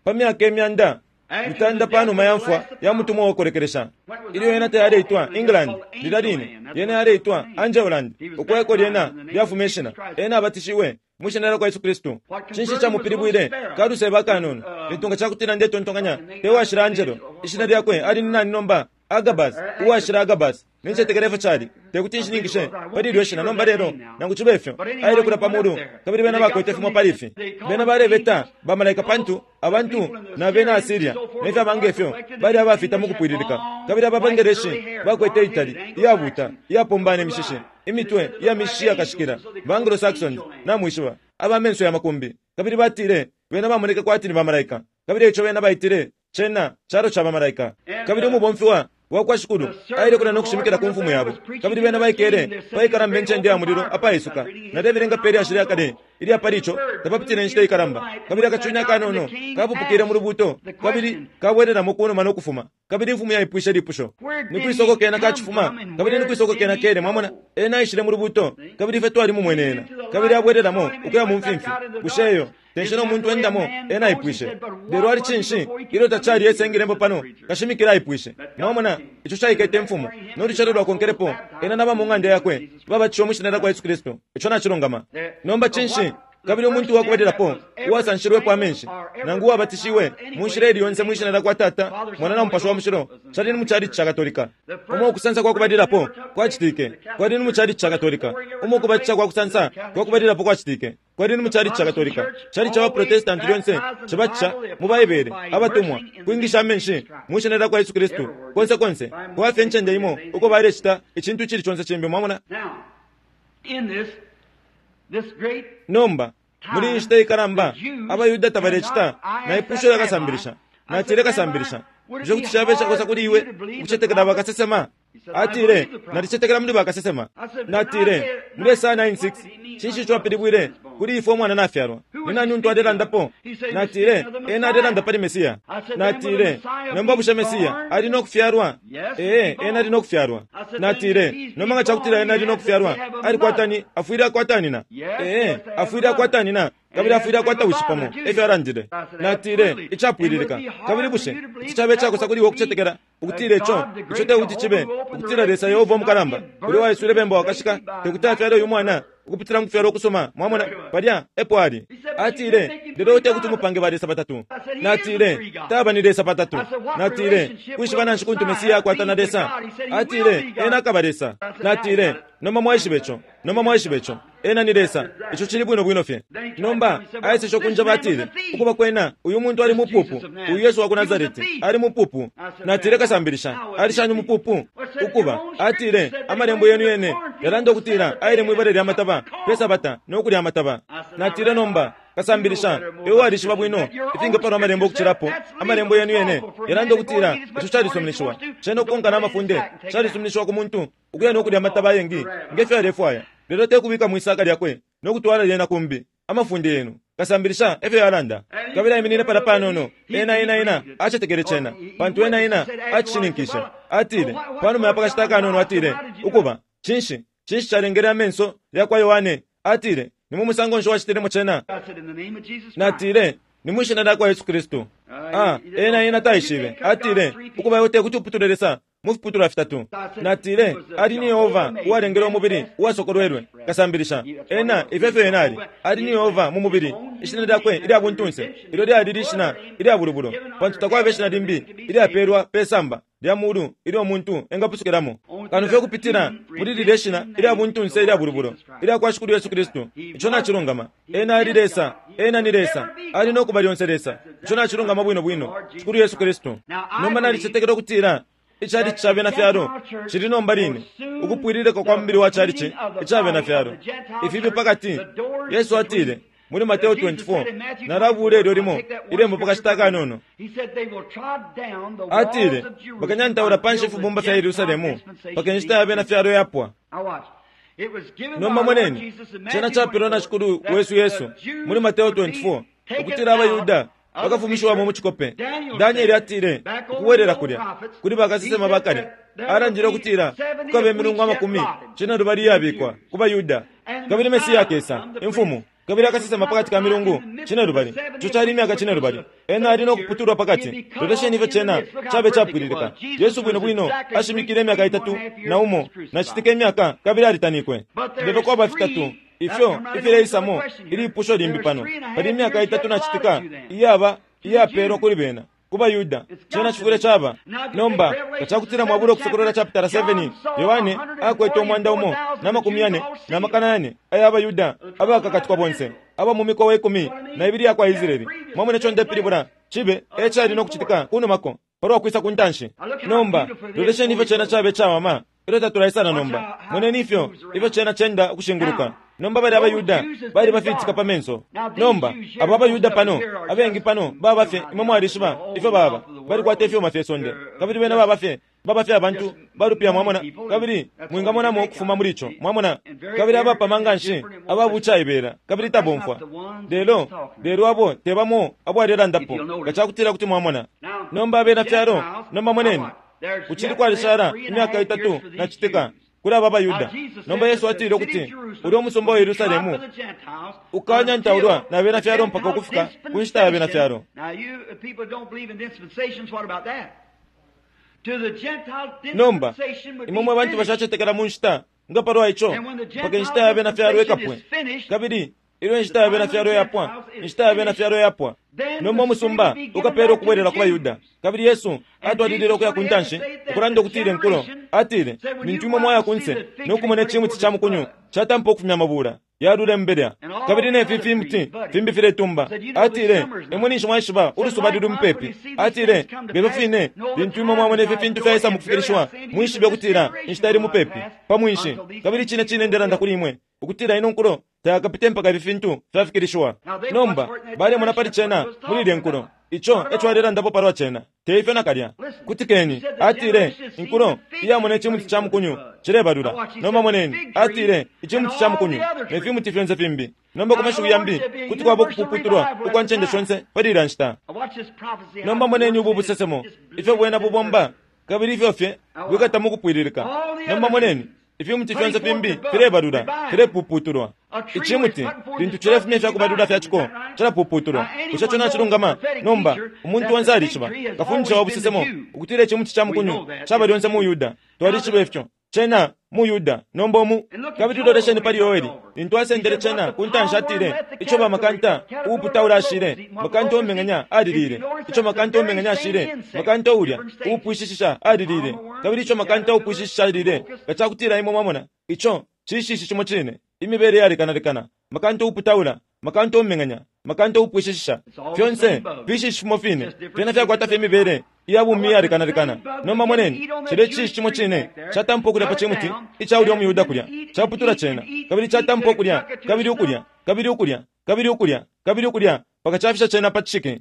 pa myaka imyanda mitanda panuma ya mfwa ya mutumwa wokolekelesha. Ilyo yena tayaleitwa England lilya line, yena yaleitwa Angeland, ukweko lyena lyafuma ishina. Ena abatishiwe mwishina lya kwa Yesu Kristu. Cinshi camupilibwile kaluseba kanono lintu nga cakutila ndetontonkanya te washila Angelo, ishina lyakwe ali ni nani nomba? Agabas, uwashila Agabas. Nincetekela ifyo cali, tekuti nshininkishe pali ilyo shina nomba lelo, nangu cibe ifyo aile kula pamulu, kabili bena bakwete fimo pali ifi. Bena balebeta bamalaika, pantu abantu na bena Asiria nefyaba ngefyo bali abafita mu kupwililika, kabili ababangeleshi bakwete itali iyabuta iyapombana imishishi imitwe iya mishishi yakashikila, ba Anglo-Saxons namwishiba, aba menso ya makumbi, kabili batile bena bamoneke kwati ni bamalaika, kabili ico bena baitile cena calo ca bamalaika. Kabili umubomfi wa wakwa Shikulu aile kulya nokushimikila ku mfumu yabo, kabili bena baikele paikalamba incende ya mulilo apaisuka. Nalebelenga pe lyashi lya kale ilya pali ico, tapapitile inshita ikalamba, kabili akacunya akanono kapupukile mu lubuto, kabili kabwelelamo kunuma nokufuma. Kabili imfumu yaipwishe lipusho, ni kwisoko kena kacifuma, kabili ni kwisoko kena kele. Mwamona, ena aishile mu lubuto, kabili ifwe twalimumwene ena, kabili abwelelamo ukuya mu mfimfi. Bushe eyo tenshina umuntu endamo? Ena aipwishe. Lelo ali cinshi ilyo tacali esengilembo pano kashimikila aipwishe. Mwamona, ico caikete imfumu nolucelo lwakonkelepo ena naba mu ng'anda yakwe babatishiwe mwishina lya kwa Yesu Kristu. Ico nacilungama. Nomba cinshi? Kabili umuntu wakubalilapo uwasanshilwepo amenshi nangu uwabatishiwe mu nshila ili yonse mwishina lya kwa Tata, Mwana na Mupashi wa Mushilo cali ni mu chalichi ca Katolika. Umo ukusansa kwa kubalilapo kwacitike kwali ni mu chalichi ca Katolika. Umo ukubatisha kwa kusansa kwa kubalilapo kwacitike kwali ni mu chalichi ca Katolika. Chali ca Baprotestanti lyonse cibatisha mu Baibele abatumwa kwingisha amenshi mwishina lya kwa Yesu Kristu konse konse, kwafye incende imo uko balecita icintu icili conse cimbi. Mwamona? Nomba muli inshita ikalamba abayuda tabalecita naipusho lakasambilisha, natile kasambilisha, bushe kuti cabe cakosa kuli iwe ukucetekela bakasesema? Atile, nalicetekela muli bakasesema. Natile, muli Esaya nine six cinshi ico apilibwile kuli ifwe umwana nafyalwa? Ni nani untu alelandapo? Natile, ena alelanda pali Mesiya. Natile, nomba bushe Mesiya ali nokufyalwa? Ee, ena ali nokufyalwa. Natile, nomba nga cakutila ena ali nokufyalwa, alikwatani afwile akwatanina? Ee, afwile akwatanina, kabili afwile akwata wishi pamo, efyo alandile. Natile, icapwililika. Kabili bushe ici cabe cakosa kuli iwe ukucetekela ukutila ico ico tekuti cibe ukutila Lesa Yehova umukalamba uli waiswile bemba wakashika tekuti afyale uyu mwana ukupitila mu kufyalwa ukusuma? Mwamona, palya epo ali. Atile, lelo tekuti umupange ba Lesa batatu. Natile, taba ni Lesa patatu. Natile, kwishiba nanshi kuntu Mesiya akwata na Lesa? Atile, ena akaba Lesa. Natile, nomba mwaishiba ico, nomba mwaishiba ico, ena ni Lesa. Ico cili bwino bwino fye. Nomba aeseshe ukunjaba, atile, ukuba kwena uyu muntu ali mupupu, uyu Yesu wa ku Nazareti ali mupupu. Natile, kasambilisha, ali shani mupupu? Ukuba atile, amalembo yenu yene yalanda ukutila aile mwibale lya mataba pe sabata nokulya amataba. Natile, nomba kasambilisha, iwe walishiba bwino ifingapalwa amalembo ukucilapo. Amalembo yenu yene yalanda ukutila ico calisuminishiwa, cena ukukonka n'amafunde calisuminishiwa ku muntu ukuya nokulya amataba ayengi ngefyo alefwaya, lelo tekubika mwisaka lyakwe nokutwala lyena kumbi. Amafunde yenu Kasambilisha efyo yalanda. Kabili aiminine palya panono. Ena ena ena acetekele cena, pantu ena ena acishininkishe. Atile panuma ya pakashita kanono, atile, "Ukuba, cinshi cinshi calengele amenso yakwa Yohane?" Atile, "Ni mu musango nshi wacitilemo cena?" Natile, "Ni mwishina lyakwa Yesu Kristu." Ah, ena ena taishibe. Atile, "Ukuba, iwe tekuti uputule Lesa mu fiputulwa fitatu." Natile, "Ali ni Yehova uwalengele umubili uwasokolwelwe, kasambilisha. Ena ifyo efyo ena ali. Ali ni Yehova mu mubili, ishina lyakwe ilya buntunse, ilyo lyali lishina ilya bulubulo, pantu takwaba ishina limbi ilyapelwa pe samba lya mulu ilyo umuntu engapusukilamo kano fye kupitila muli lilye shina ilya buntunse ilya bulubulo ilya kwa Shikulu Yesu Kristu. Ico nacilungama. Ena ali Lesa, ena ni Lesa, ali no kuba lyonse Lesa. Ico nacilungama bwino bwino, Shikulu Yesu Kristu. Nomba nalicetekela ukutila icalici ca bena fyalo cili nomba line ukupwililika kwa mubili wa calici ica bena fyalo. Ifibi pakati, Yesu atile muli Mateo twenty-four, nalabula ilyo limo ilembo pakashita kanono. Atile bakanyantaula panshi ifibumba fya Yerusalemu paka inshita ya bena fyalo yapwa. Nomba moneni, cena capelwa na Shikulu wesu Yesu muli Mateo twenty-four ukutila abaYuda bakafumishiwamo mu cikope. Danieli atile ukubwelela kulya kuli bakasesema bakale, alandile ukutila kukaba imilungu amakumi cinelubali iyabikwa ku baYuda, kabili Mesiya akesa imfumu, kabili akasesema pakati ka milungu cinelubali. Ico cali imyaka cinelubali. Ena ali no kuputulwa pakati. Lolesheni ifyo cena cabe capwililika. Yesu bwino bwino ashimikile imyaka itatu na umo nacitika imyaka, kabili alitanikwe. Lelo kwaba fitatu ifyo ifileisamo ilipusho limbi pano. Pali imyaka itatu nacitika iyaba iyapelwa kuli bena ku baYuda. Cena cifwile caba nomba kacakutila mwabula Ukusokolola chapter seven, Yohane akwete umwanda umo na makumi yane na makana yane aya abayuda abakakatikwa bonse aba mu mikowa ikumi na ibili yakwa Israeli. Mwamona ico ndepilibula? Cibe ecali no kucitika kunumako palwa kwisa ku ntanshi. Nomba lolesheni ifyo cena cabe cawama ilyo tatulaisana. Nomba moneni ifyo ifyo cena cenda ukushinguluka. Nomba bali abayuda bali bafitika pa menso. Nomba abo abayuda pano abengi pano baba fye, imwe mwalishiba ifyo baba, balikwata ifyuma fye sonde, kabili bena baba fye baba fye abantu balupya, mwamona, kabili mwingamonamo ukufuma muli ico, mwamona, kabili abapama nganshi ababucaibela kabili tabomfwa. Lelo lelo abo tebamo abo alelandapo ngacakutila kuti mwamona. Nomba abena fyalo, nomba moneni, kucili kwalishala imyaka itatu nacitika kuli aba abayuda. Nomba Yesu atile ukuti ulya umusumba wa Yerusalemu ukanyantaulwa na bena fyalo mpaka ukufika ku nshita ya bena fyalo. Nomba imwe mwe bantu bashacetekela mu nshita nga palwa ico, mpaka inshita ya bena fyalo ikapwe. Kabili ilyo inshita ya bena fyalo yapwa, inshita ya bena fyalo yapwa, nomba umusumba ukapelwa ukubwelela ku baYuda. Kabili Yesu atwalilile ukuya ku ntanshi ukulanda ukutila inkulo. Atile, "Lintu imwe mwaya kunse no kumona icimuti ca mukunyu catampa ukufumya amabula yalula imbelya, kabili nefi fimuti fimbi filetumba." Atile, "Imwe ninshi mwaishiba ulusuba luli mupepi." Atile, "Ngefyo fine lintu imwe mwamona ifi fintu fyaisa mu kufikilishiwa, mwishibe ukutila inshita ili mupepi pa mwinshi. Kabili cine cine ndelanda kuli imwe ukutila ino nkulo tayakapite mpaka ifi fintu fyafikilishiwa." Nomba balemona pali cena muli ilye nkulo. Ico eco alelandapo palwa cena, teifyo nakalya. Kutikeni, atile inkulo iyamona icimuti ca mukunyu cilebalula. Nomba moneni, atile icimuti ca mukunyu ne fimuti fyonse fimbi. Nomba ku mashiwi yambi kuti kwaba ukupuputulwa ukwa ncende shonse pali ilya nshita. Nomba moneni ubu busesemo ifyo bwena bubomba, kabili ifyo fye bwikata mu kupwililika. Nomba moneni, ifimuti fyonse fimbi filebalula, filepuputulwa. Icimuti lintu cilefumya ifyakubalula fyaciko cilapuputulwa. Bushe ico nacilungama? Nomba umuntu onse alishiba, kafundisha wa busesemo, ukutila icimuti ca mukunyu caba lyonse mu Yuda. Twalishiba ifyo cena mu Yuda. Nomba omu kabili lolesheni pali Yoeli lintu asendele cena ku ntanshi. Atile ico bamakanta uuputaula ashile, makanta umeng'anya alilile. Ico makanta umeng'anya ashile, makanta ulya uupwishishisha alilile. Kabili ico makanta uupwishishisha alilile, ngacakutila imwe mwamona ico cishishi cimo cine, imibele yalekanalekana, makanta uuputaula, makanta umeng'anya, makanta uupwishishisha, fyonse fishishi fimo fine, fyena fyakwata fye imibele iyabumi iyalekanalekana. Nomba moneni, cilya cishishi cimo cine catampa ukulya pa cimuti ica ulya umuyuda kulya, caputula cena, kabili catampa ukulya, kabili ukulya, kabili ukulya, kabili ukulya, kabili ukulya, mpaka cafisha cena pa cishiki.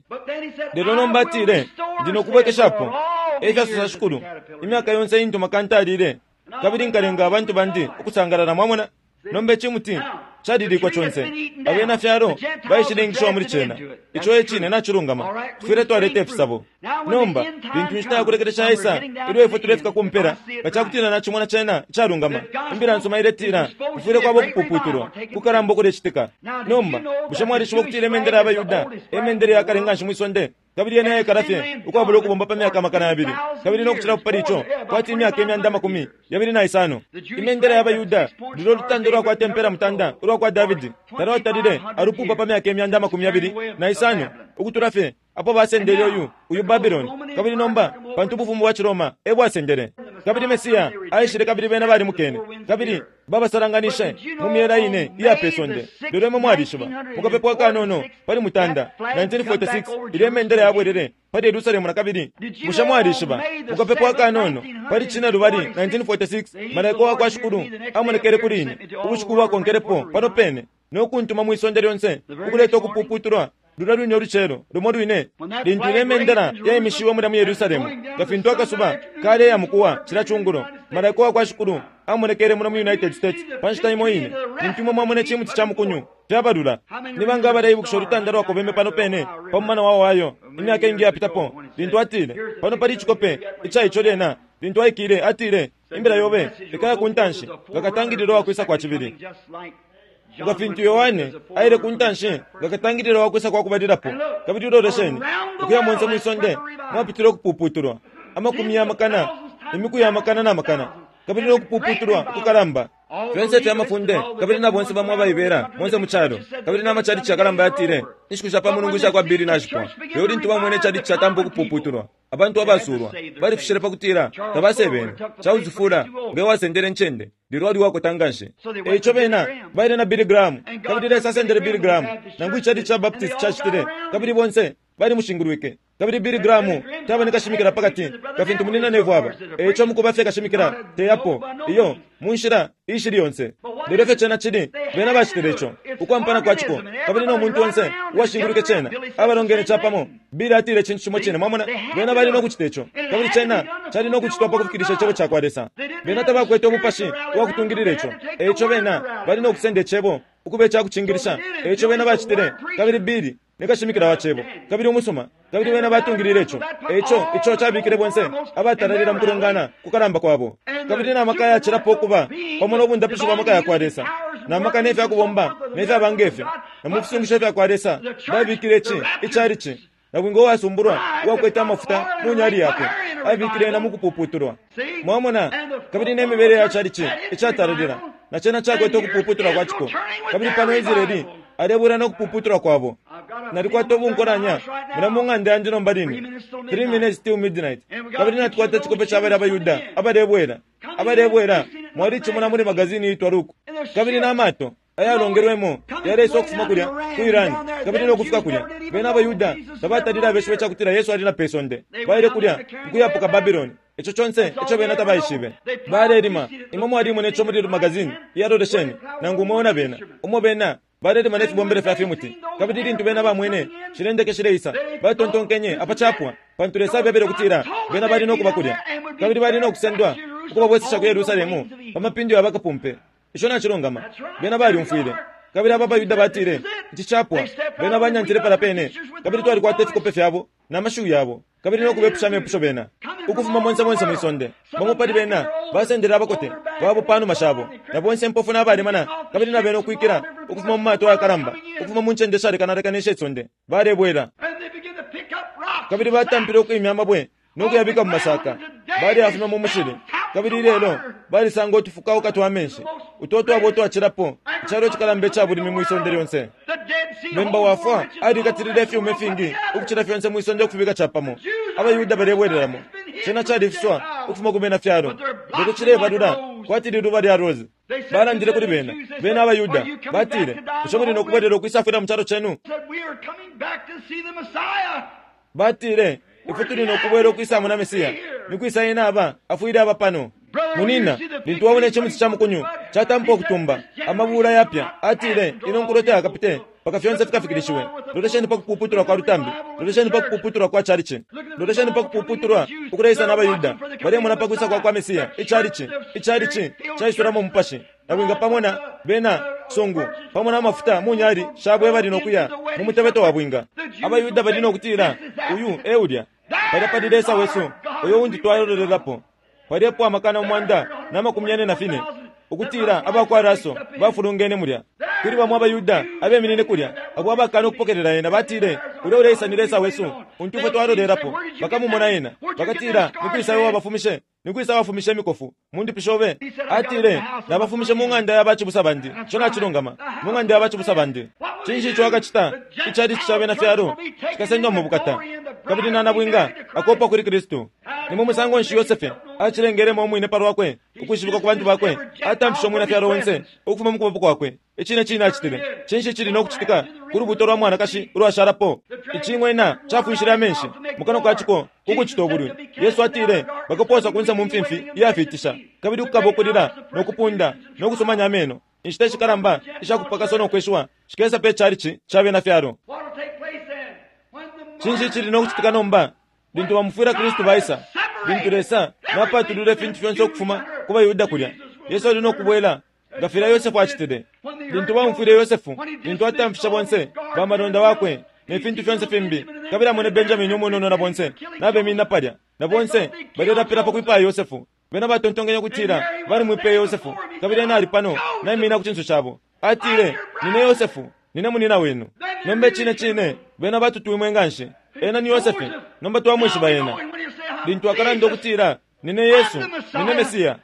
Lelo nomba atile, "Ndi nokubwekeshapo," efyasosa Shikulu, "imyaka yonse intu makanta alile, kabili nkalenga abantu bandi ukusangalala." Mwamona? Nomba icimuti Calilikwa conse. Abena fyalo baishilengishiwa muli cena. Ico e cine nacilungama. Tufwile twaleta ifisabo. Nomba lintu inshita yakulekelesha yaisa, ilyo ifwe tulefika ku mpela, nga cakutila nacimona cena icalungama, imbila nsuma iletila kufwile kwaba ukupuputulwa kukalamba ukulecitika. Nomba bushe mwalishiba ukutila imendela ya baYuda emendela yakale nganshi mwisonde, kabili yena yaikala fye ukwabula ukubomba pa myaka amakana yabili kabili nokucilapo pali ico kwati imyaka imyanda amakumi yabili na isano. Imendela ya baYuda lulyo lutanda ulwakwata impela mutanda ulwa kwa Davidi talwatalile alupupa pa myaka imyanda amakumi yabili na isano ukutula fye apo basendele uyu uyu Babylon. Kabili nomba pantu ubufumu bwa Ciroma e bwasendele, kabili Mesiya aishile kabili bena balimukene kabili babasalanganishe mu myela ine iya pe sonde. Lelo imwe mwalishiba mukapepo akanono pali mutanda nineteen forty-six ilyo imendela yabwelele pali Yerusalemu na kabili. Bushe mwalishiba mukapepo akanono pali cine lubali nineteen forty-six malaika wa kwa Shikulu amonekele kuli ine ubushiku bwakonkelepo pano pene nokuntuma mwisonde lyonse ukuleta ukupuputulwa lulya lwine ulucelo lumo lwine lintu ile mendela yaimishiwe mulya mu Yerusalemu nga fintu akasuba kaleya mukuwa cila cungulo. Malaika wa kwa Shikulu amonekele muno mu United States pa nshita imo ine lintu imwe mwamona icimuti ca mukunyu fyabalula. Ni banga abaleibukisha ulutanda lwakobeme pano pene pa mumana wa Ohio imyaka ingi yapitapo lintu atile pano pali icikope ica ico lyena lintu aikile atile imbila yobe ikaya ku ntanshi nga katangililo wa kwisa kwa cibili. Nga fintu Yohane aile ku ntanshi nga katangililo wa kwisa kwa kubalilapo. Kabili ulolesheni ukuya monse mwisonde mwapitile ukupuputulwa amakumi ya makana imiku ya makana na makana kabili nokupuputulwa ukukalamba fyonse fya mafunde kabili na bonse bamwe abaibela monse mu calo kabili n'amachalichi akalamba yatile inshiku sha pa mulungu isha kwa bili nashipwa. Lelo lintu bamwene icalichi catampa ukupuputulwa abantu abasulwa balifishile pakutila tabasebene. Charles Fuller nga wasendele ncende lelo ali wakota nganshi. Eico bena baile na Billy Graham kabili Lesa asendele Billy Graham nangu icalichi ca Baptist cacitile kabili bonse balimushingulwike. Kabili Billy Graham taba nikashimikila pakati kafintu munina nevu aba. Eico mukuba fye kashimikila teyapo iyo munshila ishili yonse. Lelo fye cena cili bena bacitile ico ukwampana kwa ciko kabili no muntu onse uwashingulwike cena abalongene capamo. Billy atile cintu cimo cine mwamona bena bali nokucita ico kabili cena cali nokucitwa pakufikilisha icebo ca kwa Lesa. Bena tabakwete umupashi uwakutungilila ico. Eico bena bali nokusenda icebo ukuba icakucingilisha. Eico bena bacitile kabili Billy nikashimikila wa cebo kabili umusuma kabili bena batungilile ico. Eico ico cabikile bonse abatalalila mukulongana kukalamba kwabo kabili n'amaka yacilapo okuba pamo n'obundapishi bwa maka ya kwa Lesa n'amaka n'efyakubomba n'efyabanga efyo na mu fisungisho fya kwa Lesa babikile ici icalici na bwinga uwasumbulwa uwakwete amafuta mu nyali yakwe abikile na mukupuputulwa mwamona kabili n'emibele ya calici icatalalila na cena cakwete ukupuputulwa kwa ciko. Kabili pano Israeli alebwela nokupuputulwa kwabo. Nalikwata obunkolanya mula mu ng'anda yandi nomba line three minutes till midnight kabili natukwata icikope ca bali abayuda abalebwela abalebwela mwalicimona muli magazini iitwa Luku kabili n'amato ayalongelwemo yaleisa okufuma kulya ku Iran kabili nokufika kulya. Bena abayuda tabatalile abeshibe cakutila Yesu ali na pe sonde baile kulya nkuyapuka Babylon. Ico conse ico bena tabaishibe balelima. Imwe mwalimona ico muli magazini iyalolesheni nangu umwe bena umo bena balelima nefibombele fya fimuti kabili lintu bena bamwene shilendeke shileisa batontonkenye apacapwa pantu Lesa abebele okutila bena bali nokuba kulya kabili bali nokusendwa ukubabwesesha ku Yerusalemu pamapindu ya bakapumpe. Ico nacilungama. Bena balyumfwile kabili aba bayuda batile ici capwa. Bena banyantile pala pene kabili twalikwata ifikope fyabo n'amashiwi yabo kabili nokubepusha amepusho bena ukufuma monse monse mwisonde. Bamo pali bena basendele abakote babo panuma shabo na bonse mpofu n'abalemana kabili na bena okwikila ukufuma mu mato ayakalamba ukufuma mu ncende ishalekanalekana ishe balebwela kabili batampile okwimya amabwe nokuyabika mu masaka baliyafuma mu mushili kabili lelo balisanga otufukauka twa menshi uto twabo otwacilapo icalo icikalamba ica bulimi mwisonde lyonse. Memba wafwa alikatilile ifyuma ifingi ukucila fyonse mwisonde okufibika capamo. Abayuda balebwelelamo cena califiswa ukufuma ku bena fyalo lelo cilebalula kwati liluba lya rose. Balandile kuli bena bena abayuda batile bushe muli nokubwelela okwisafwila mu calo cenu? Batile ifwe tuli nokubwela okwisamuna Mesiya nikwisa ena aba afwile aba pano. Munina lintu wabona icimuti ca mukunyu catampa okutumba amabula yapya atile ino nkulo tayakapite paka fyonse fikafikilishiwe. Lolesheni pakupuputulwa kwa lutambi, lolesheni pakupuputulwa kwa chalichi, lolesheni pakupuputulwa ukuleisa n'abayuda balemona pakwisa kwa kwa Mesiya. Ichalichi ichalichi caisulamo umupashi nabwinga pamona bena cisungu pamo na mafuta mu nyali shabo bali nokuya mu mutebeto wa bwinga. AbaYuda bali nokutila uyu e ulya palya pali Lesa wesu uyo undi twalolelapo. Palyepo amakana umwanda na makumi yane na fine ukutila abakwa Raso bafulungene mulya. Kuli bamwe abaYuda abeminine kulya abo abakana ukupokelela yena batile ulya uleisa ni Lesa wesu untu ifwe twalolelapo. Bakamumona yena bakatila nikwisa iwe wabafumishe, nikwisa wafumishe imikofu mundipishobe. Atile nabafumishe mu ng'anda ya bacibusa bandi, ico nacilungama, mu ng'anda ya bacibusa bandi. Cinshi ico akacita? Icalici ca bena fyalo cikasendwa mu bukata kabili na nabwinga akopa kuli Kristu. Ni mu musango nshi Yosefe acilengelemo umwine palwakwe ukwishibikwa ku bantu bakwe, atamfishe umwina fyalo onse ukufuma mu kuboko kwakwe. Icine cine acitile. Cinshi cili no kucitika ku lubuto lwa mwanakashi ulwashalapo? Icing'wena cafwishile amenshi mu kanwa kaciko kukucita ubulwi. Yesu atile bakaposa kunse mu mfimfi iyafiitisha, kabili kukaba ukulila no kupunda no kusomanya ameno. Inshita ishikalamba ishakupakaswa no kweshiwa shikesa pe chalichi ca bena fyalo. Cinshi cili no kucitika nomba lintu bamufwila Kristu baisa, lintu Lesa napatulula ifintu fyonse ukufuma ku baYuda kulya? Yesu ali no kubwela nga filya Yosefu acitile. Lintu bamufwile Yosefu, lintu atamfisha bonse bamalonda wakwe ne fintu fyonse fimbi, kabili amone Benjamini umunono na bonse nabeminina palya na bonse balelapila pa kwipaya Yosefu. Bena batontonkenya kutila balimwipeye Yosefu, kabili ena ali pano naimina ku cinso cabo. Atile, nine Yosefu, nine munina wenu. Nomba icine cine bena batutwimwe nganshi, ena ni Yosefu, nomba twamwishiba ena. Lintu akalanda ukutila nine Yesu, nine Mesiya,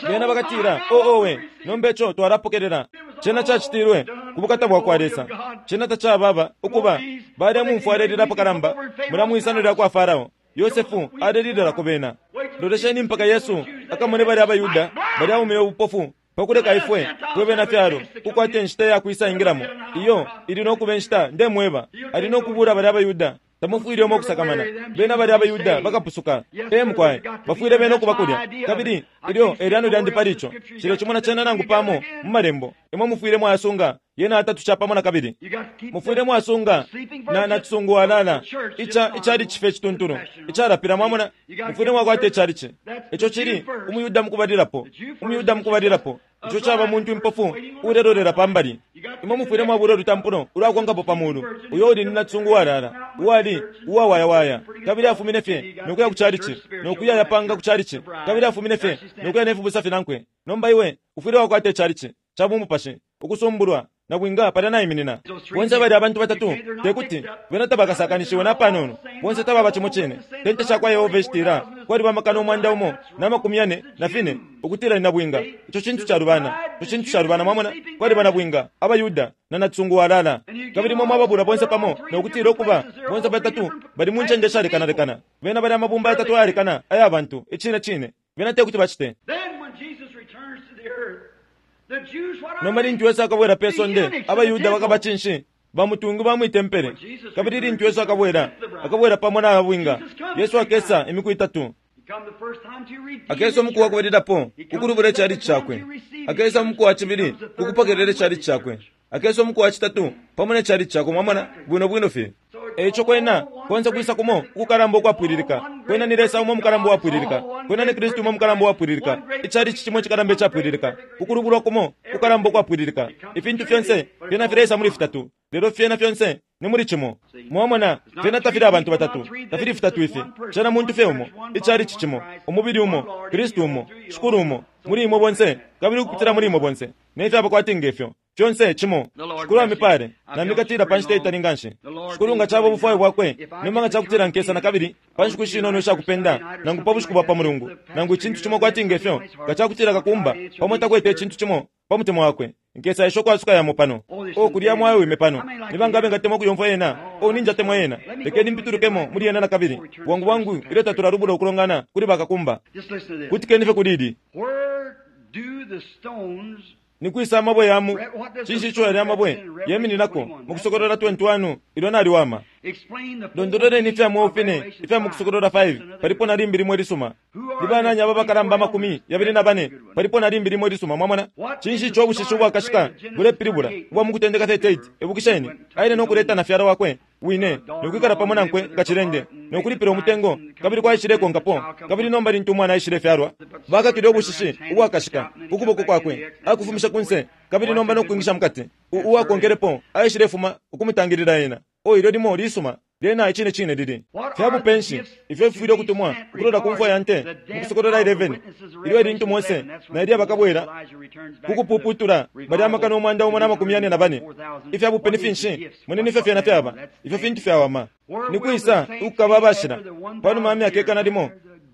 bena bakatila o owe, nomba ico twalapokelela. Cena cacitilwe ku bukata bwa kwa Lesa. Cena tacababa ukuba balemumfwa alelila pakalamba mula mwisano lya kwa Farao. Yosefu alelililako bena. Lolesheni mpaka Yesu akamone bali abaYuda balyaumile ubupofu pakuleka ifwe twe bena fyalo kukwata inshita ya kwisa ingilamo. Iyo ili nokuba inshita ndemweba ali nokubula bali abaYuda. Tamufwile umo kusakamana bena bali abaYuda bakapusuka. E mukwaye bafwile bena okuba kulya kabili ilyo elyano lyandi pali ico cilo cimo na cena nangu pamo mu malembo imwe mufwile mwayasunga yena atatu capamo na kabili mufwile mwasunga na nacisungu walala ica icali cife cituntulu icalapila mwamona mufwile mwakwata icali ico cili umuyuda mukubalilapo umuyuda mukubalilapo ico caba muntu impofu ulelolela pambali imwe mufwile mwabula olutampulo ulwakonkapo pamulu uyo uli ni nacisungu walala uwali uwawayawaya kabili afumine fye nokuya ku chalichi nokuya yapanga ku chalichi kabili afumine fye nokuya nefibusa finankwe. Nomba iwe ufwile wakwata icalichi cabumupashi ukusumbulwa na bwinga palya naiminina. Bonse bali abantu batatu tekuti bena tabakasakanishiwe na panono. Bonse tababa cimo cine. Tente shakwa Yehova eshitila kwali bamakana umwanda umo na makumi yane na fine ukutila na bwinga. Ico cintu calubana, ico cintu calubana mwamona kwali bana bwinga abayuda na natsungu walala kabili mwe mwababula bonse pamo nokutila okuba bonse batatu bali mu ncende shalekanalekana. Bena bali amabumba yatatu ayalekana aya bantu icine cine bena tekuti bacite. Nomba lintu Yesu akabwela pe sonde abayuda bakaba cinshi bamutungu bamwitempele. Kabili lintu Yesu akabwela akabwela pamo na abwinga. Yesu akesa imiku itatu. Akesa omuku wakubalilapo kukulubula icali cakwe. Akesa omuku wa cibili kukupokelela icali cakwe. Akesa omuku wa citatu pamo necali cakwe mwamona bwino bwino fye. Eico kwena konse kwisa kumo ukukalamba ukwapwililika. Kwena ni Lesa umo mukalamba uwapwililika. Kwena ni Kristu umo mukalamba uwapwililika. Icali cimo cikalamba icapwililika. Ukulubulwa kumo kukalamba ukwapwililika. Ifintu fyonse fyena fileisa muli fitatu, lelo fyena fyonse ni muli cimo. Mwamona fyena tafili abantu batatu, tafili fitatu ifi. Cena muntu fye umo, icali cimo, umubili umo, Kristu umo, Shikulu umo, muli imwe bonse kabili ukupitila muli imwe bonse. Nefyaba kwati ngefyo fyonse cimo. Shikulu amipale namikatila pa nshita itali nganshi. Shikulu nga caba ubufwayo bwakwe nomba nga cakutila nkesa na kabili pa nshiku shinono ishakupenda nangu pa bushiku bwa pa mulungu nangu icintu cimo kwati ngefyo nga cakutila kakumba pamo takwete icintu cimo pa mutima wakwe nkesa isho kwasuka yamo pano o kulya mwayo wime pano nibangabe ngatemwa kuyomfwa yena o ninjatemwa yena lekeni mpitulukemo muli yena na kabili bwangu bwangu ilyo tatulalubula ukulongana kuli bakakumba kutikeni fye kulili nikwisa amabwe yamu cinshi ico yali amabwe yemininako mukusokolola twenty-one ilyo naliwama. Londololeni ifya mwofine ifya mukusokolola five palipo na limbi limwe lisuma. Libananya aba bakalamba amakumi yabili na bane palipo na limbi limwe lisuma mwamona. Cinshi ico obushishi ubwakashika bulepilibula ubwa mukutendeka thirty-eight ebukisheni aile nokuleta na fyala wakwe wine nokwikala pamo nankwe nga cilende nokulipila umutengo, kabili kwaishilekonkapo. Kabili nomba lintu umwana aishilefyalwa, bakakile ubushishi ubwakashika ku kuboko kwakwe, akufumisha kunse, kabili nomba nokwingisha mukati. Uwakonkelepo aishilefuma ukumutangilila ena. O, ilyo limo lisuma lyena icine cine lili fyabupe nshi ifyo fifwile ukutumwa ukulola ku mfwa ya nte mu Kusokolola eleven, ilyo ilintu Mose na Eliya bakabwela kukupuputula balya amakana umwanda umo na makumi yane na bane. Ifyabupe ni finshi? Moneni ifyo fyena fyaba, ifyo fintu fyawama. Ni kwisa ukukaba abashila panuma ya myaka ikana limo?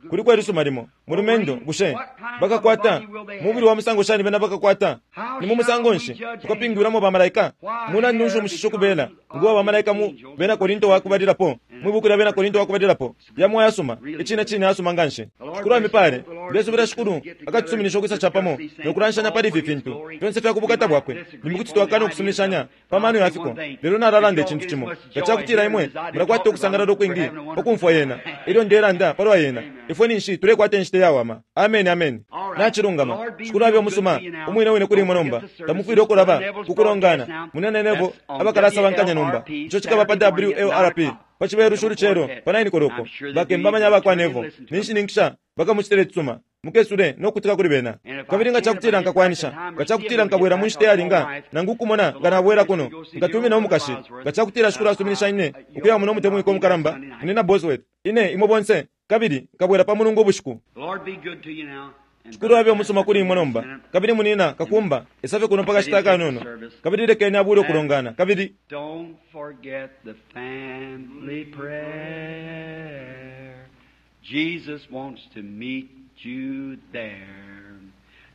Kuliko ilisuma limo, mulumendo. Bushe bakakwata mubili wa musango shani bena bakakwata? Ni mu musango nshi tukapingwilamo bamalaika? Mulandu nshi umushishi ukubela nguwa bamalaika mu Bena Korinto wakubalilapo, mwi buku lya Bena Korinto wakubalilapo? Yamo ayasuma, icine cine ayasuma nganshi. Shikulu amipale. Ndesubila Shikulu akatusuminisha ukwisa capamo nokulanshanya pali ifi fintu fyonse fya kubukata bwakwe. Nimukuti twakana ukusuminishanya pa mano yafiko, lelo nalalanda icintu cimo: nga cakutila imwe mulakwata ukusangalala ukwingi pa kumfwa yena ilyo ndelanda palwa yena, ifwe ninshi tulekwata inshita iyawama. Ameni, ameni, nacilungama. Shikulu abe umusuma umwine wine kuli imwe nomba. Tamufwile ukulaba kukulongana munenenevo abakalasabankanya nomba. Ico cikaba pa W L R P pa Cibelushi ulucelo pa nine koloko. Bakemba amanya bakwa Nevo ninshininkisha bakamucitila icisuma. Mukesule nokukutika kuli bena. Kabili nga cakutila nkakwanisha, nga cakutila nkabwela mu nshita iyalinga, nangu ukumona nga nabwela kuno, nkatumina umukashi, nga cakutila Shikulu asuminisha ine ukuya muno umutemwiko umukalamba Nina Bosworth, ine imwe bonse, kabili nkabwela pa Mulungu ubushiku. Shikulu abe umusuma kuli imwe nomba. Kabili munina kakumba esafye kuno pakashita akanono, kabili lekeni abule ukulongana. Kabili Don't forget the family prayer. Jesus wants to meet you there.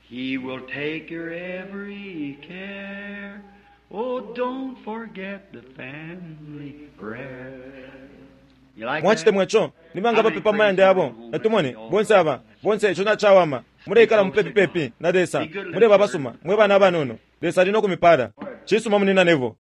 He will take your every care. Oh, don't forget the family prayer. You like that? Mwacitemwa ico? Nibanga bapepa mu mayanda yabo? Natumone bonse aba bonse. Ico nacawama. Muleikala mupepi pepi na Lesa, muleba abasuma mwe bana abanono. Lesa ali nokumipala. Cisuma, munina Nevo.